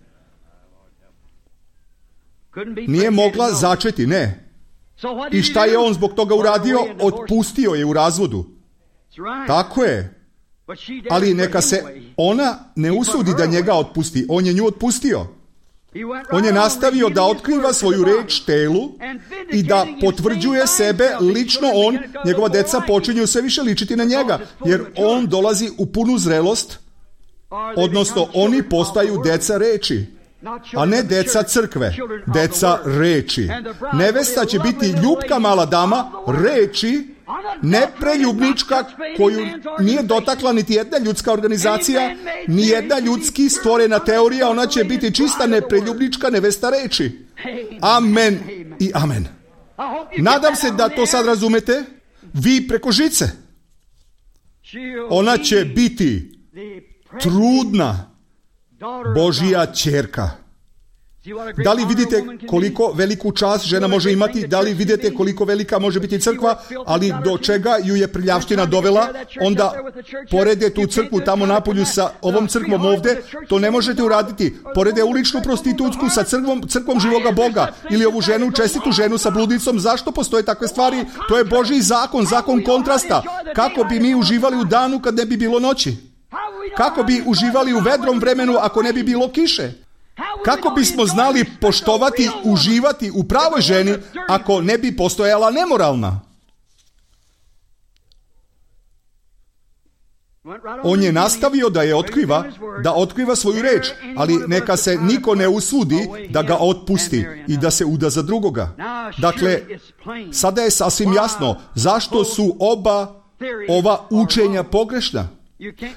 Nije mogla začeti, ne. I šta je on zbog toga uradio? Otpustio je u razvodu. Tako je. Ali neka se ona ne usudi da njega otpusti. On je nju otpustio. On je nastavio da otkriva svoju reč telu i da potvrđuje sebe lično on. Njegova deca počinju sve više ličiti na njega, jer on dolazi u punu zrelost, odnosno oni postaju deca reči, a ne deca crkve, deca reči. Nevesta će biti ljubka mala dama reči, nepreljubnička, koju nije dotakla niti jedna ljudska organizacija, ni jedna ljudski stvorena teorija. Ona će biti čista nepreljubnička nevesta reči. Amen i amen. Nadam se da to sad razumete. Vi preko žice. Ona će biti trudna Božja ćerka. Da li vidite koliko veliku čast žena može imati? Da li vidite koliko velika može biti crkva? Ali do čega ju je prljavština dovela? Onda porede tu crkvu tamo napolju sa ovom crkvom ovde. To ne možete uraditi. Porede uličnu prostitutsku sa crkvom živoga Boga. Ili ovu ženu, čestitu ženu sa bludnicom. Zašto postoje takve stvari? To je Božji zakon, zakon kontrasta. Kako bi mi uživali u danu kad ne bi bilo noći? Kako bi uživali u vedrom vremenu ako ne bi bilo kiše? Kako bismo znali poštovati, uživati u pravoj ženi ako ne bi postojala nemoralna? On je nastavio da je otkriva, da otkriva svoju reč, ali neka se niko ne usudi da ga otpusti i da se uda za drugoga. Dakle, sada je sasvim jasno zašto su ova učenja pogrešna.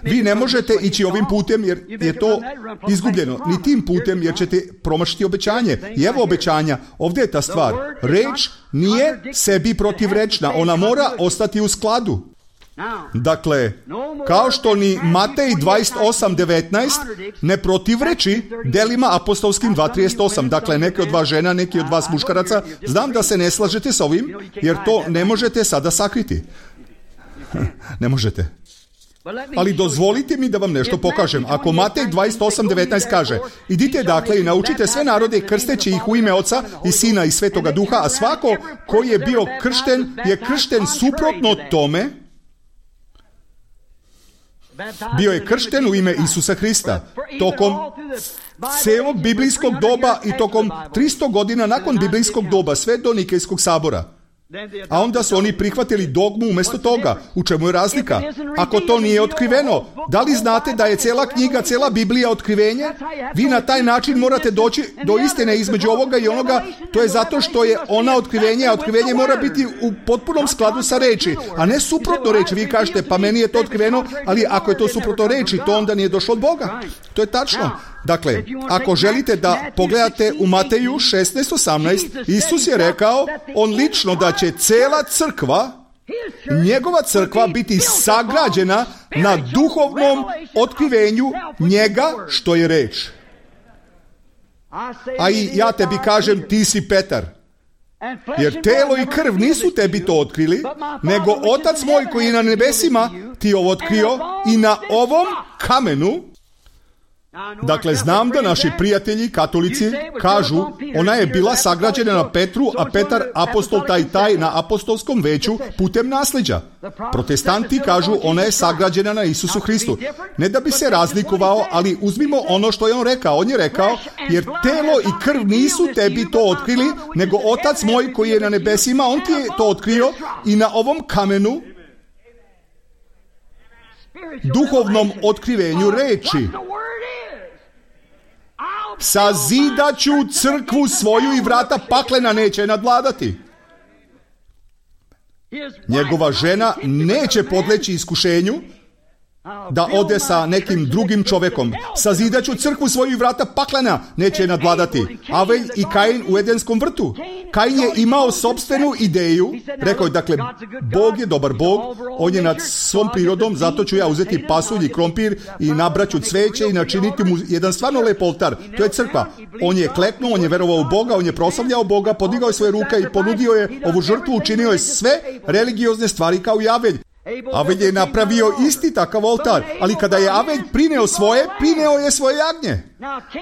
Vi ne možete ići ovim putem jer je to izgubljeno, ni tim putem jer ćete promašiti obećanje. I evo obećanja, ovdje je ta stvar. Reč nije sebi protivrečna, ona mora ostati u skladu. Dakle, kao što ni Matej 28:19 ne protivreči delima apostolskim 2:38. Dakle, neke od vas žena, neki od vas muškaraca, znam da se ne slažete s ovim, jer to ne možete sada sakriti. Ne možete. Ali dozvolite mi da vam nešto pokažem. Ako Matej 28:19 kaže: idite dakle i naučite sve narode krsteći ih u ime Oca i Sina i Svetoga Duha, a svako koji je bio kršten je kršten suprotno tome. Bio je kršten u ime Isusa Hrista. Tokom celog biblijskog doba i tokom 300 godina nakon biblijskog doba, sve do Nikejskog sabora. A onda su oni prihvatili dogmu umjesto toga. U čemu je razlika? Ako to nije otkriveno, da li znate da je cela knjiga, cela Biblija otkrivenje? Vi na taj način morate doći do istine između ovoga i onoga. To je zato što je ona otkrivenje, a otkrivenje mora biti u potpunom skladu sa reči, a ne suprotno reči. Vi kažete, pa meni je to otkriveno, ali ako je to suprotno reči, to onda nije došlo od Boga. To je tačno. Dakle, ako želite da pogledate u Mateju 16:18, Isus je rekao, on lično, da će cela crkva, njegova crkva, biti sagrađena na duhovnom otkrivenju njega što je reč. A i ja tebi kažem, ti si Petar. Jer telo i krv nisu tebi to otkrili, nego Otac moj koji je na nebesima ti ovo otkrio, i na ovom kamenu. Dakle, znam da naši prijatelji, katolici, kažu, ona je bila sagrađena na Petru, a Petar, apostol taj na apostolskom veću putem nasljeđa. Protestanti kažu, ona je sagrađena na Isusu Hristu. Ne da bi se razlikovao, ali uzmimo ono što je on rekao. On je rekao, jer telo i krv nisu tebi to otkrili, nego Otac moj koji je na nebesima, on ti je to otkrio, i na ovom kamenu, duhovnom otkrivenju reči, sazidaću crkvu svoju i vrata paklena neće je nadvladati. Njegova žena neće podleći iskušenju da ode sa nekim drugim čovekom. Sazidaću crkvu svoju i vrata paklena neće je nadvladati. Avelj i Kain u Edenskom vrtu. Kain je imao sopstvenu ideju. Rekao je, dakle, Bog je dobar Bog, on je nad svom prirodom, zato ću ja uzeti pasulj i krompir i nabraću cveće i načiniti mu jedan stvarno lep oltar. To je crkva. On je kleknuo, on je verovao u Boga, on je proslavljao Boga, podigao je svoje ruke i ponudio je ovu žrtvu, učinio je sve religiozne stvari kao i Avelj. Avelj je napravio isti takav oltar, ali kada je Avelj prineo je svoje jagnje.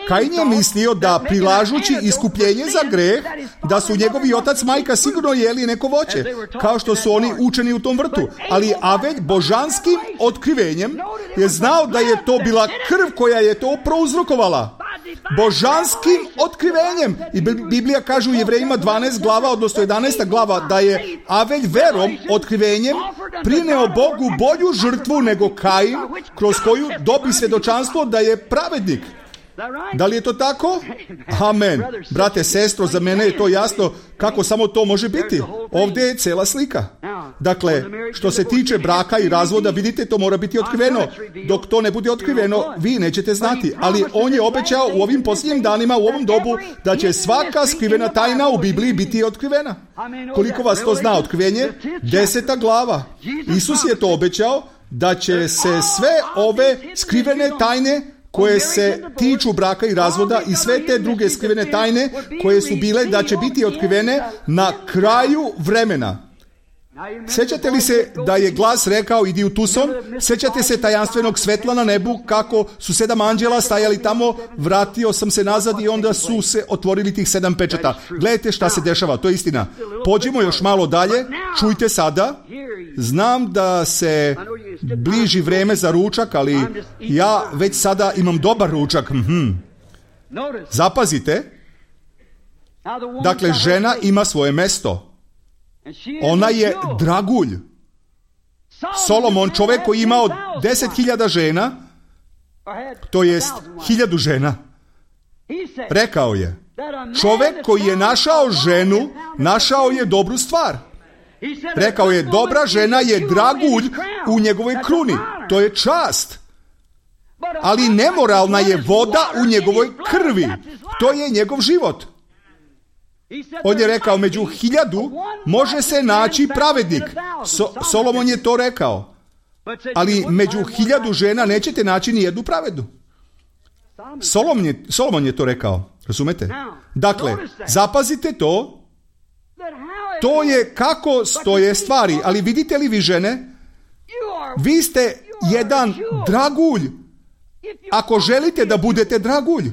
Kain je mislio da prilažući iskupljenje za greh, da su njegovi otac majka sigurno jeli neko voće, kao što su oni učeni u tom vrtu. Ali Avelj božanskim otkrivenjem je znao da je to bila krv koja je to prouzrokovala. Božanskim otkrivenjem. I Biblija kaže u Jevrejima 12 glava, odnosno 11 glava, da je Avelj verom, otkrivenjem, prineo Bogu bolju žrtvu nego Kain, kroz koju dobi svjedočanstvo da je pravednik. Da li je to tako? Amen. Brate, sestro, za mene je to jasno kako samo to može biti. Ovdje je cela slika. Dakle, što se tiče braka i razvoda, vidite, to mora biti otkriveno. Dok to ne bude otkriveno, vi nećete znati. Ali on je obećao u ovim posljednjim danima, u ovom dobu, da će svaka skrivena tajna u Bibliji biti otkrivena. Koliko vas to zna otkrivenje? 10. glava. Isus je to obećao, da će se sve ove skrivene tajne koje se tiču braka i razvoda i sve te druge skrivene tajne koje su bile da će biti otkrivene na kraju vremena. Sjećate li se da je glas rekao idi u Tucson? Sjećate se tajanstvenog svetla na nebu kako su 7 anđela stajali tamo? Vratio sam se nazad i onda su se otvorili tih 7 pečata. Gledajte šta se dešava, to je istina. Pođimo još malo dalje, čujte sada. Znam da se bliži vreme za ručak, ali ja već sada imam dobar ručak. Zapazite. Dakle, žena ima svoje mesto. Ona je dragulj. Solomon, čovjek koji je imao 10.000 žena, to jest 1.000 žena, rekao je, čovjek koji je našao ženu, našao je dobru stvar. Rekao je, dobra žena je dragulj u njegovoj kruni. To je čast. Ali nemoralna je voda u njegovoj krvi. To je njegov život. On je rekao, među 1.000 može se naći pravednik. Solomon je to rekao. Ali među 1.000 žena nećete naći ni jednu pravednu. Solomon je to rekao. Razumete? Dakle, zapazite to. To je kako stoje stvari. Ali vidite li vi žene? Vi ste jedan dragulj. Ako želite da budete dragulj.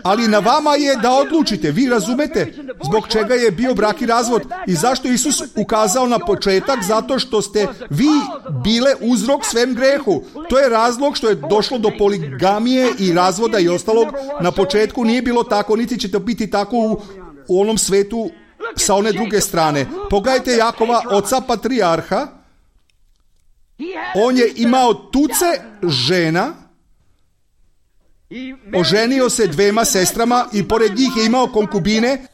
Ali na vama je da odlučite, vi razumete zbog čega je bio brak i razvod i zašto je Isus ukazao na početak, zato što ste vi bile uzrok svem grehu. To je razlog što je došlo do poligamije i razvoda i ostalog. Na početku nije bilo tako, niti će to biti tako u onom svetu sa one druge strane. Pogledajte Jakova, oca patrijarha. On je imao tuce žena, oženio se 2 sestrama i pored njih je imao konkubine,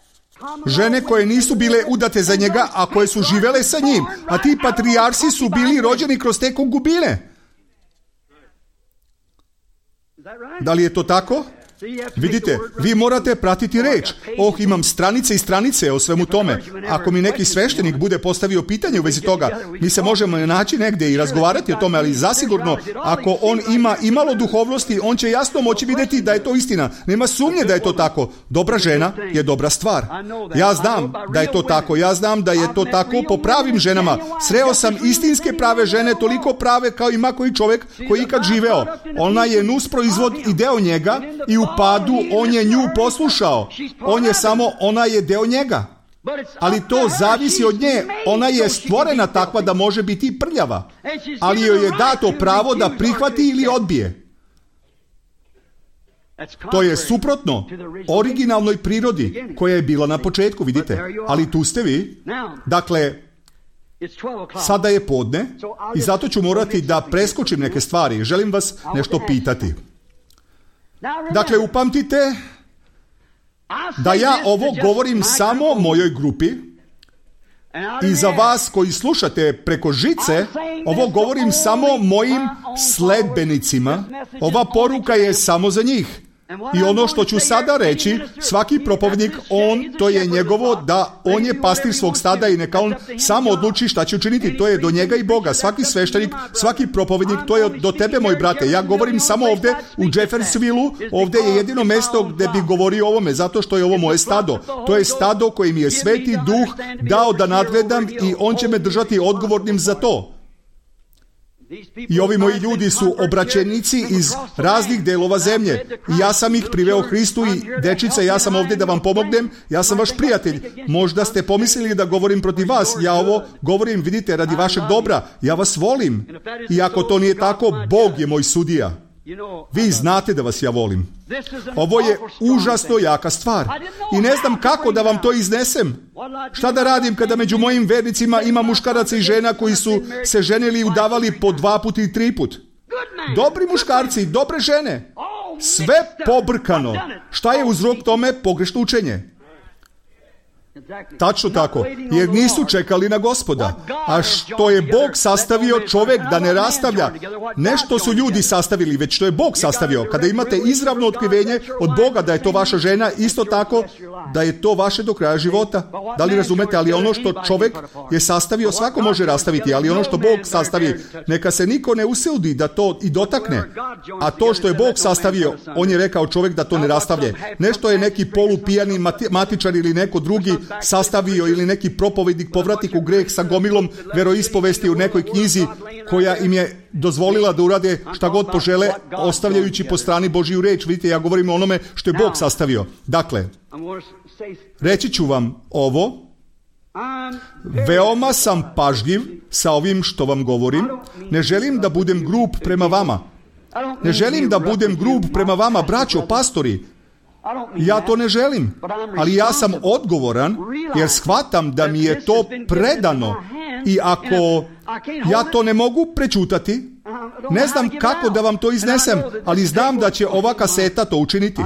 žene koje nisu bile udate za njega, a koje su živele sa njim. A ti patrijarsi su bili rođeni kroz te konkubine. Da li je to tako? Vidite, vi morate pratiti reč. Imam stranice i stranice o svemu tome. Ako mi neki sveštenik bude postavio pitanje u vezi toga, mi se možemo naći negdje i razgovarati o tome, ali zasigurno, ako on ima imalo duhovnosti, on će jasno moći vidjeti da je to istina. Nema sumnje da je to tako. Dobra žena je dobra stvar. Ja znam da je to tako. Ja znam da je to tako po pravim ženama. Sreo sam istinske prave žene, toliko prave kao ima koji čovjek koji ikad živeo. Ona je nusproizvod i deo njega i u padu on je nju poslušao. Ona je deo njega. Ali to zavisi od nje. Ona je stvorena takva da može biti prljava. Ali joj je dato pravo da prihvati ili odbije. To je suprotno originalnoj prirodi koja je bila na početku, vidite. Ali tu ste vi. Dakle, sada je podne i zato ću morati da preskočim neke stvari. Želim vas nešto pitati. Dakle, upamtite da ja ovo govorim samo mojoj grupi i za vas koji slušate preko žice, ovo govorim samo mojim sledbenicima. Ova poruka je samo za njih. I ono što ću sada reći, svaki propovednik, to je njegovo, da on je pastir svog stada i neka on samo odluči šta će učiniti. To je do njega i Boga. Svaki sveštenik, svaki propovednik, to je do tebe, moj brate. Ja govorim samo ovde u Jeffersonvilleu, ovde je jedino mesto gde bi govorio o ovome, zato što je ovo moje stado. To je stado koje mi je Sveti Duh dao da nadgledam i on će me držati odgovornim za to. I ovi moji ljudi su obraćenici iz raznih delova zemlje. I ja sam ih priveo Hristu i dečice, ja sam ovdje da vam pomognem, ja sam vaš prijatelj. Možda ste pomislili da govorim protiv vas, ja ovo govorim, vidite, radi vašeg dobra. Ja vas volim. I ako to nije tako, Bog je moj sudija. Vi znate da vas ja volim. Ovo je užasno jaka stvar. I ne znam kako da vam to iznesem. Šta da radim kada među mojim vernicima ima muškaraca i žena koji su se ženili i udavali po 2 puta i 3 put? Dobri muškarci, dobre žene. Sve pobrkano. Šta je uzrok tome? Pogrešno učenje. Tačno tako, jer nisu čekali na Gospoda. A što je Bog sastavio, čovjek da ne rastavlja. Ne što su ljudi sastavili, već što je Bog sastavio. Kada imate izravno otkrivenje od Boga da je to vaša žena, isto tako da je to vaše do kraja života. Da li razumete? Ali ono što čovjek je sastavio, svako može rastaviti, ali ono što Bog sastavi, neka se niko ne usudi da to i dotakne. A to što je Bog sastavio, on je rekao čovjek da to ne rastavlje. Nešto je neki polupijani matičar ili neko drugi sastavio ili neki propovednik povratnik u greh sa gomilom veroispovesti u nekoj knjizi koja im je dozvolila da urade šta god požele, ostavljajući po strani Božju reč. Vidite, ja govorim o onome što je Bog sastavio. Dakle, reći ću vam ovo. Veoma sam pažljiv sa ovim što vam govorim. Ne želim da budem grub prema vama. Ne želim da budem grub prema vama, braćo, pastori. Ja to ne želim, ali ja sam odgovoran jer shvatam da mi je to predano i ako ja to ne mogu prečutati, ne znam kako da vam to iznesem, ali znam da će ova kaseta to učiniti.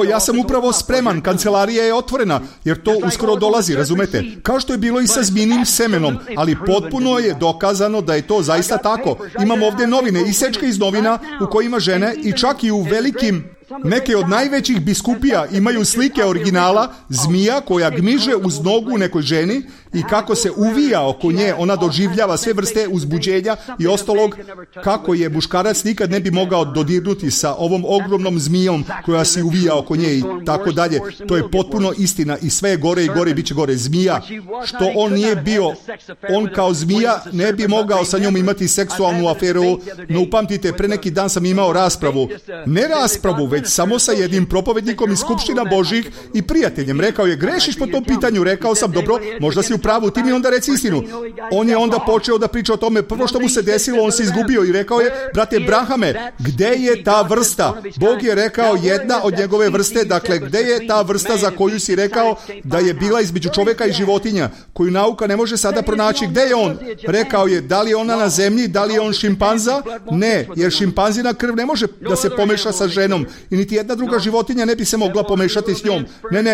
Ja sam upravo spreman, kancelarija je otvorena, jer to uskoro dolazi, razumete? Kao što je bilo i sa zmijnim semenom, ali potpuno je dokazano da je to zaista tako. Imamo ovdje novine, isečke iz novina u kojima žene i čak i u velikim, neke od najvećih biskupija imaju slike originala zmija koja gmiže uz nogu nekoj ženi i kako se uvija oko nje, ona doživljava sve vrste uzbuđenja i ostalog, kako je muškarac nikad ne bi mogao dodirnuti sa ovom ogromnom zmijom koja se uvija oko nje i tako dalje. To je potpuno istina i sve je gore i gore i bit će gore. Zmija, što on nije bio, on kao zmija ne bi mogao sa njom imati seksualnu aferu, no upamtite, pre neki dan sam imao raspravu, ne raspravu, već samo sa jednim propovednikom iz skupština Božih i prijateljem. Rekao je, grešiš po tom pitanju. Rekao sam, dobro, možda si u pravu, ti mi onda reci istinu. On je onda počeo da priča o tome. Prvo što mu se desilo, on se izgubio i rekao je, brate Brahame, gde je ta vrsta? Bog je rekao jedna od njegove vrste, dakle, gde je ta vrsta za koju si rekao da je bila između čovjeka i životinja, koju nauka ne može sada pronaći? Gde je on? Rekao je, da li je ona na zemlji, da li je on šimpanza? Ne, jer šimpanzina krv ne može da se pomeša sa ženom i niti jedna druga životinja ne bi se mogla pomešati s njom.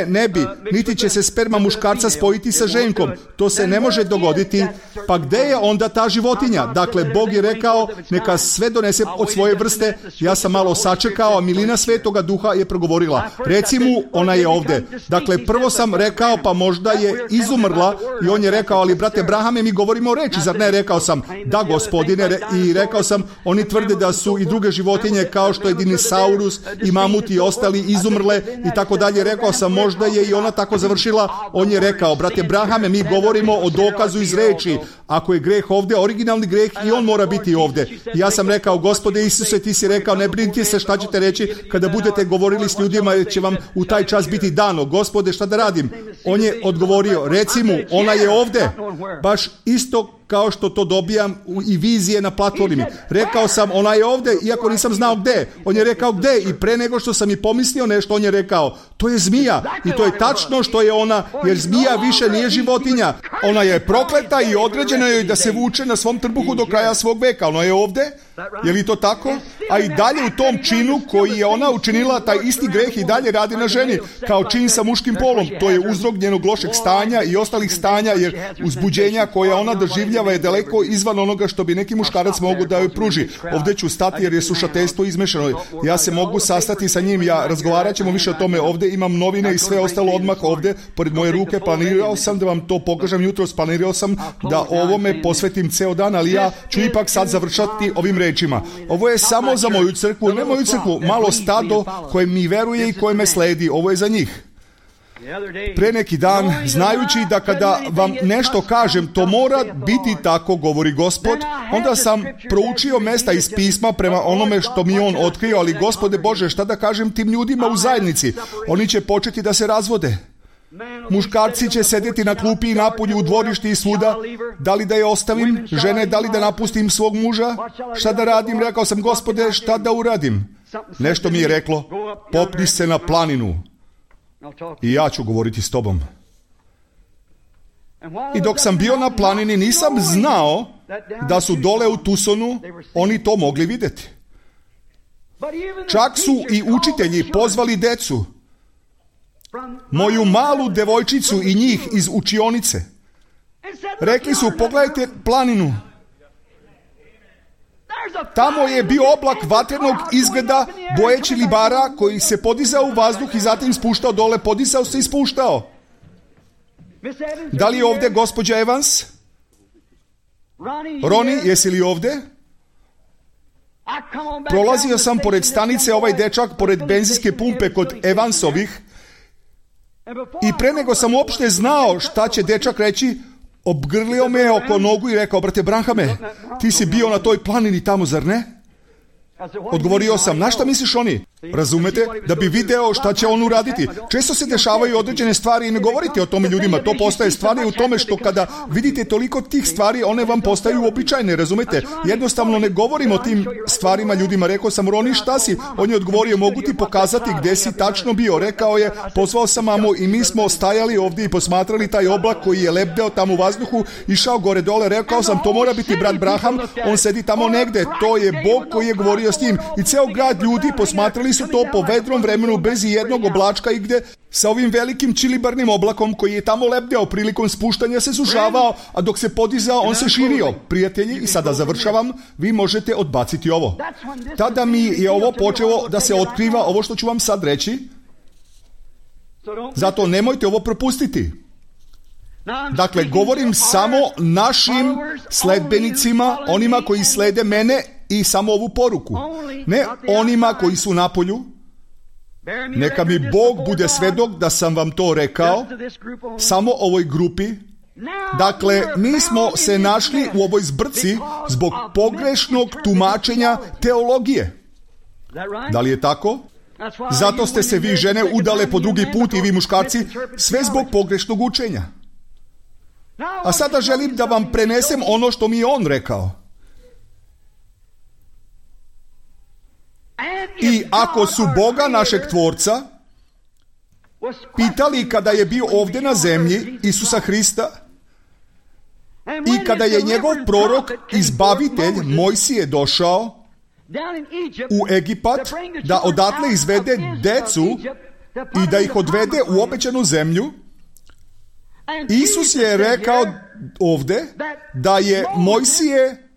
Ne bi. Niti će se sperma muškarca spojiti sa ženkom. To se ne može dogoditi. Pa gde je onda ta životinja? Dakle, Bog je rekao, neka sve donese od svoje vrste. Ja sam malo sačekao, a milina Svetoga Duha je progovorila. Reci mu, ona je ovde. Dakle, prvo sam rekao, pa možda je izumrla i on je rekao, ali brate Brahame, mi govorimo o reči, zar ne? Rekao sam, da gospodine, i rekao sam, oni tvrde da su i druge životinje kao što je dinosaurus i mamut i ostali izumrle i tako dalje. Rekao sam, možda je i ona tako završila. On je rekao, brate Brahame, mi govorimo o dokazu iz reči. Ako je greh ovdje, originalni greh, i on mora biti ovdje. Ja sam rekao, Gospode Isuse, ti si rekao, ne brinite se šta ćete reći kada budete govorili s ljudima, jer će vam u taj čas biti dano. Gospode, šta da radim? On je odgovorio, reci mu, ona je ovdje. Baš isto kao što to dobijam i vizije na platformi. Rekao sam, ona je ovdje, iako nisam znao gde. On je rekao gde i pre nego što sam i pomislio nešto, on je rekao, to je zmija. I to je tačno što je ona, jer zmija više nije životinja. Ona je prokleta i određeno je da se vuče na svom trbuhu do kraja svog veka. Ona je ovdje Je li to tako? A i dalje u tom činu koji je ona učinila, taj isti greh i dalje radi na ženi, kao čin sa muškim polom. To je uzrok njenog lošeg stanja i ostalih stanja, jer uzbuđenja koja ona doživljava je daleko izvan onoga što bi neki muškarac mogu da joj pruži. Ovdje ću stati jer je slušateljstvo izmešano. Ja se mogu sastati sa njim, razgovarat ćemo više o tome. Ovdje imam novine i sve ostalo odmah ovdje, pored moje ruke. Planirao sam da vam to pokažem jutros, planirao sam da ovome posvetim ceo dan, ali ja ću ipak sad završati ovim rečima. Ovo je samo za moju crkvu, ne moju crkvu, malo stado koje mi veruje i koje me sledi. Ovo je za njih. Pre neki dan, znajući da kada vam nešto kažem, to mora biti tako, govori Gospod, onda sam proučio mesta iz pisma prema onome što mi on otkrio, ali Gospode Bože, šta da kažem tim ljudima u zajednici? Oni će početi da se razvode. Muškarci će sedjeti na klupi i napolju u dvorišti i svuda. Da li da je ostavim? Žene, da li da napustim svog muža? Šta da radim? Rekao sam, Gospode, šta da uradim? Nešto mi je reklo, popni se na planinu i ja ću govoriti s tobom. I dok sam bio na planini, nisam znao da su dole u Tucsonu oni to mogli vidjeti. Čak su i učitelji pozvali decu, moju malu devojčicu i njih iz učionice. Rekli su, pogledajte planinu. Tamo je bio oblak vatrenog izgleda bojeći libara koji se podizao u vazduh i zatim spuštao dole, podizao se i spuštao. Da li je ovdje gospođa Evans? Roni, jesi li ovdje? Prolazio sam pored stanice, ovaj dečak, pored benzinske pumpe kod Evansovih, i pre nego sam uopšte znao šta će dečak reći, obgrlio me oko nogu i rekao, brate Branhame, ti si bio na toj planini tamo, zar ne? Odgovorio sam, na šta misliš oni? Razumete? Da bi video šta će on uraditi. Često se dešavaju određene stvari i ne govorite o tome ljudima. To postaje stvari u tome što kada vidite toliko tih stvari, one vam postaju običajne, razumete? Jednostavno ne govorim o tim stvarima ljudima. Rekao sam, Roni, šta si? On je odgovorio, mogu ti pokazati gdje si tačno bio. Rekao je, pozvao sam mamu i mi smo stajali ovdje i posmatrali taj oblak koji je lebdeo tamo u vazduhu, išao gore dole. Rekao sam, to mora biti brat Branham, on sedi tamo negde. To je Bog koji je govorio s njim. I ceo grad ljudi posmatrali su to po vedrom vremenu bez jednog oblačka i gde sa ovim velikim čilibarnim oblakom koji je tamo lebdeo prilikom spuštanja se sužavao, a dok se podizao on se širio. Prijatelji, i sada završavam, vi možete odbaciti ovo. Tada mi je ovo počelo da se otkriva, ovo što ću vam sad reći, zato nemojte ovo propustiti. Dakle, govorim samo našim sledbenicima, onima koji slede mene i samo ovu poruku. Ne onima koji su napolju. Neka mi Bog bude svedok da sam vam to rekao, samo ovoj grupi. Dakle, mi smo se našli u ovoj zbrci zbog pogrešnog tumačenja teologije. Da li je tako? Zato ste se vi žene udale po drugi put i vi muškarci, sve zbog pogrešnog učenja. A sada želim da vam prenesem ono što mi je on rekao. I ako su Boga našeg Tvorca pitali kada je bio ovdje na zemlji, Isusa Hrista, i kada je njegov prorok, izbavitelj Mojsije došao u Egipat da odatle izvede decu i da ih odvede u obećanu zemlju, Isus je rekao ovdje da je Mojsije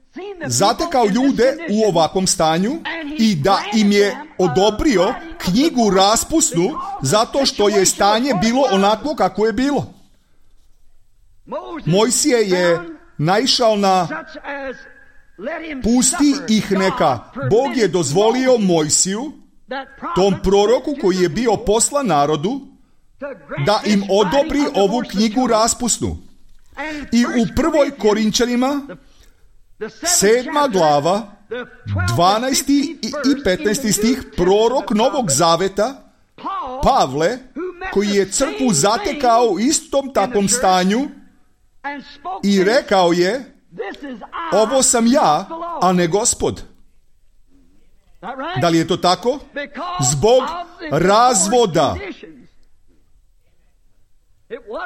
zatekao ljude u ovakvom stanju i da im je odobrio knjigu raspusnu zato što je stanje bilo onako kako je bilo. Mojsije je naišao na pusti ih neka. Bog je dozvolio Mojsiju, tom proroku koji je bio poslan narodu, da im odobri ovu knjigu raspusnu. I u 1. Korinčanima 7. glava 12. i 15. stih, prorok Novog Zaveta Pavle, koji je crkvu zatekao u istom takvom stanju i rekao je, ovo sam ja, a ne Gospod. Da li je to tako? Zbog razvoda.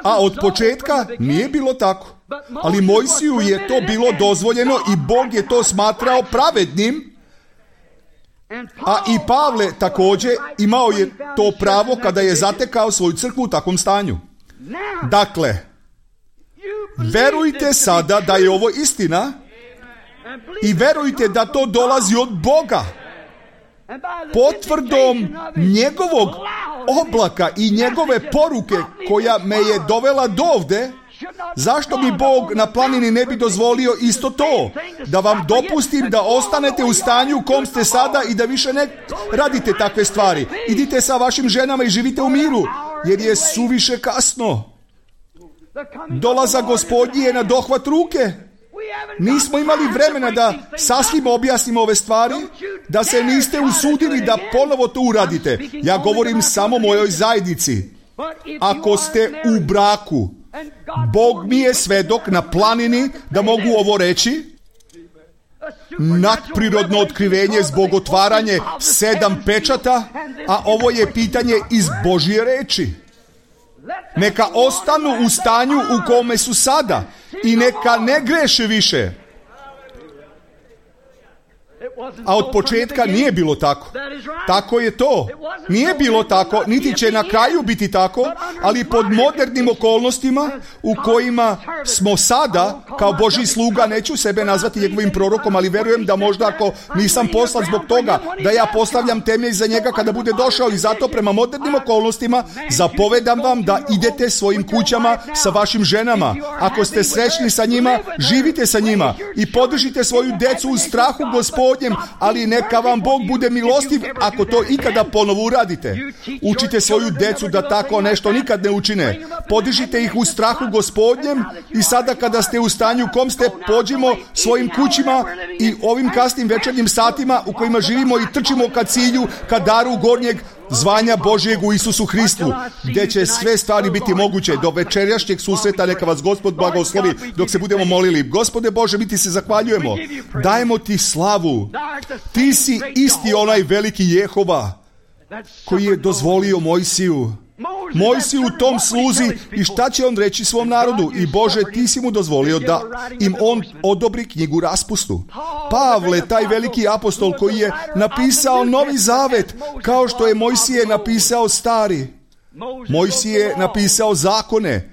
A od početka nije bilo tako. Ali Mojsiju je to bilo dozvoljeno i Bog je to smatrao pravednim. A i Pavle također imao je to pravo kada je zatekao svoju crkvu u takvom stanju. Dakle, verujte sada da je ovo istina i verujte da to dolazi od Boga. Potvrdom njegovog oblaka i njegove poruke koja me je dovela dovde, zašto mi Bog na planini ne bi dozvolio isto to? Da vam dopustim da ostanete u stanju u kom ste sada i da više ne radite takve stvari. Idite sa vašim ženama i živite u miru, jer je suviše kasno. Dolazak Gospodnji je na dohvat ruke. Nismo imali vremena da sasvim objasnimo ove stvari, da se niste usudili da ponovo to uradite. Ja govorim samo mojoj zajednici. Ako ste u braku, Bog mi je svedok na planini da mogu ovo reći, nadprirodno otkrivenje zbog otvaranje 7 pečata, a ovo je pitanje iz Božje reči. Neka ostanu u stanju u kome su sada i neka ne greše više. A od početka nije bilo tako. Tako je to. Nije bilo tako, niti će na kraju biti tako, ali pod modernim okolnostima u kojima smo sada, kao Božji sluga, neću sebe nazvati njegovim prorokom, ali verujem da možda ako nisam poslat zbog toga, da ja postavljam temelj za njega kada bude došao, i zato prema modernim okolnostima zapovedam vam da idete svojim kućama sa vašim ženama. Ako ste srećni sa njima, živite sa njima i podržite svoju decu u strahu Gospodnjem, ali neka vam Bog bude milostiv ako to ikada ponovo uradite. Učite svoju decu da tako nešto nikad ne učine. Podižite ih u strahu Gospodnjem i sada kada ste u stanju kom ste, pođimo svojim kućima i ovim kasnim večernjim satima u kojima živimo i trčimo ka cilju, ka daru gornjeg zvanja Božjeg u Isusu Hristu, gdje će sve stvari biti moguće. Do večerašnjeg susreta neka vas Gospod blagoslovi dok se budemo molili. Gospode Bože, mi ti se zahvaljujemo. Dajemo ti slavu. Ti si isti onaj veliki Jehova koji je dozvolio Mojsiju u tom sluzi i šta će on reći svom narodu. I Bože, ti si mu dozvolio da im on odobri knjigu raspustu. Pavle, taj veliki apostol koji je napisao Novi Zavet, kao što je Mojsije napisao Stari. Mojsije je napisao zakone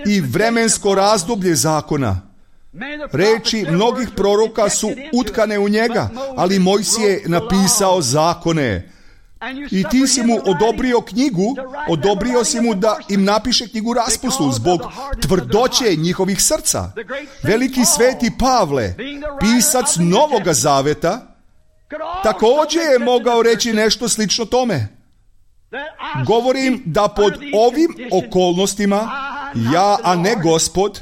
i vremensko razdoblje zakona. Reči mnogih proroka su utkane u njega, ali Mojsije je napisao zakone. I ti si mu odobrio knjigu, odobrio si mu da im napiše knjigu raspustu zbog tvrdoće njihovih srca. Veliki sveti Pavle, pisac Novoga Zaveta, također je mogao reći nešto slično tome. Govorim da pod ovim okolnostima, ja a ne Gospod,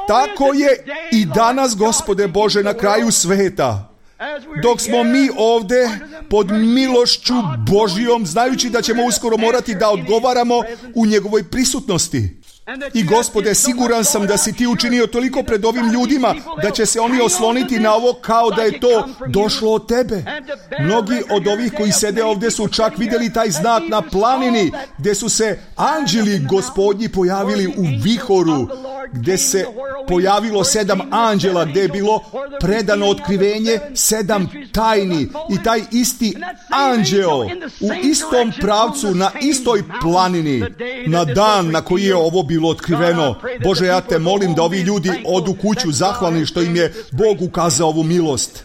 tako je i danas, Gospode Bože, na kraju sveta. Dok smo mi ovdje pod milošću Božjom, znajući da ćemo uskoro morati da odgovaramo u njegovoj prisutnosti. I Gospode, siguran sam da si ti učinio toliko pred ovim ljudima da će se oni osloniti na ovo kao da je to došlo od tebe. Mnogi od ovih koji sede ovdje su čak vidjeli taj znak na planini gdje su se anđeli Gospodnji pojavili u vihoru, gdje se pojavilo 7 anđela, gdje je bilo predano otkrivenje 7 tajni. I taj isti anđeo u istom pravcu, na istoj planini, na dan na koji je ovo bilo otkriveno. Bože, ja te molim da ovi ljudi odu kuću zahvalni što im je Bog ukazao ovu milost.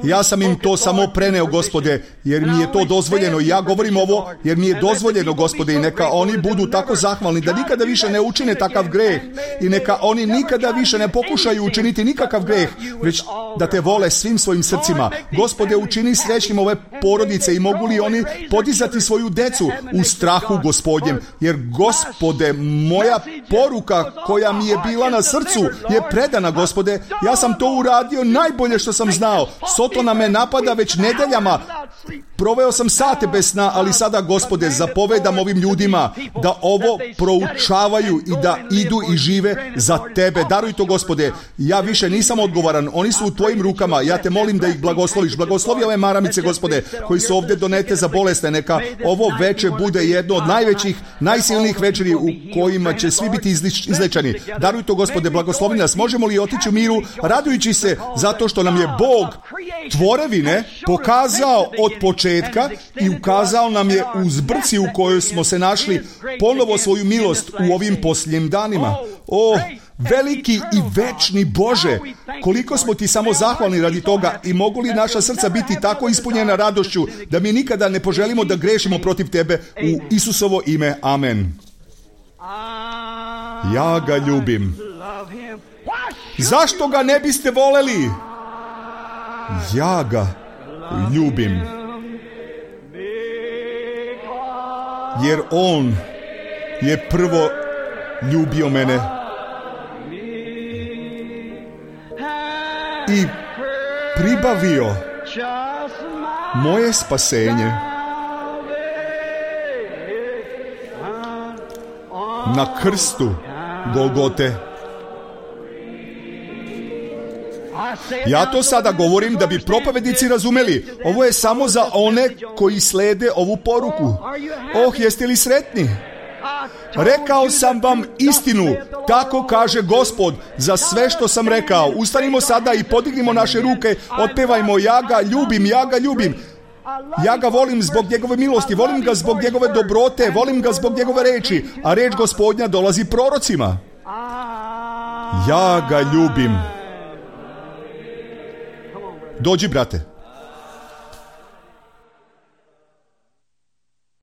Ja sam im to samo preneo, Gospode, jer mi je to dozvoljeno. Ja govorim ovo jer mi je dozvoljeno, Gospode, i neka oni budu tako zahvalni da nikada više ne učine takav greh i neka oni nikada više ne pokušaju učiniti nikakav greh, već da te vole svim svojim srcima. Gospode, učini srećnim ove porodice i mogu li oni podizati svoju decu u strahu Gospodnjem, jer Gospode, moja poruka koja mi je bila na srcu je predana, Gospode. Ja sam to uradio najbolje što sam znao. Sotona me napada već nedeljama Proveo sam sate bez sna, ali sada, Gospode, zapovedam ovim ljudima da ovo proučavaju i da idu i žive za Tebe. Daruj to, Gospode. Ja više nisam odgovoran. Oni su u Tvojim rukama. Ja Te molim da ih blagosloviš. Blagoslovi ove maramice, Gospode, koji su ovdje donete za bolesne. Neka ovo veče bude jedno od najvećih, najsilnijih večeri u kojima će svi biti izlečeni. Daruj to, Gospode, blagoslovi nas. Možemo li otići u miru, radujući se zato što nam je Bog tvorevine pokazao od početka i ukazao nam je u zbrci u kojoj smo se našli ponovo svoju milost u ovim posljednjim danima. O, veliki i večni Bože, koliko smo Ti samo zahvalni radi toga i mogu li naša srca biti tako ispunjena radošću da mi nikada ne poželimo da grešimo protiv Tebe u Isusovo ime. Amen. Ja ga ljubim. Zašto ga ne biste voleli? Ja ga ljubim. Jer on je prvo ljubio mene i pribavio moje spasenje na krstu Golgote. Ja to sada govorim da bi propovjednici razumeli. Ovo je samo za one koji slede ovu poruku. Jeste li sretni? Rekao sam vam istinu, tako kaže Gospod, za sve što sam rekao. Ustanimo sada i podignimo naše ruke, otpevajmo: ja ga ljubim, ja ga ljubim. Ja ga volim zbog njegove milosti, volim ga zbog njegove dobrote, volim ga zbog njegove reči, a reč Gospodnja dolazi prorocima. Ja ga ljubim. Dođi, brate.